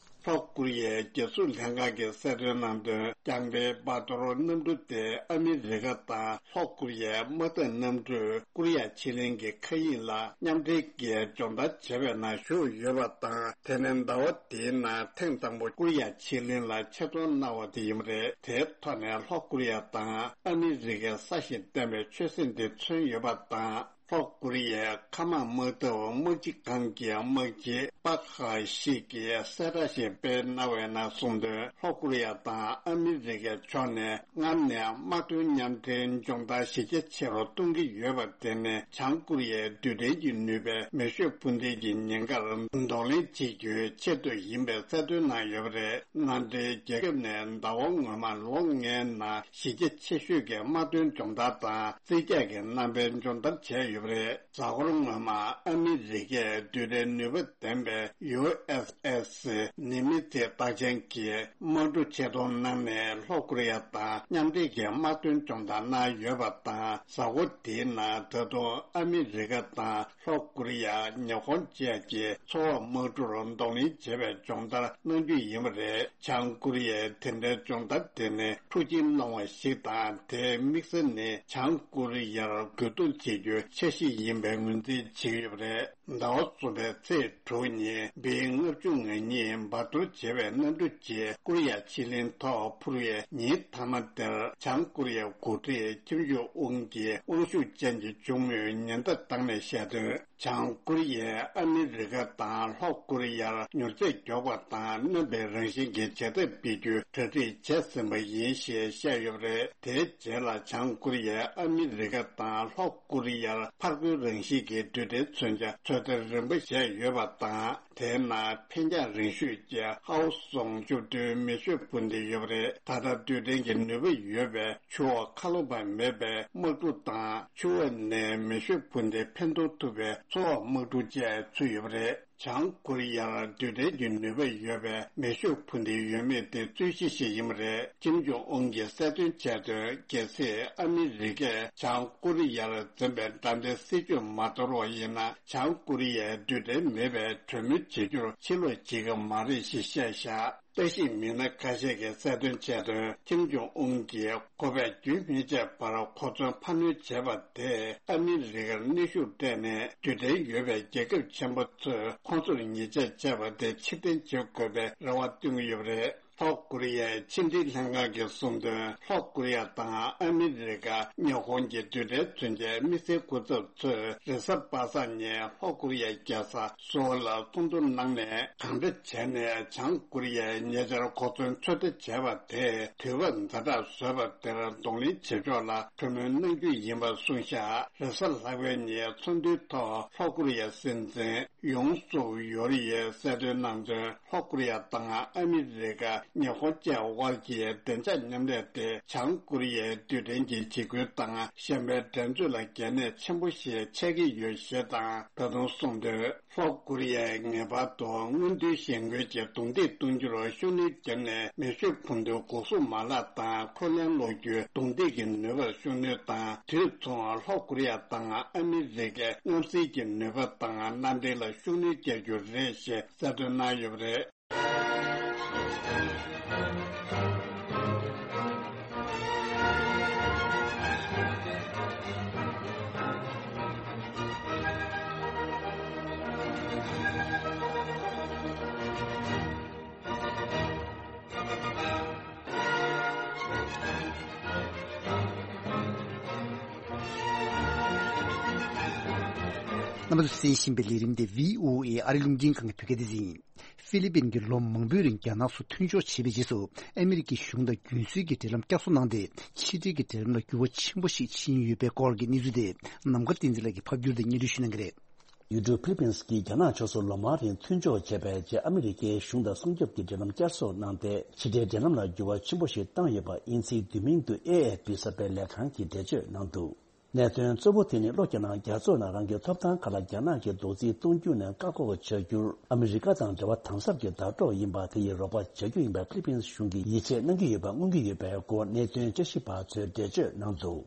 ལྷོ་ཀོ་རི་ཡའི་རྒྱལ་སྲུང་ལྷན་ཁང་གིས་གསལ་སྟོན་གནང་དོན། རྐྱང་པའི་བཱ་ཏོ་རོ་གནམ་གྲུ་དེ་ཨ་མི་རི་ཀ་དང་ལྷོ་ཀོ་རི་ཡའི་དམག་འཐབ་གནམ་གྲུ་ཀོ་རི་ཡ་ཕྱེད་གླིང་གི་མཁའ་དབྱིངས་ལ་མཉམ་འབྲེལ་གྱིས་སྦྱོང་བརྡར་བྱས་པའི་ནང་ཞུགས་ཡོད་པ་དང་། དེ་ནི་ཟླ་བ་འདིའི་ནང་ཐེངས་དང་པོ་ཀོ་རི་ཡ་ཕྱེད་གླིང་ལ་ཆེད་གཏོང་གནང་བ་དེ་ཡིན་པ་རེད། དེའི་ཐོག་ནས་ལྷོ་ཀོ་རི་ཡ་དང་ཨ་མི་རི་ཀའི་ས་ཞིང་བརྟན་པའི་ཆོད་སེམས་དེ་མཚོན་ཡོད་པ་དང་། ལྷོ་ཀོ་རི་ཡའི་མཁའ་དམག་དམག་འཐབ་དམག་སྤྱི་ཁང་གི་དམག་སྤྱི་པག་ཧ་ཤི་གིས་གསལ་བསྒྲགས་ཤིག་སྤེལ་གནང་བའི་ནང་གསུངས་དོན། ལྷོ་ཀོ་རི་ཡ་དང་ཨ་མི་རི་ཀའི་ཕྱོགས་ནས་སྔར་ནས་དམག་དོན་མཉམ་འབྲེལ་སྦྱོང་བརྡར་གཞི་རྒྱ་ཆེ་རུ་གཏོང་གི་ཡོད་པ་དེ་ནི་བྱང་ཀོ་རི་ཡའི་རྡུལ་ཕྲན་གྱི་ནུས་པའི་མེ་ཤུགས་འཕུར་མདེལ་གྱི་ཉེན་ཁར་གདོང་ལེན་བྱེད་རྒྱུའི་ཆེད་དུ་ཡིན་པའི་གསལ་སྟོན་གནང་ཡོད་པ་རེད། མནའ་འབྲེལ་རྒྱལ་ཁབ་ནས་ཟླ་བ་སྔོན་མ་ལོ་ལྔའི་ནང་གཞི་རྒྱ་ཆེ་ཤོས་ཀྱི་དམག་དོན་སྦྱོང་བརྡར་དང་རྩིས་རྒྱག་གི་རྣམ་པའི་སྦྱོང་བརྡར་བྱས་ཡོད་པ་རེད། གཟའ་འཁོར་སྔོན་མ་ཨ་མི་རི་ཀས་རྡུལ་ཕྲན་ནུས་པ་ལྡན་པའི་ཡུ་ཨེས་ཨེས་ནི་མི་ཚེ་རྟགས་ཅན་གྱི་དམག་གྲུ་ཆེད་གཏོང་གནང་ནས་ལྷོ་ཀོ་རི་ཡ་དང་མཉམ་འབྲེལ་གྱི་དམག་དོན་སྦྱོང་བརྡར་གནང་ཡོད་པ་དང་། གཟའ་འཁོར་དེའི་ནང་ད་དུང་ཨ་མི་རི་ཀ་དང་ལྷོ་ཀོ་རི་ཡ། ཉི་ཧོང་བཅས་ཀྱི་མཚོ་འོག་དམག་གྲུར་གདོང་ལེན་བྱེད་པའི་སྦྱོང་བརྡར་གནང་རྒྱུ་ཡིན་པ་རེད། བྱང་ཀོ་རི་ཡས་དེ་འདྲའི་སྦྱོང་བརྡར་དེ་ནི་འཁྲུག་ཆེན་སློང་བ་ཞིག་དང་། དེའི་དམིགས་ས་ནི་བྱང་ཀོ་རི་ཡར་རྒོལ་རྡུང་བྱེད་རྒྱུའི་འཆར་གཞི་ཡིན་པའི་ངོས་འཛིན་བྱེད་ཀྱི་ཡོད་པ་རེད། ཟླ་བ་གསུམ་པའི་ཚེས་དྲུག་ཉིན་བི་ལྔ་བཅུ་ང་གཉིས་འབར་གཏོར་བྱས་པའི་གནམ་གྲུ་གཅིག་ཀོ་རི་ཡ་ཕྱེད་གླིང་ཐོག་འཕུར་བའི་ཉིན་མཐའ་མ་དེར། བྱང་ཀོ་རི་ཡའི་འགོ་ཁྲིད་ཁྱིམ་ཇོ་ཨུན་གྱི་དབང་ཤུགས་ཅན་གྱི་གཅུང་མོས་ཉེན་བརྡ་བཏང་ནས་བཤད་དོན། བྱང་ཀོ་རི་ཡས་ཨ་མི་རི་ཀ་དང་ལྷོ་ཀོ་རི་ཡར་མྱུར་ཚད་མགྱོགས་པ་དང་གནོན་པའི་རང་བཞིན་གྱི་བྱེད་ཐབས་སྤེལ་རྒྱུའི་གྲ་སྒྲིག་བྱས་ཟིན་པ་ཡིན་ཞེས་བཤད་ཡོད་པ་རེད། དེའི་རྗེས་ལ་བྱང་ཀོ་རི་ཡས་ཨ་མི་རི་ཀ་དང་ལྷོ་ཀོ་རི་ཡར་ཕར་རྒོལ་རང་བཞིན་གྱི་རྡུལ་ཕྲན་མཚོན་ཆ་ཚོད་ལྟ་རིམ་པ་བྱས་ཡོད་པ་དང་། དེའི་ནང་འཕེན་རྒྱང་རིང་ཤོས་ཀྱི་ཧའོ་སུང་བཅུ་བདུན་མེ་ཤུགས་འཕུར་མདེལ་ཡོད་པ་རེད། ད་ལྟ་རྡུལ་ཕྲན་གྱི་ནུས་པ་ཡོད་པའི་ཆུ་འོག་ཁ་ལོ་བ་མེད་པའི་དམག་གྲུ་དང་། ཆུ་འོག་ནས་མེ་ཤུགས་འཕུར་མདེལ་འཕེན་གཏོང་ཐུབ་པའི་མཚོ་འོག་དམག་གྲུ་བཅས་ཚུད་ཡོད་པ་རེད། བྱང་ཀོ་རི་ཡར་རྡུལ་ཕྲན་གྱི་ནུས་པ་ཡོད་པའི་མེ་ཤུགས་འཕུར་མདེལ་ཡོད་མེད་དེ་རྩོད་གཞི་ཞིག་ཡིན་པ་རེད། ཁྱིམ་ཇོ་ཨུན་གྱིས་གསལ་སྟོན་བྱས་དོན། གལ་སྲིད་ཨ་མི་རི་ཀས་བྱང་ཀོ་རི་ཡར་འཛིན་པའི་དགྲ་ལྡན་སྲིད་ཇུས་མ་དོར་བ་ཡིན་ན། བྱང་ཀོ་རི་ཡས་རྡུལ་ཕྲན་མེད་པའི་གྲོས་མོལ་བྱེད་རྒྱུར་ཕྱིར་ལོག་བྱེད་ཀྱི་མ་རེད་ཞེས་བཤད་བཞག་བརྟག་ཞིབ་མི་སྣ་ཁ་ཤས་ཀྱིས་གསལ་སྟོན་བྱས་དོན། ཁྱིམ་ཇོ་ཨུན་གྱིས་ཁོ་པས་རྒྱུན་མི་ཆད་པར་གོ་མཚོན་འཕར་སྣོན་བྱས་པ་དེས་ཨ་མི་རི་ཀར་གནོན་ཤུགས་སྤྲད་ནས། རྡུལ་ཕྲན་ཡོད་པའི་རྒྱལ་ཁབ་ཆེན་པོ་ཚོས་ཁོང་ཚོར་ཉེས་ཆད་བཅད་པ་དེ་ཕྱིར་འཐེན་བྱེད་དགོས་པའི་རེ་བ་བཏོན་གྱི་ཡོད་པ་རེད། ལྷོ་ཀོ་རི་ཡའི་ཕྱི་འབྲེལ་ལྷན་ཁང་གིས་གསུངས་དོན། ལྷོ་ཀོ་རི་ཡ་དང་ཨ་མི་རི་ཀ། ཉི་ཧོང་གི་རྡུལ་ཕྲན་མཚོན་ཆའི་དམིགས་བསལ་སྐུ་ཚབ་ཚོས་རེས་གཟའ་པ་སངས་ཉིན་ལྷོ་ཀོ་རི་ཡའི་རྒྱལ་ས་སོའོ་ལ་ཚོགས་འདུ་གནང་ནས། གང་འདྲ་བྱས་ནས་བྱང་ཀོ་རི་ཡས་ཉེ་ཆར་གོ་མཚོན་ཚོད་ལྟ་བྱས་པ་དེ་དུས་བབ་ཛ་དྲག་བཟོས་པ་དེར་གདོང་ལེན་བྱེད་ཕྱོགས་ལ་གྲོས་མོལ་གནང་རྒྱུ་ཡིན་པ་གསུངས་ཤག་རེས་གཟའ་ལྷག་པའི་ཉིན་ཚོགས་འདུའི་ཐོག་ལྷོ་ཀོ་རི་ཡའི་སྲིད་འཛིན་ཡུང་སུག་ཡོལ་ཡིས་གསལ་སྟོན་གནང་དོན། ལྷོ་ཀོ་རི་ཡ་དང་ཨ་མི་རི་ཀ། ཉི་ཧོང་བཅས་དབར་གྱི་བདེ་འཇགས་མཉམ་ལས་དེ་བྱང་ཀོ་རི་ཡའི་རྡུལ་ཕྲན་གྱི་འཇིགས་སྐུལ་དང་གཞན་པའི་འགྲན་རྩོད་ལ་གལ་གནད་ཆེན་པོ་ཞིག་ཆགས་ཀྱི་ཡོད་ཞེས་དང་། ད་དུང་གསུངས་དོན། ལྷོ་ཀོ་རི་ཡས་ངེས་པར་དུ་སྔོན་བསྡུའི་ཞན་ཁུལ་གྱི་རྡུང་རྡེག་གཏོང་རྒྱུར་ཤུགས་སྣོན་བརྒྱབ་ནས། མེ་ཤོད་འཕུར་མདེལ་འགོག་སྲུང་མ་ལག་དང་འཁོན་ལན་སློག་རྒྱུའི་རྡུང་རྡེག་གི་ནུས་པར་ཤུགས་སྣོན་དང་། དུས་མཚུངས་ལྷོ་ཀོ་རི་ཡ་དང་ཨ་མི་རི་ཀས་མཉམ་བསྲེས་ཀྱི་ནུས་པ་དང་མནའ་འབྲེལ་ལ་ཤུགས་སྣོན་རྒྱག་རྒྱུ་རེད་ཞེས་གསལ་སྟོན་གནང་ཡོད་པ་རེད། རྣམ་པ་ཚོས་གསན་བཞིན་པའི་ལས་རིམ་དེ་བྷི་ཨོ་ཨེ་ཨ་རི་རླུང་འཕྲིན་ཁང་གི་བོད་སྐད་སྡེ་ཚན་ཡིན། ཧྥི་ལི་པིན་གྱིས་ལོ་མང་པོའི་རིང་རྒྱ་ནག་སོགས་མཐུན་ཕྱོགས་བྱས་པའི་རྗེས་སུ། ཨ་མི་རི་ཀའི་གཞུང་དང་རྒྱུན་སྲོལ་གྱི་འབྲེལ་ལམ་བསྐྱར་གསོ་གནང་སྟེ། ཕྱི་འབྲེལ་གྱི་འབྲེལ་ལམ་ལ་འགྱུར་བ་ཆེན་པོ་ཞིག་ཕྱིན་ཡོད་པའི་སྐོར་གྱི་གནས་ཚུལ་དེ། ནམ་མཁའ་བསྟན་འཛིན་ལགས་ཀྱིས་ཕབ་བསྒྱུར་དང་སྙན་སྒྲོན་ཞུ་གནང་གི་རེད། ཡུལ་གྲུ་ཕི་ལི་པིན་གྱིས་རྒྱ་ནག་ཕྱོགས་སུ་ལོ་མང་རིང་མཐུན་ཕྱོགས་བྱས་པའི་རྗེས། ཨ་མི་རི་ཀའི་གཞུང་དང་སྲུང་སྐྱོབ་ཀྱི་འབྲེལ་ལམ་བསྐྱར་གསོ་གནང་སྟེ། ཕྱི་འབྲེལ་འབྲེལ་ལམ་ལ་འགྱུར་བ་ཆེན་པོ་ཞིག་བཏང་ཡོད་པ། དབྱིན་ཚིག་བསྡུས་མིང་དུ་ཨེ་ཨེཕ་པི་གསར་སྤེལ་ལས་ཁང་གིས་འགྲེལ་བརྗོད་གནང་འདུག་གནད་དོན་གཙོ་བོ་དེ་ནི། ལྷོ་རྒྱ་ནག་རྒྱ་མཚོ་ནང་རང་གི་ཐོབ་ཐང་ཁག་ལ་རྒྱ་ནག་གིས་རྡོག་རྫིས་གཏོང་རྒྱུ་ནས་བཀག་འགོག་བྱ་རྒྱུར་ཨ་མི་རི་ཀ་དང་འབྲེལ་བ་དམ་ཟབ་ཀྱི་ཟླ་གྲོགས་ཡིན་པ་དེ་ཡིས་རོགས་པ་བྱ་རྒྱུ་ཡིན་པར་ཕི་ལི་པིན་གཞུང་གིས་ཡིད་ཆེས་གནང་གི་ཡོད་པ་མངོན་གྱི་ཡོད་པའི་སྐོར་གནད་དོན་དཔྱད་ཞིབ་པ་ཚོས་འགྲེལ་བརྗོད་གནང་འདུག་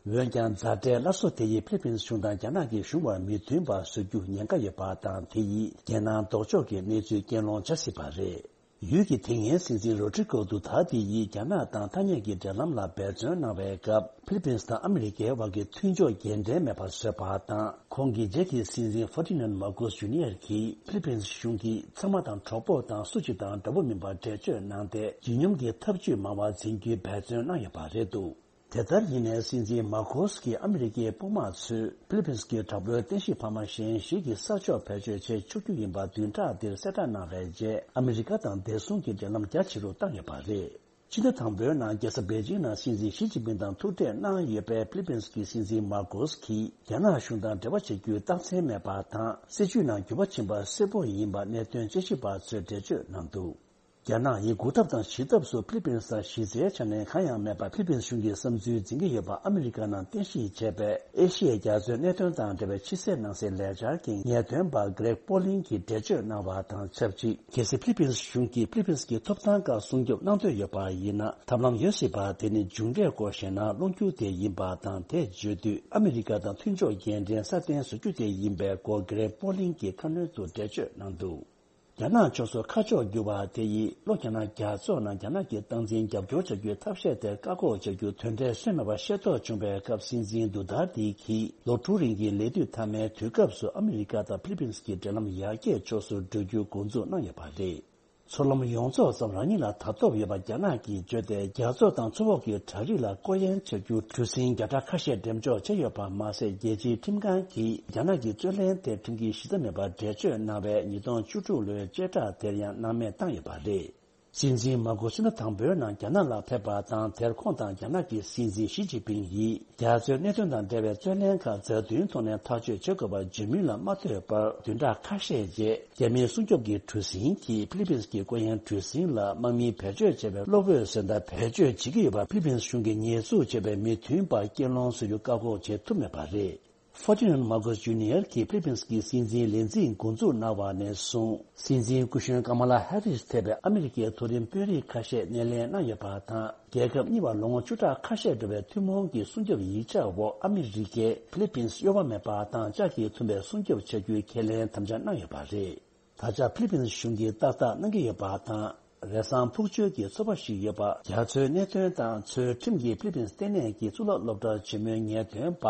འོན་ཀྱང་། མཛའ་འབྲེལ་སླར་གསོ་དེ་ཡིས་ཕི་ལི་པིན་གཞུང་དང་རྒྱ་ནག་གི་གཞུང་བར་མི་མཐུན་པ་བཟོ་རྒྱུ་ཉེན་ཁ་ཡོད་པ་དང་། དེ་ཡིས་རྒྱལ་ནང་ལྡོག་ཕྱོགས་ཀྱི་གནས་ཚུལ་རྐྱེན་སློང་བྱ་སྲིད་པ་རེད། ཡུལ་གྱི་དེ་སྔའི་སྲིད་འཛིན་རོ་ཌི་རི་ཀོ་ཌུ་ཐར་ཏེ་ཡིས་རྒྱ་ནག་དང་ཐ་སྙད་ཀྱི་འབྲེལ་ལམ་ལ་འབད་བརྩོན་གནང་བའི་སྐབས། ཕི་ལི་པིན་དང་ཨ་མི་རི་ཀའི་དབར་གྱི་མཐུན་ཕྱོགས་རྒྱུན་ལྡན་མེད་པར་བཟོས་པ་དང་། ཁོང་གི་རྗེས་ཀྱི་སྲིད་འཛིན་ཧྥར་ཌི་ནན་མར་ཀོས་ཇུ་ནི་ཡར་གྱིས་ཕི་ལི་པིན་གཞུང་གིས་ཚང་མ་དང་གྲོགས་པོ་དང་སུ་གཅིག་དང་འདྲ་པོ་མིན་པར་འགྲེལ་བརྗོད་གནང་སྟེ། ལྗིད་སྙོམས་ཀྱི་ཐབས་ཇུས་མང་བ་འཛིན་རྒྱུའི་འབད་བརྩོན་གནང་ཡོད་པ་རེད་འདུག་དེ་ལྟར་ཡིན་ནའི། སྲིད་འཛིན་མར་ཀོས་ཀྱིས་ཨ་མི་རི་ཀའི་དཔུང་དམག་ཚོས་ཕི་ལི་པིན་གྱི་དྲག་པོའི་རྟེན་གཞི་འཕར་མ་གཞན་ཞིག་གི་ས་ཕྱོགས་བེད་སྤྱོད་བྱེད་ཆོག་རྒྱུ་ཡིན་པ་བདུན་ཕྲག་འདིར་གསལ་བསྒྲགས་གནང་བའི་རྗེས། ཨ་མི་རི་ཀ་དང་བདེ་སྲུང་གི་འབྲེལ་ལམ་རྒྱ་ཆེ་རུ་བཏང་ཡོད་པ་རེད། ཕྱི་ཟླ་དང་པོའི་ནང་རྒྱལ་ས་པེ་ཅིང་ནང་སྲིད་འཛིན་ཞི་ཅིན་ཕིང་དང་ཐུག་འཕྲད་གནང་ཡོད་པའི་ཕི་ལི་པིན་གྱི་སྲིད་འཛིན་མར་ཀོས་ཀྱིས། རྒྱ་ནག་གཞུང་དང་འབྲེལ་བ་བྱེད་རྒྱུའི་རྟགས་མཚན་མེད་པ་དང་། སྲིད་བྱུས་ནང་འགྱུར་བ་ཕྱིན་པ་གསལ་པོ་ཡིན་པ་གནད་དོན་དཔྱད་ཞིབ་པ་ཚོས་འགྲེལ་བརྗོད་གནང་འདུག་རྒྱ་ནག་ཡིས་འགོག་ཐབས་དང་ཞི་ཐབས་སུ་ཕི་ལི་པིན་སར་གཞི་རྩའི་ཆ་ནས་གང་ཡང་མེད་པར་ཕི་ལི་པིན་གཞུང་གི་བསམ་ཚུལ་འཛིན་གྱི་ཡོད་པ། ཨ་མི་རི་ཀ་ནང་རྟེན་གཞི་བྱས་པའི་ཨེ་ཤི་ཡའི་རྒྱ་མཚོའི་གནད་དོན་དང་འབྲེལ་བའི་ཕྱི་སྲིད་ནང་སྲིད་ལས་འཆར་གྱི་ངེས་སྟོན་པ་གྷི་རེག་པོ་ལིན་གྱིས་འགྲེལ་བརྗོད་གནང་བ་དང་ཆབས་ཅིག་གལ་སྲིད་ཕི་ལི་པིན་གཞུང་གིས་ཕི་ལི་པིན་གྱི་ཐོབ་ཐང་ཁག་སྲུང་སྐྱོབ་གནང་འདོད་ཡོད་པ་ཡིན་ན། ཐབས་ལམ་ཡོད་སྲིད་པ་དེ་ནི་འབྱུང་འབྲས་སྐོར་བཤད་ན་སློང་རྒྱུ་དེ་ཡིན་པ་དང་། དེ་བརྗོད་དུས་ཨ་མི་རི་ཀ་དང་མཐུན་ཕྱོགས་རྒྱུན་ལྡན་སྲ་བརྟན་བཟོ་རྒྱུ་དེ་ཡིན་པའི་སྐོར་གྷི་རེག་པོ་ལིན་གྱིས་ཁ་སྣོན་དུ་འགྲེལ་བརྗོད་གནང་འདུག་རྒྱ་ནག་ཕྱོགས་སུ་ཁ་ཕྱོགས་བསྒྱུར་བ་དེ་ཡིས་ལྷོ་རྒྱ་ནག་རྒྱ་མཚོ་ནང་རྒྱ་ནག་གི་སྟངས་འཛིན་རྒྱབ་སྐྱོར་བྱ་རྒྱུའི་ཐབས་ཤེས་དེར་བཀག་འགོག་བྱ་རྒྱུ་དོན་འབྲས་སོན་མེད་པ་ཤེས་རྟོགས་བྱུང་བའི་སྐབས། སྲིད་འཛིན་དུ་ཐར་ཏེ་གྱིས་ལོ་དྲུག་རིང་གི་ལས་དུས་མཐའ་མའི་དུས་སྐབས་སུ་ཨ་མི་རི་ཀ་དང་ཕི་ལི་པིན་གྱི་འབྲེལ་ལམ་ཡར་རྒྱས་ཕྱོགས་སུ་འགྲོ་རྒྱུ་འགོ་འཛུགས་གནང་ཡོད་པ་རེད། མཚོ་ལམ་ཡོངས་རྫོགས་ཙམ་རང་ཉིད་ལ་ད་ཐོབ་ཡོད་པ་རྒྱ་ནག་གིས་བརྗོད་དེ། རྒྱ་མཚོ་དང་མཚོ་འོག་གི་བྲག་རི་ལ་སྐོར་གཡེང་བྱ་རྒྱུ་གྲུ་གཟིངས་བརྒྱ་ཕྲག་ཁ་ཤས་འགྲེམས་འཇོག་བྱས་ཡོད་པ་མ་ཟད། རྒྱལ་སྤྱིའི་ཁྲིམས་ཁང་གིས་རྒྱ་ནག་གི་རྩོད་གླེང་དེ་ཁྲིམས་འགལ་གཞི་རྩ་མེད་པར་འགྲེལ་བརྗོད་གནང་བའི་ཉིས་སྟོང་བཅུ་དྲུག་ལོའི་བཅད་ཁྲ་དེར་ཡང་སྣང་མེད་བཏང་ཡོད་པ་རེད། སྲིད་འཛིན་མར་ཀོ་སི་ཕྱི་ཟླ་དང་པོའི་ནང་རྒྱ་ནག་ལ་ཕེབས་པ་དང་། དེར་ཁོང་དང་རྒྱ་ནག་གི་སྲིད་འཛིན་ཞི་ཅིན་ཕིང་ཡིས་རྒྱ་མཚོའི་གནད་དོན་དང་འབྲེལ་བའི་རྩོད་གླེང་ཁག་མཛའ་མཐུན་ཐོག་ནས་ཐག་གཅོད་བྱེད་དགོས་པར་བརྗོད་མུས་ལ་མ་ལྷོད་པར། བདུན་ཕྲག་ཁ་ཤས་རྗེས། རྒྱ་མིའི་སྲུང་སྐྱོབ་ཀྱི་གྲུ་གཟིངས་ཀྱིས་ཕི་ལི་པིན་གྱི་སྐོར་གཡེང་གྲུ་གཟིངས་ལ་དམག་མིས་བེད་སྤྱོད་བྱས་པའི་གློག་འོད་ཟེར་མདའ་བེད་སྤྱོད་བྱེད་ཀྱི་ཡོད་པ། ཕི་ལི་པིན་གཞུང་གིས་ཉེས་འཛུགས་བྱས་པའི་མི་མཐུན་པ་རྐྱེན་སློང་བཟོ་རྒྱུ་བཀག་འགོག་བྱེད་ཐུབ་མེད་པ་རེད། ཧྥར་ཌི་ནན་མར་ཀོས་ཇུ་ནི་ཡར་གྱིས་ཕི་ལི་པིན་གྱི་སྲིད་འཛིན་ལས་འཛིན་འགོ་འཛུགས་གནང་བ་ནས་བཟུང་། སྲིད་འཛིན་སྐུ་གཞོན་ཀ་མ་ལ་ཧེ་རིས་ཐེ་བའི་ཨ་མི་རི་ཀའི་མཐོ་རིམ་དཔོན་རིགས་ཁ་ཤས་སྣེ་ལེན་གནང་ཡོད་པ་དང་། རྒྱལ་ཁབ་གཉིས་བར་ལོ་ངོ་བཅུ་ཕྲག་ཁ་ཤས་འགྲོ་བའི་ཐུན་མོང་གི་སྲུང་སྐྱོབ་ཡིག་ཆ་འོག་ཨ་མི་རི་ཀས་ཕི་ལི་པིན་གཡོ་བ་མེད་པ་དང་ལྕགས་ཀྱིས་འཐུམ་པའི་སྲུང་སྐྱོབ་བྱ་རྒྱུའི་ཁས་ལེན་དམ་བཅའ་གནང་ཡོད་པ་རེད། ད་ཆ་ཕི་ལི་པིན་གཞུང་གིས་ཏག་ཏག་གནང་གི་ཡོད་པ་དང་། རེས་གཟའ་ཕུག་མཆོད་ཀྱི་ཚོགས་པ་ཞིག་ཡོད་པ། རྒྱ་མཚོའི་གནད་དོན་དང་ཚུལ་ཁྲིམས་ཀྱི་ཕི་ལི་པིན་ལྟེ་གནས་ཀྱི་གཙུག་ལག་སློབ་གྲྭ་ཆེན་མོའི་ངེས་སྟོན་པ་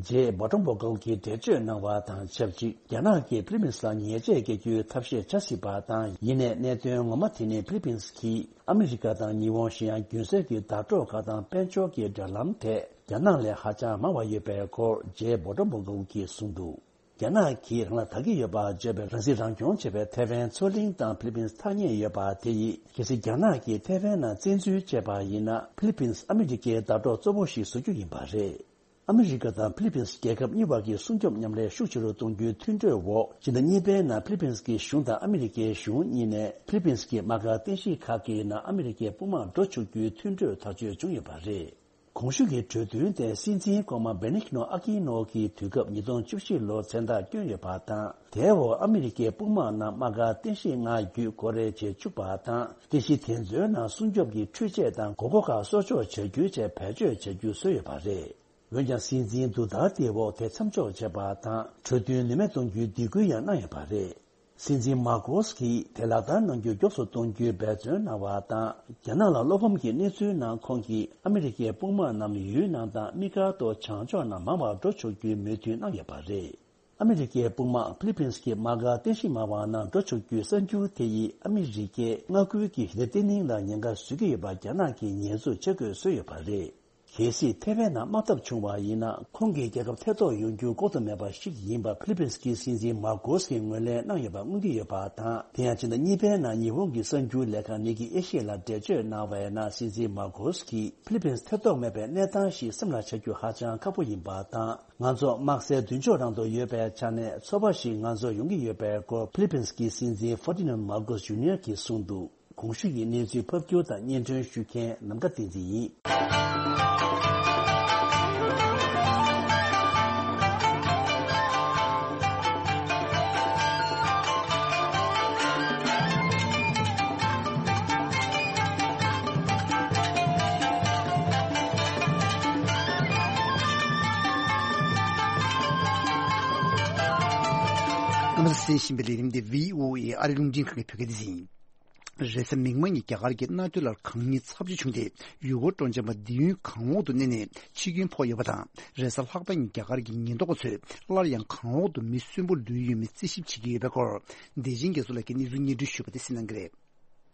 ཇེ་བྷོ་ཊོམ་བྷོ་གལ་གྱིས་འགྲེལ་བརྗོད་གནང་བ་དང་ཆབས་ཅིག་རྒྱ་ནག་གིས་ཕི་ལི་པིན་ལ་ཉེས་ཆད་འགེལ་རྒྱུའི་ཐབས་ཤེས་བྱ་སྲིད་པ་དང་། ཡིན་ནའི་གནད་དོན་ངོ་མ་དེ་ནི་ཕི་ལི་པིན་གྱིས་ཨ་མི་རི་ཀ་དང་ཉི་ཧོང་གཞན་ཡང་རྒྱུན་སྲོལ་གྱི་བརྡ་སྤྲོད་ཁག་དང་དཔལ་འབྱོར་གྱི་འབྲེལ་ལམ་ཐད་རྒྱ་ནག་ལས་ཧ་ཅང་མང་བ་ཡོད་པའི་སྐོར་ཇེ་བྷོ་ཊོམ་བྷོ་གལ་གྱིས་གསུངས་འདུག་རྒྱ་ནག་གིས་རང་ལ་དགའ་གི་ཡོད་པར་བརྗོད་པའི་རང་སྲིད་རང་སྐྱོང་བྱེད་པའི་ཐེ་ཝན་མཚོ་གླིང་དང་ཕི་ལི་པིན་ཐ་སྙད་ཡོད་པ་དེ་ཡིས། གལ་སྲིད་རྒྱ་ནག་གིས་ཐེ་ཝན་ནང་བཙན་འཛུལ་བྱས་པ་ཡིན་ན། ཕི་ལི་པིན་ཨ་མི་རི་ཀའི་བརྡ་སྤྲོད་གཙོ་བོ་ཞིག་བཟོ་རྒྱུ་ཡིན་པ་རེད། ཨ་མི་རི་ཀ་དང་ཕི་ལི་པིན་རྒྱལ་ཁབ་གཉིས་བར་གྱི་སྲུང་སྐྱོབ་མཉམ་ལས་ཤུགས་ཆེ་རུ་གཏོང་རྒྱུའི་མཐུན་གྲོས་འོག་སྤྱི་ཟླ་གཉིས་པའི་ནང་ཕི་ལི་པིན་གྱི་གཞུང་དང་ཨ་མི་རི་ཀའི་གཞུང་གཉིས་ནས་ཕི་ལི་པིན་གྱི་དམག་སྒར་རྟེན་གཞི་ཁག་གི་ནང་ཨ་མི་རི་ཀའི་དཔུང་དམག་འགྲོ་ཆོག་རྒྱུའི་མཐུན་གྲོས་ཐག་གཅོད་བྱུང་ཡོད་པ་རེད། གོང་ཞུས་ཀྱི་གྲོས་མཐུན་དེ་སྲིད་འཛིན་གོང་མ་བེ་ནིག་ནོ་ཨ་ཀི་ནོ་གི་དུས་སྐབས་ཉིས་སྟོང་བཅུ་བཞི་ལོར་མཚན་རྟགས་བསྐྱོན་ཡོད་པ་དང་། དེའི་འོག་ཨ་མི་རི་ཀའི་དཔུང་དམག་རྣམས་དམག་སྒར་རྟེན་གཞི་ལྔ་བརྒྱུད་སྒོ་རེ་བྱེད་བཅུག་པ་དང་། རྟེན་གཞི་དེ་ཚོའི་ནང་སྲུང་སྐྱོབ་ཀྱི་འཕྲུལ་ཆས་དང་དགོས་མཁོ་ཁག་གསོག་འཇོག་བྱ་རྒྱུའི་ཆེད་བེད་སྤྱོད་བྱ་རྒྱུ་བཟོས་ཡོད་པ་རེད། འོན་ཀྱང་། སྲིད་འཛིན་དུ་ཏར་ཏེའི་འོག་དེ་མཚམས་འཇོག་བྱས་པ་དང་། གྲོས་མཐུན་ནུས་མེད་གཏོང་རྒྱུའི་སྡིགས་སྐུལ་ཡང་གནང་ཡོད་པ་རེད། སྲིད་འཛིན་མར་ཀོས་ཀྱིས་དེ་ལག་བསྟར་གནང་རྒྱུ་མགྱོགས་སུ་གཏོང་རྒྱུའི་འབད་བརྩོན་གནང་བ་དང་། རྒྱ་ནག་ལ་བློ་ཕམ་གྱི་གནས་ཚུལ་ནང་ཁོང་གིས་ཨ་མི་རི་ཀའི་དཔུང་དམག་རྣམས་ཡུལ་ནང་དང་དམིགས་བཀར་དུ་བྱང་ཕྱོགས་ནང་མང་བར་འགྲོ་ཆོག་རྒྱུའི་མོས་མཐུན་གནང་ཡོད་པ་རེད། ཨ་མི་རི་ཀའི་དཔུང་དམག་ཕི་ལི་པིན་གྱི་དམག་སྒར་རྟེན་གཞི་མང་བ་ནང་འགྲོ་ཆོག་རྒྱུའི་གསར་འགྱུར་དེ་ཡིས་ཨ་མི་རི་ཀའི་མངའ་ཁུལ་གྱི་ཞི་བདེ་བརྟན་ལྷིང་ལ་ཉེན་ཁ་བཟོ་གི་ཡོད་པ་རྒྱ་ནག་གིས་ཉེས་འཛུགས་བྱེད་དགོས་བཟོས་ཡོད་པ་རེད། གལ་སྲིད་ཐེ་ཝན་ནང་དམག་འཐབ་བྱུང་བ་ཡིན་ན། ཁོང་གི་རྒྱལ་ཁབ་ཐེ་གཏོགས་ཡོང་རྒྱུ་ལྐོག་ཏུ་མེད་པ་ཞིག་ཡིན་པ་ཕི་ལི་པིན་གྱི་སྲིད་འཛིན་མར་ཀོས་ཀྱིས་ངོས་ལེན་གནང་ཡོད་པ་མངོན་གྱི་ཡོད་པ་དང་། དེ་ཡང་ཕྱི་ཟླ་གཉིས་པའི་ནང་ཉི་ཧོང་གི་གསར་འགྱུར་ལས་ཁང་ནི་ཀི་ཨེ་ཤི་ཡ་ལ་འགྲེལ་བརྗོད་གནང་བའི་ནང་སྲིད་འཛིན་མར་ཀོས་ཀྱིས་ཕི་ལི་པིན་ཐེ་གཏོགས་མེད་པའི་གནས་སྟངས་ཤིག་སེམས་ལ་འཆར་རྒྱུ་ཧ་ཅང་ཁག་པོ་ཡིན་པ་དང་། ང་ཚོ་དམག་སའི་མདུན་ཕྱོགས་རང་དུ་ཡོད་པའི་ཆ་ནས་ཚོར་བ་ཞིག་ང་ཚོར་ཡོང་གི་ཡོད་པའི་སྐོར་ཕི་ལི་པིན་གྱི་སྲིད་འཛིན་ཧྥར་ཏི་ནན་མར་ཀོས་ཇུ་ནི་ཡར་གྱིས་གསུངས་འདུག་གོང་ཞུས་ཀྱི་གནས་ཚུལ་ཕབ་སྒྱུར་དང་སྙན་སྒྲོན་ཞུ་མཁན་ནམ་མཁའ་བསྟན་འཛིན་ཡིན། རྣམ་པ་གསན་བཞིན་པའི་ལས་རིམ་འདི་བྷི་ཨོ་ཨེ་ཨ་རི་རླུང་འཕྲིན་ཁང་གི་བོད་སྐད་སྡེ་ཚན་ཡིན། རེས་གཟའ་མིག་དམར་ཉིན་རྒྱ་གར་གྱི་གནའ་སྟོད་ལ་གངས་རྙིང་ཚབས་ཆེ་བྱུང་སྟེ། ཡུལ་སྐོར་སྤྲོ་འཆམ་པ་འདི་ཡུན་གངས་འོག་ཏུ་གནས་ནས་འཆི་སྐྱོན་ཕོག་ཡོད་པ་དང་། རེས་གཟའ་ལྷག་པ་ཉིན་རྒྱ་གར་གྱི་ཉེན་རྟོག་པ་ཚོས་སླར་ཡང་གངས་འོག་ཏུ་མི་གསོན་པོ་ལུས་ཡོད་མེད་རྩད་ཞིབ་བྱེད་ཀྱི་ཡོད་པའི་སྐོར། བདེ་ཆེན་རྒྱ་མཚོ་ལགས་ཀྱིས་གནས་ཚུལ་སྙན་སྒྲོན་ཞུས་པ་དེ་གསན་གནང་གི་རེད།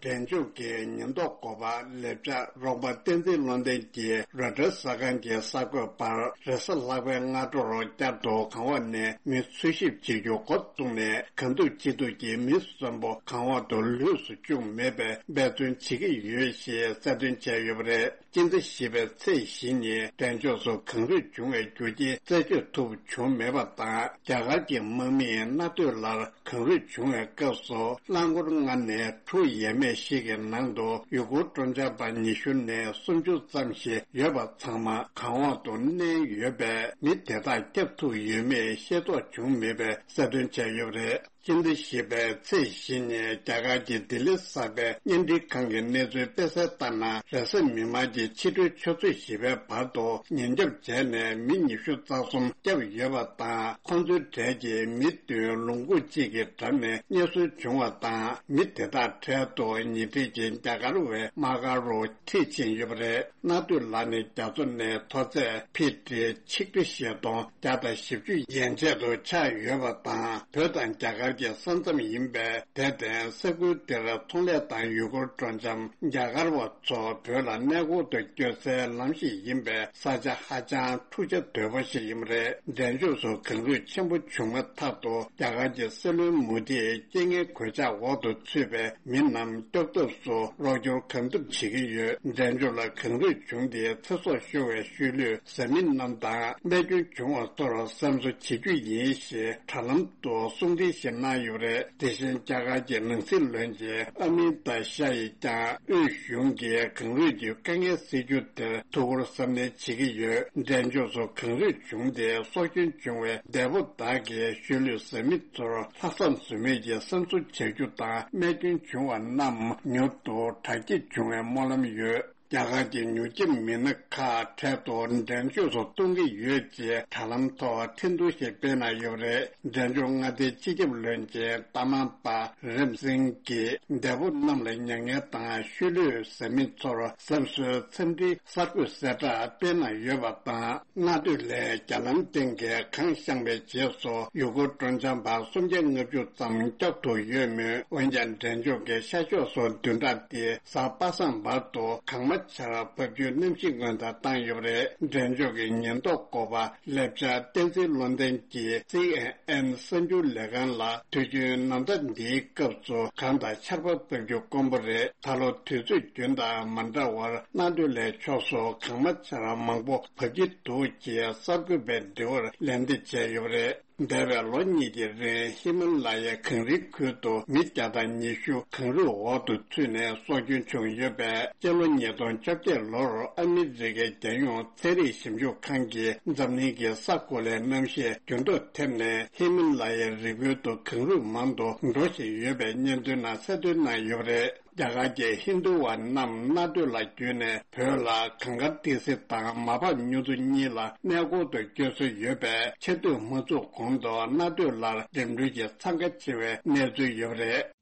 འབྲས་ལྗོངས་ཀྱི་ཉེན་རྟོག་འགོ་པ་ལེགས་བྱ་རོགས་པ་བསྟན་འཛིན་བློ་ལྡན་གྱིས་རོའི་ཊར་གསར་ཁང་གི་གསར་འགོད་པར། རེས་གཟའ་ལྷག་པའི་སྔ་དྲོར་བསྐྱར་དུ་གངས་འོག་ནས་མི་འཚོལ་ཞིབ་བྱེད་རྒྱུ་འགོ་བཙུགས་ནས། གང་ཐུབ་ཅི་ཐུབ་ཀྱིས་མི་གསོན་པོ་གངས་འོག་ཏུ་ལུས་སུ་བཅུག་མེད་པའི་འབད་བརྩོན་བྱེད་ཀྱི་ཡོད་ཞེས་གསལ་སྟོན་བྱས་ཡོད་པ་རེད། སྤྱི་ཟླ་བཞི་པའི་ཚེས་བཞི་ཉིན་འབྲས་ལྗོངས་སུ་གངས་རུད་བྱུང་བའི་རྒྱུ་རྐྱེན་རྩད་གཅོད་ཐུབ་བྱུང་མེད་པ་དང་། རྒྱ་གར་གྱི་དམག་མིས་གནའ་སྟོད་ལ་གངས་རུད་བྱུང་བའི་སྐབས་སུ། རླངས་འཁོར་ལྔ་ནས་དྲུག་ཡས་མས་ཤིག་གི་ནང་དུ་ཡུལ་སྐོར་སྤྲོ་འཆམ་པ་ཉི་ཤུ་ནས་སུམ་ཅུ་ཙམ་ཞིག་ཡོད་པ་ཚང་མ་གངས་འོག་ཏུ་མནན་ཡོད་པས། མི་དེ་དག་བསྐྱབ་ཐུབ་ཡོད་མེད་ཤེས་རྟོགས་བྱུང་མེད་པའི་གསལ་སྟོན་བྱས་ཡོད་པ་རེད། སྤྱི་ཟླ་བཞི་པའི་ཚེས་བཞི་ཉིན་རྒྱ་གར་གྱི་ལྡི་ལི་གསར་པའི་བརྙན་འཕྲིན་ཁང་གི་གནས་ཚུལ་སྤེལ་གསལ་ལྟར་ན། རེས་གཟའ་མིག་དམར་གྱི་ཕྱི་དྲོའི་ཆུ་ཚོད་བཞི་པའི་བར་དུ་ཉེན་སྐྱོབ་བྱས་ནས་མི་ཉི་ཤུ་རྩ་གསུམ་བསྐྱབས་ཡོད་པ་དང་། ཁོང་ཚོའི་གྲས་ཀྱི་མི་བདུན་ལུང་ཁུག་གཅིག་གི་འགྲམ་ནས་རྙེད་སོན་བྱུང་བ་དང་། མི་དེ་དག་གྲལ་དུ་ཉེ་འཁྲིས་ཀྱི་རྒྱ་གར་བའི་དམག་སྒར་རུ་ཁྲིད་ཕྱིན་ཡོད་པ་རེད། གནའ་སྟོད་ལ་ནི་རྒྱ་མཚོ་ནས་མཐོ་ཚད་ཕི་ཊི་ཆིག་ཁྲི་བཞི་སྟོང་བརྒྱ་དང་བཞི་བཅུ་ཡན་ཆད་དུ་ཆགས་ཡོད་པ་དང་། བོད་དང་རྒྱ་གར་གྱི་ས་མཚམས་ཡིན་པས། དེར་བརྟེན་ས་ཁུལ་དེར་ཚོང་ལས་དང་ཡུལ་སྐོར་སྤྲོ་འཆམ་རྒྱ་གར་བ་ཚོ་བོད་ལ་གནས་སྐོར་དུ་བསྐྱོད་སའི་ལམ་ཞིག་ཡིན་པས། ས་ཆ་ཧ་ཅང་འཁྲུག་ཆ་དོད་པོ་ཞིག་ཡིན་པ་རེད། འབྲས་ལྗོངས་སུ་གངས་རུད་ཆེན་པོ་བྱུང་མ་ཐག་ཏུ་རྒྱ་གར་གྱི་སྲིད་བློན་མོ་དིས་རྐྱེན་ངན་གོད་ཆག་འོག་ཏུ་ཚུད་པའི་མི་རྣམས་སྐྱོབ་ཐབས་སུ་རོགས་སྐྱོར་གང་ཐུབ་བྱེད་ཀྱི་ཡོད། འབྲས་ལྗོངས་ལ་གངས་རུད་བྱུང་སྟེ་ཚེ་སྲོག་ཤོར་བའི་ཤུལ་ལུས་བཟའ་མི་རྣམས་དང་རྨས་སྐྱོན་བྱུང་བ་ཚོར་སེམས་གསོ་བྱེད་རྒྱུ་ཡིན་ཞེས་དྲ་ལམ་དུ་གསུང་འཕྲིན་ཞིག་གནང་ཡོད་པ་རེད། དེ་བཞིན་རྒྱ་གར་གྱི་ནང་སྲིད་བློན་ཆེན་ཨ་མི་ཏཱ་ཤ་ཡིས་ཀྱང་དབུས་གཞུང་གིས་གངས་རུད་ཀྱི་དཀའ་ངལ་སེལ་རྒྱུ་དེར་ཐུགས་ཁུར་གཟབ་ནན་བྱེད་ཀྱི་ཡོད། འབྲས་ལྗོངས་སུ་གངས་རུད་བྱུང་སྟེ་སྲོག་སྐྱོན་བྱུང་བའི་འདས་པོ་དག་གི་ཤུལ་ལུས་བཟའ་མི་ཚོར་ལྷག་བསམ་ཟོལ་མེད་ཀྱིས་སེམས་གསོ་བྱ་རྒྱུ་དང་། རྨས་སྐྱོན་བྱུང་བ་རྣམས་མྱུར་དུ་དྲག་སྐྱེད་འབྱུང་བའི་སྨོན་ལམ་ཡོད། རྒྱ་གར་གྱི་མྱུར་སྐྱོབ་མི་སྣ་ཁག་འཕྲལ་དུ་འགྲན་ཞུགས་སུ་གཏོང་གི་ཡོད་ཅེས་དྲ་ལམ་ཐོག་ཁྲིན་ཏུའུ་ཞིག་སྤེལ་གནང་ཡོད་པ་རེད། འབྲས་ལྗོངས་མངའ་སྡེའི་སྤྱི་ཁྱབ་བློན་ཆེན་ཏཱ་མང་པ་རིམ་སིང་གིས་འདས་པོ་རྣམས་ལ་མྱ་ངན་དང་ཤུལ་ལུས་ཟ་མི་ཚོར་བསམ་ཚུལ་འཚམས་འདྲིའི་གསར་འགོད་གསལ་བསྒྲགས་སྤེལ་གནང་ཡོད་པ་དང་། གནའ་སྟོད་ལའི་རྒྱ་ལམ་སྟེང་གི་གངས་བཤངས་པའི་རྗེས་སུ་ཡུལ་སྐོར་སྤྲོ་འཆམ་པ་སུམ་བརྒྱ་ལྔ་བཅུ་ཙམ་བསྐྱབ་ཐུབ་ཡོད་མོད། འོན་ཀྱང་འབྲས་ལྗོངས་ཀྱི་ཤར་ཕྱོགས་སུ་བདུན་ཕྲག་འདིའི་གཟའ་པ་སངས་བར་དུ་གངས་མ་ཆར་བབས་རྒྱུའི་གནམ་གཤིས་སྔོན་བརྡ་བཏང་ཡོད་པ་རེད། འབྲས་ལྗོངས་ཀྱི་ཉེན་རྟོག་འགོ་པ་ལེབ་ཅར་བསྟན་འཛིན་བློ་ལྡན་གྱིས་སི་ཨེན་ཨེན་གསར་འགྱུར་ལས་ཁང་ལ། དུས་རྒྱུན་ནམ་ཟླ་འདིའི་སྐབས་སུ་གངས་དང་ཆར་པ་བབས་རྒྱུ་དཀོན་པོ་རེད། ད་ལོ་དུས་ཚོད་རྒྱུན་དང་མ་འདྲ་བར་གནའ་སྟོད་ལའི་ཕྱོགས་སུ་གངས་མ་ཆར་མང་པོ་བབས་ཀྱི་འདུག་ཅེས་གསར་འགོད་པའི་དྲི་བར་ལན་འདེབས་བྱས་ཡོད་པ་རེད། འདས་པའི་ལོ་གཉིས་ཀྱི་རིང་ཧི་མ་ལ་ཡའི་གངས་རིའི་ཁུལ་དུ་མི་བརྒྱ་དང་ཉི་ཤུ་གངས་རུད་འོག་ཏུ་ཚུད་ནས་སྲོག་སྐྱོན་བྱུང་ཡོད་པས། སྤྱི་ལོ་ཉིས་སྟོང་བཅོ་བརྒྱད་ལོར་ཨ་མི་རི་ཀའི་རྒྱལ་ཡོངས་ཚན་རིག་ཞིབ་འཇུག་ཁང་གིས་འཛམ་གླིང་གི་ས་གོ་ལའི་གནམ་གཤིས་འགྱུར་ལྡོག་ཐེབས་ནས་ཧི་མ་ལ་ཡའི་རི་ཁུལ་དུ་གངས་རུད་མང་དུ་འགྲོ་བཞིན་ཡོད་པའི་སྙན་ཐོའི་ནང་གསལ་སྟོན་གནང་ཡོད་པ་རེད། རྒྱ་གར་གྱི་ཧིན་རྡུ་བ་རྣམས་གནའ་སྟོད་ལ་བརྒྱུད་ནས་བོད་ལ་གངས་དཀར་ཏི་སེ་དང་མ་ཕམ་གཡུ་མཚོ་གཉིས་ལ་གནས་སྐོར་དུ་བསྐྱོད་སྲོལ་ཡོད་པས། ཆར་དུས་མ་ཚུགས་གོང་དུ་གནའ་སྟོད་ལ་འགྲིམ་འགྲུལ་གྱི་འཚང་ཁ་ཆེ་བའི་གནས་ཚུལ་ཡོད་པ་རེད།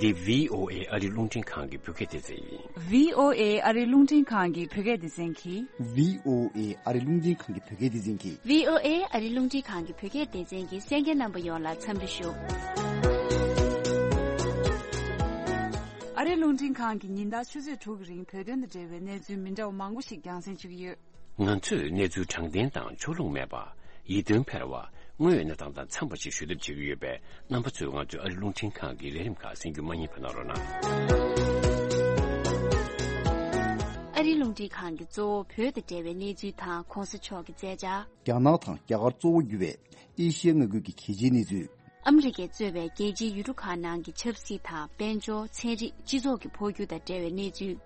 འདི་བི་ཨོ་ཨེ་ཨ་རི་རླུང་འཕྲིན་ཁང་གི་བོད་སྐད་སྡེ་ཚན་ཡིན། བི་ཨོ་ཨེ་ཨ་རི་རླུང་འཕྲིན་ཁང་གི་བོད་སྐད་སྡེ་ཚན་གྱིས། བི་ཨོ་ཨེ་ཨ་རི་རླུང་འཕྲིན་ཁང་གི་བོད་སྐད་སྡེ་ཚན་གྱིས། བི་ཨོ་ཨེ་ཨ་རི་རླུང་འཕྲིན་ཁང་གི་བོད་སྐད་སྡེ་ཚན་གྱི་གསན་མཁན་རྣམ་པ་ཡོངས་ལ་འཚམས་འདྲི་ཞུ། ཨ་རི་རླུང་འཕྲིན་ཁང་གིས་ཉིན་ལྟར་ཆུ་ཚོད་དྲུག་གི་རིང་བོད་དོན་དང་འབྲེལ་བའི་གནས་ཚུལ་མི་འདྲ་བ་མང་པོ་ཞིག་རྒྱང་སྲིང་ཞུ་གི་ཡོད། ང་ཚོས་གནས་ཚུལ་དྲང་བདེན་དང་ཕྱོགས་ལྷུང་མེད་པ། ཡིད་རྟོན་འཕེར་བ། དངོས་ཡོད་གནས་སྟངས་དང་འཚམས་པ་ཞིག་ཞུ་ཐབས་བྱེད་ཀྱི་ཡོད་པས། རྣམ་པ་ཚོས་ང་ཚོའི་ཨ་རི་རླུང་འཕྲིན་ཁང་གི་ལས་རིམ་ཁག་གསན་རྒྱུ་མ་བསྙེལ་བ་གནང་རོགས་གནང་། ཨ་རི་རླུང་འཕྲིན་ཁང་གིས་གཙོ་བོ་བོད་དང་འབྲེལ་བའི་གནས་ཚུལ་དང་གོང་ས་མཆོག་གི་མཛད་འཆར། རྒྱ་ནག་དང་རྒྱ་གར་གཙོ་བོ་གྱུར་བའི་ཨེ་ཤི་ཡ་མངའ་ཁུལ་གྱི་གལ་ཆེའི་གནས་ཚུལ། ཨ་མི་རི་ཀས་གཙོས་པའི་རྒྱལ་སྤྱིའི་ཡུལ་གྲུ་ཁག་ནང་གི་ཆབ་སྲིད་དང་དཔལ་འབྱོར། ཚན་རིག་སྤྱི་ཚོགས་ཀྱི་འཕོ་འགྱུར་དང་འབྲེལ་བའི་གནས་ཚུལ།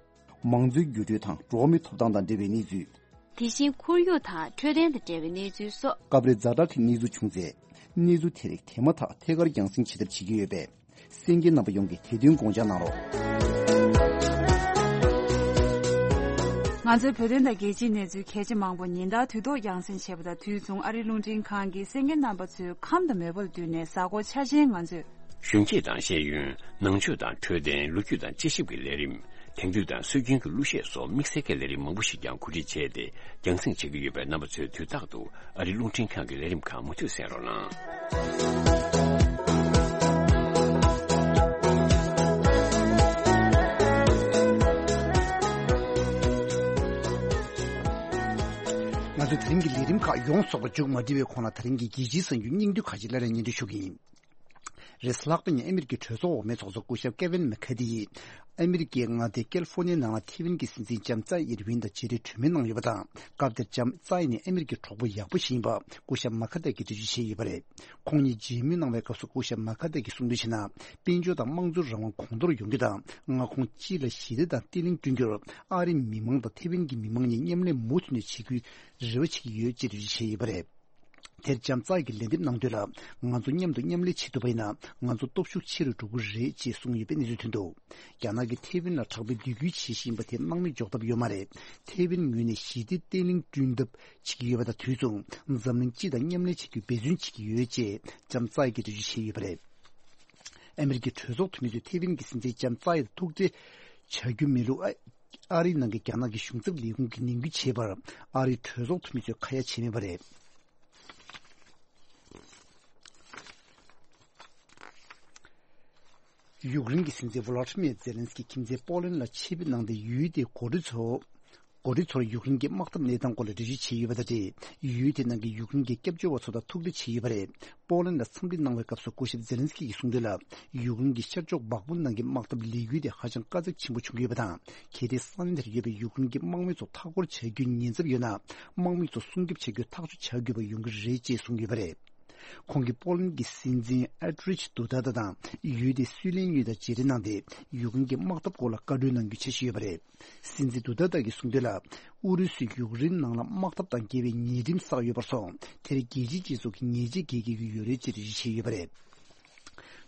མང་གཙོའི་འགྱུར་འགྲོས་དང་འགྲོ་བ་མིའི་ཐོབ་ཐང་དང་འབྲེལ་བའི་གནས་ཚུལ། དེ་བཞིན་ཁོར་ཡུག་དང་འཕྲོད་བསྟེན་དང་འབྲེལ་བའི་གནས་ཚུལ་སོགས། སྐབས་རེ་ཛ་དྲག་གི་གནས་ཚུལ་བྱུང་ཚེ། གནས་ཚུལ་དེ་རིགས་དེ་མ་ཐག་ཐད་ཀར་རྒྱང་སྲིང་བྱེད་ཐབས་བྱེད་ཀྱི་ཡོད་པས། གསན་མཁན་རྣམ་པ་ཡོངས་ཀྱིས་དེ་དོན་དགོངས་འཇགས་གནང་རོགས། ང་ཚོའི་བོད་དོན་དང་རྒྱལ་སྤྱིའི་གནས་ཚུལ་གལ་ཆེ་མང་པོ་ཉིན་ལྟར་དུས་ཐོག་རྒྱང་སྲིང་བྱས་པ་དང་དུས་མཚུངས། ཨ་རིའི་རླུང་འཕྲིན་ཁང་གིས་གསན་མཁན་རྣམ་པ་ཚོའི་ཁམས་དང་མོས་པ་ལ་བསྟུན་ནས་གཟའ་འཁོར་འཆར་ཅན་ང་ཚོས། གཞོན་སྐྱེས་དང་ཤེས་ཡོན། ནང་ཆོས་དང་འཕྲོད་བསྟེན། ལོ་རྒྱུས་དང་དཔྱད་ཞིབ་ཀྱི་ལས་རིམ། དེང་དུས་དང་སྲོལ་རྒྱུན་གྱི་གླུ་གཞས་སོགས་དམིགས་བསལ་གྱི་ལས་རིམ་མང་པོ་ཞིག་ཀྱང་གོ་སྒྲིག་བྱས་ཏེ་རྒྱང་སྲིང་བྱེད་ཀྱི་ཡོད་པས། རྣམ་པ་ཚོས་དུས་རྟག་ཏུ་ཨ་རིའི་རླུང་འཕྲིན་ཁང་གི་ལས་རིམ་ཁག་མུ་མཐུད་གསན་རོགས་གནང་། ང་ཚོའི་དེ་རིང་གི་ལས་རིམ་ཁག་ཡོངས་རྫོགས་པ་མཇུག་མ་སྒྲིལ་བའི་གོང་ལ། དེ་རིང་གི་རྒྱལ་སྤྱིའི་གསར་འགྱུར་སྙིང་བསྡུས་ཁག་ཅིག་སླར་ཡང་སྙན་སྒྲོན་ཞུ་གི་ཡིན། རེས་ལྷག་པ་ཉིན་ཨ་མི་རི་ཀའི་གྲོས་ཚོགས་འོག་མའི་ཚོགས་གཙོ་སྐུ་ཞབས་ཀེ་ཝིན་མེ་ཁ་ཏི་ཡིས། ཨ་མི་རི་ཀའི་མངའ་སྡེ་ཀལ་ཧྥོ་ནི་ཡའི་ནང་ལ་ཐེ་ཝན་གྱི་སྲིད་འཛིན་ལྕམ་ཙའེ་ཡིན་ཝིན་དང་མཇལ་འཕྲད་གྲོས་མོལ་གནང་ཡོད་པ་དང་། སྐབས་དེར་ལྕམ་ཙའེ་ནི་ཨ་མི་རི་ཀའི་གྲོགས་པོ་ཡག་པོ་ཞིག་ཡིན་པ་སྐུ་ཞབས་མ་ཁ་ཏི་ཡིས་འགྲེལ་བརྗོད་བྱས་ཡོད་པ་རེད། ཁོང་གཉིས་མཇལ་མོལ་གནང་བའི་སྐབས་སུ་སྐུ་ཞབས་མ་ཁ་ཏི་ཡིས་གསུངས་དོན་བྱས་ན། དཔལ་འབྱོར་དང་དམངས་གཙོའི་རང་དབང་གོང་མཐོར་ཡོང་རྒྱུ་དང་། མངའ་ཁོངས་སྤྱི་ལ་ཞི་བདེ་དང་བརྟན་ལྷིང་བསྐྲུན་རྒྱུར་ཨ་རིའི་མི་མང་དང་ཐེ་ཝན་གྱི་མི་མང་གཉིས་མཉམ་ལས་མུ་མཐུད་ནས་བྱེད་རྒྱུའི་རེ་བ་བྱེད་ཀྱི་ཡོད་ཅེས་འགྲེལ་བརྗོད་བྱས་ཡོད་པ་རེད། དེར་ལྕམ་ཙའེ་གིས་ལན་འདེབས་གནང་དོན་ལ། ང་ཚོ་མཉམ་དུ་མཉམ་ལས་བྱེད་ཐུབ་པ་ཡིན་ན། ང་ཚོ་སྟོབས་ཤུགས་ཆེ་རུ་འགྲོ་གི་རེད་ཅེས་གསུངས་ཡོད་པའི་གནས་ཚུལ་ཐོན་འདུག་རྒྱ་ནག་གིས་ཐེ་ཝན་ལ་དྲག་པོའི་སྡིགས་སྐུལ་བྱེད་བཞིན་པ་དེ་སྣང་མེད་འཇོག་ཐབས་ཡོད་མ་རེད། ཐེ་ཝན་ངོས་ནས་ཞི་བདེ་བརྟན་ལྷིང་བསྐྲུན་ཐབས་བྱེད་ཀྱི་ཡོད་པ་དང་དུས་མཚུངས། འཛམ་གླིང་སྤྱི་དང་མཉམ་ལས་བྱེད་རྒྱུའི་འབད་བརྩོན་བྱེད་ཀྱི་ཡོད་ཅེས་ལྕམ་ཙའེ་གིས་འགྲེལ་བརྗོད་བྱས་ཡོད་པ་རེད། ཨ་མི་རི་ཀའི་གྲོས་ཚོགས་འཐུས་མི་ཚོས་ཐེ་ཝན་གྱི་སྲིད་འཛིན་ལྕམ་ཙའེ་ཐུག་འཕྲད་བྱ་རྒྱུ་མིན་ལུགས། ཨ་རིའི་ནང་གི་རྒྱ་ནག་གི་གཞུང་ཚབ་ལས་ཁུངས་ཀྱིས་ནན་སྐུལ་བྱས་པར། ཨ་རིའི་གྲོས་ཚོགས་འཐུས་མི་ཚོས་ཁ་ཡ་བྱས་མེད་པ་རེད། ཡུཀ་རེན་གྱི་སྲིད་འཛིན་ཝོ་ལོ་ཏི་མིར་ཛེ་ལན་སི་ཀི་ཁྱིམ་མཚེས་པོ་ལན་ལ་ཆེད་ཕེབས་གནང་སྟེ། ཡུལ་དེའི་འགོ་ཁྲིད་ཚོ། འགོ་ཁྲིད་ཚོར་ཡུཀ་རེན་གྱི་དམག་འཐབ་གནས་སྟངས་སྐོར་ལ་འགྲེལ་བརྗོད་བྱས་ཡོད་པ་དང་འབྲེལ། ཡུལ་དེ་ནང་གི་ཡུཀ་རེན་གྱི་སྐྱབས་བཅོལ་བ་ཚོ་དང་ཐུག་འཕྲད་བྱས་ཡོད་པ་རེད། པོ་ལན་ལ་འཚམས་འདྲི་གནང་བའི་སྐབས་སུ་སྐུ་ཞབས་ཛེ་ལན་སི་ཀི་ཡིས་གསུངས་དོན་ལ། ཡུཀ་རེན་གྱི་ཤར་ཕྱོགས་འབག་དཔུང་ནང་གི་དམག་འཐབ་ལས་འགུལ་དེ་ཧ་ཅང་དཀའ་ཚེགས་ཆེན་པོ་བྱུང་གི་ཡོད་པ་དང་། གལ་ཏེ་ས་གནས་དེར་ཡོད་པའི་ཡུཀ་རེན་གྱི་དམག་མི་ཚོ་མཐའ་སྐོར་བྱ་རྒྱུའི་ཉེན་ཚབས་ཡོད་ན། དམག་མི་ཚོ་སྲུང་སྐྱོབ་བྱ་རྒྱུར་ཐག་གཅོད་བྱ་དགོས་པ་ཡོང་གི་རེད་ཅེས་གསུངས་ཡོད་པ་རེད། ཁོང་གིས་པོ་ལན་གྱི་སྲིད་འཛིན་ཨན་ཌྲེ་ཌུ་ད་ད་དང་ཡུལ་དེའི་སུའུ་ལེན་གཉིས་དང་མཇལ་འཕྲད་གནང་སྟེ། ཡུཀ་རེན་གྱི་དམག་འཐབ་སྐོར་ལ་བཀའ་འཁྲོལ་གནང་རྒྱུའི་འཆར་གཞི་ཡོད་པ་རེད། སྲིད་འཛིན་ཌུ་ད་ད་ཀྱིས་གསུངས་དོན་ལ། ཨུ་རུ་སུས་ཡུཀ་རེན་ནང་ལ་དམག་འཐབ་དང་འགལ་བའི་ཉེས་ཁྲིམས་བསགས་ཡོད་པར་སོང་། དེར་རྒྱལ་སྤྱིའི་སྤྱི་ཚོགས་ཀྱིས་ཉེས་ཆད་འགེལ་དགོས་ཀྱི་ཡོད་རེད་ཅེས་འགྲེལ་བརྗོད་བྱས་ཡོད་པ་རེད།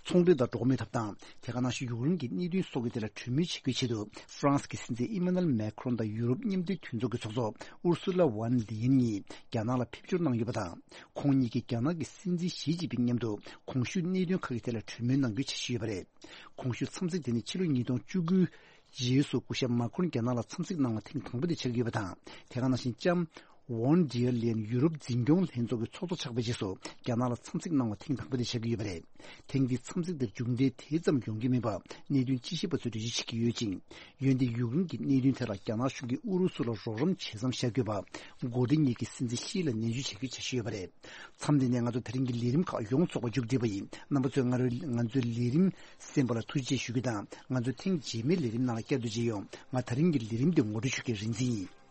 ཚོང་འབྲེལ་དང་འགྲོ་བ་མིའི་ཐོབ་ཐང་། དེ་ག་ནང་བཞིན་ཡུཀ་རེན་གྱི་གནད་དོན་སོགས་ཀྱི་ཐད་ལ་གྲོས་མོལ་བྱེད་རྒྱུའི་ཆེད་དུ། ཧྥ་རན་སི་གི་སྲིད་འཛིན་ཨི་མ་ནུ་ཨེལ་མེ་ཁ་རོན་དང་ཡུ་རོབ་མཉམ་འབྲེལ་མཐུན་ཚོགས་ཀྱི་ཚོགས་གཙོ་ཨུར་སུ་ལ་ཝན་ལི་ཡན་གཉིས་རྒྱ་ནག་ལ་ཕེབས་འབྱོར་གནང་ཡོད་པ་དང་། ཁོང་གཉིས་ཀྱིས་རྒྱ་ནག་གི་སྲིད་འཛིན་ཞི་ཅིན་ཕིང་མཉམ་དུ་གོང་ཞུས་གནད་དོན་ཁག་གི་ཐད་ལ་གྲོས་མོལ་གནང་རྒྱུའི་འཆར་གཞི་ཡོད་པ་རེད། གོང་ཞུས་འཚམས་གཟིགས་དེ་ནི་ཕྱི་ལོ་ཉིས་སྟོང་བཅུ་དགུ་རྗེས་སུ་སྐུ་ཞབས་མ་ཁོན་རྒྱ་ནག་ལ་འཚམས་གཟིགས་གནང་བ་ཐེངས་དང་པོ་དེ་ཆགས་ཀྱི་ཡོད་པ་དང་། དེ་ག་ནང་བཞིན་ལྕམ་ཝོན་ཌེར་ལེན་ཡུ་རོབ་འཛིན་སྐྱོང་ལྷན་ཚོགས་ཀྱི་ཚོགས་གཙོ་ཆགས་པའི་རྗེས་སུ་རྒྱ་ནག་ལ་འཚམས་གཟིགས་གནང་བ་ཐེངས་དང་པོ་དེ་ཆགས་ཀྱི་ཡོད་པ་རེད། ཐེངས་འདིའི་འཚམས་གཟིགས་དེར་མཇུག་འབྲས་དེ་ཙམ་ཡོང་གི་མིན་པ། གནད་དོན་དཔྱད་ཞིབ་པ་ཚོས་འགྲེལ་བརྗོད་བྱེད་ཀྱི་ཡོད་ཅིང་། འོན་ཏེ་ཡུཀ་རེན་གྱི་གནད་དོན་ཐད་ལ་རྒྱ་ནག་གཞུང་གིས་ཨུ་རུ་སུ་ལ་རོགས་རམ་བྱེད་མཚམས་བཞག་དགོས་པ། འགོ་ཁྲིད་གཉིས་ཀྱིས་སྲིད་འཛིན་ཞི་ལ་ནན་བརྗོད་བྱ་རྒྱུའི་འཆར་གཞི་ཡོད་པ་རེད། མཚམས་འདི་ནས་ང་ཚོ་དེ་རིང་གི་ལས་རིམ་ཁག་ཡོངས་རྫོགས་པ་མཇུག་བསྒྲིལ་བ་ཡིན། རྣམ་པ་ཚོས་ང་རོའི་ང་ཚོའི་ལས་རིམ་གསན་པ་ལ་ཐུགས་རྗེ་ཆེ་ཞུ་རྒྱུ་དང་། ང་ཚོ་ཐེངས་རྗེས་མའི་ལས་རིམ་ནང་ལ་བསྐྱར་དུ་མཇལ་ཡོང་། ང་དེ་རིང་གི་ལས་རིམ་འདི་ངོ་སྤྲོད་ཞུ་མཁན་རིན་འཛིན་ཡིན།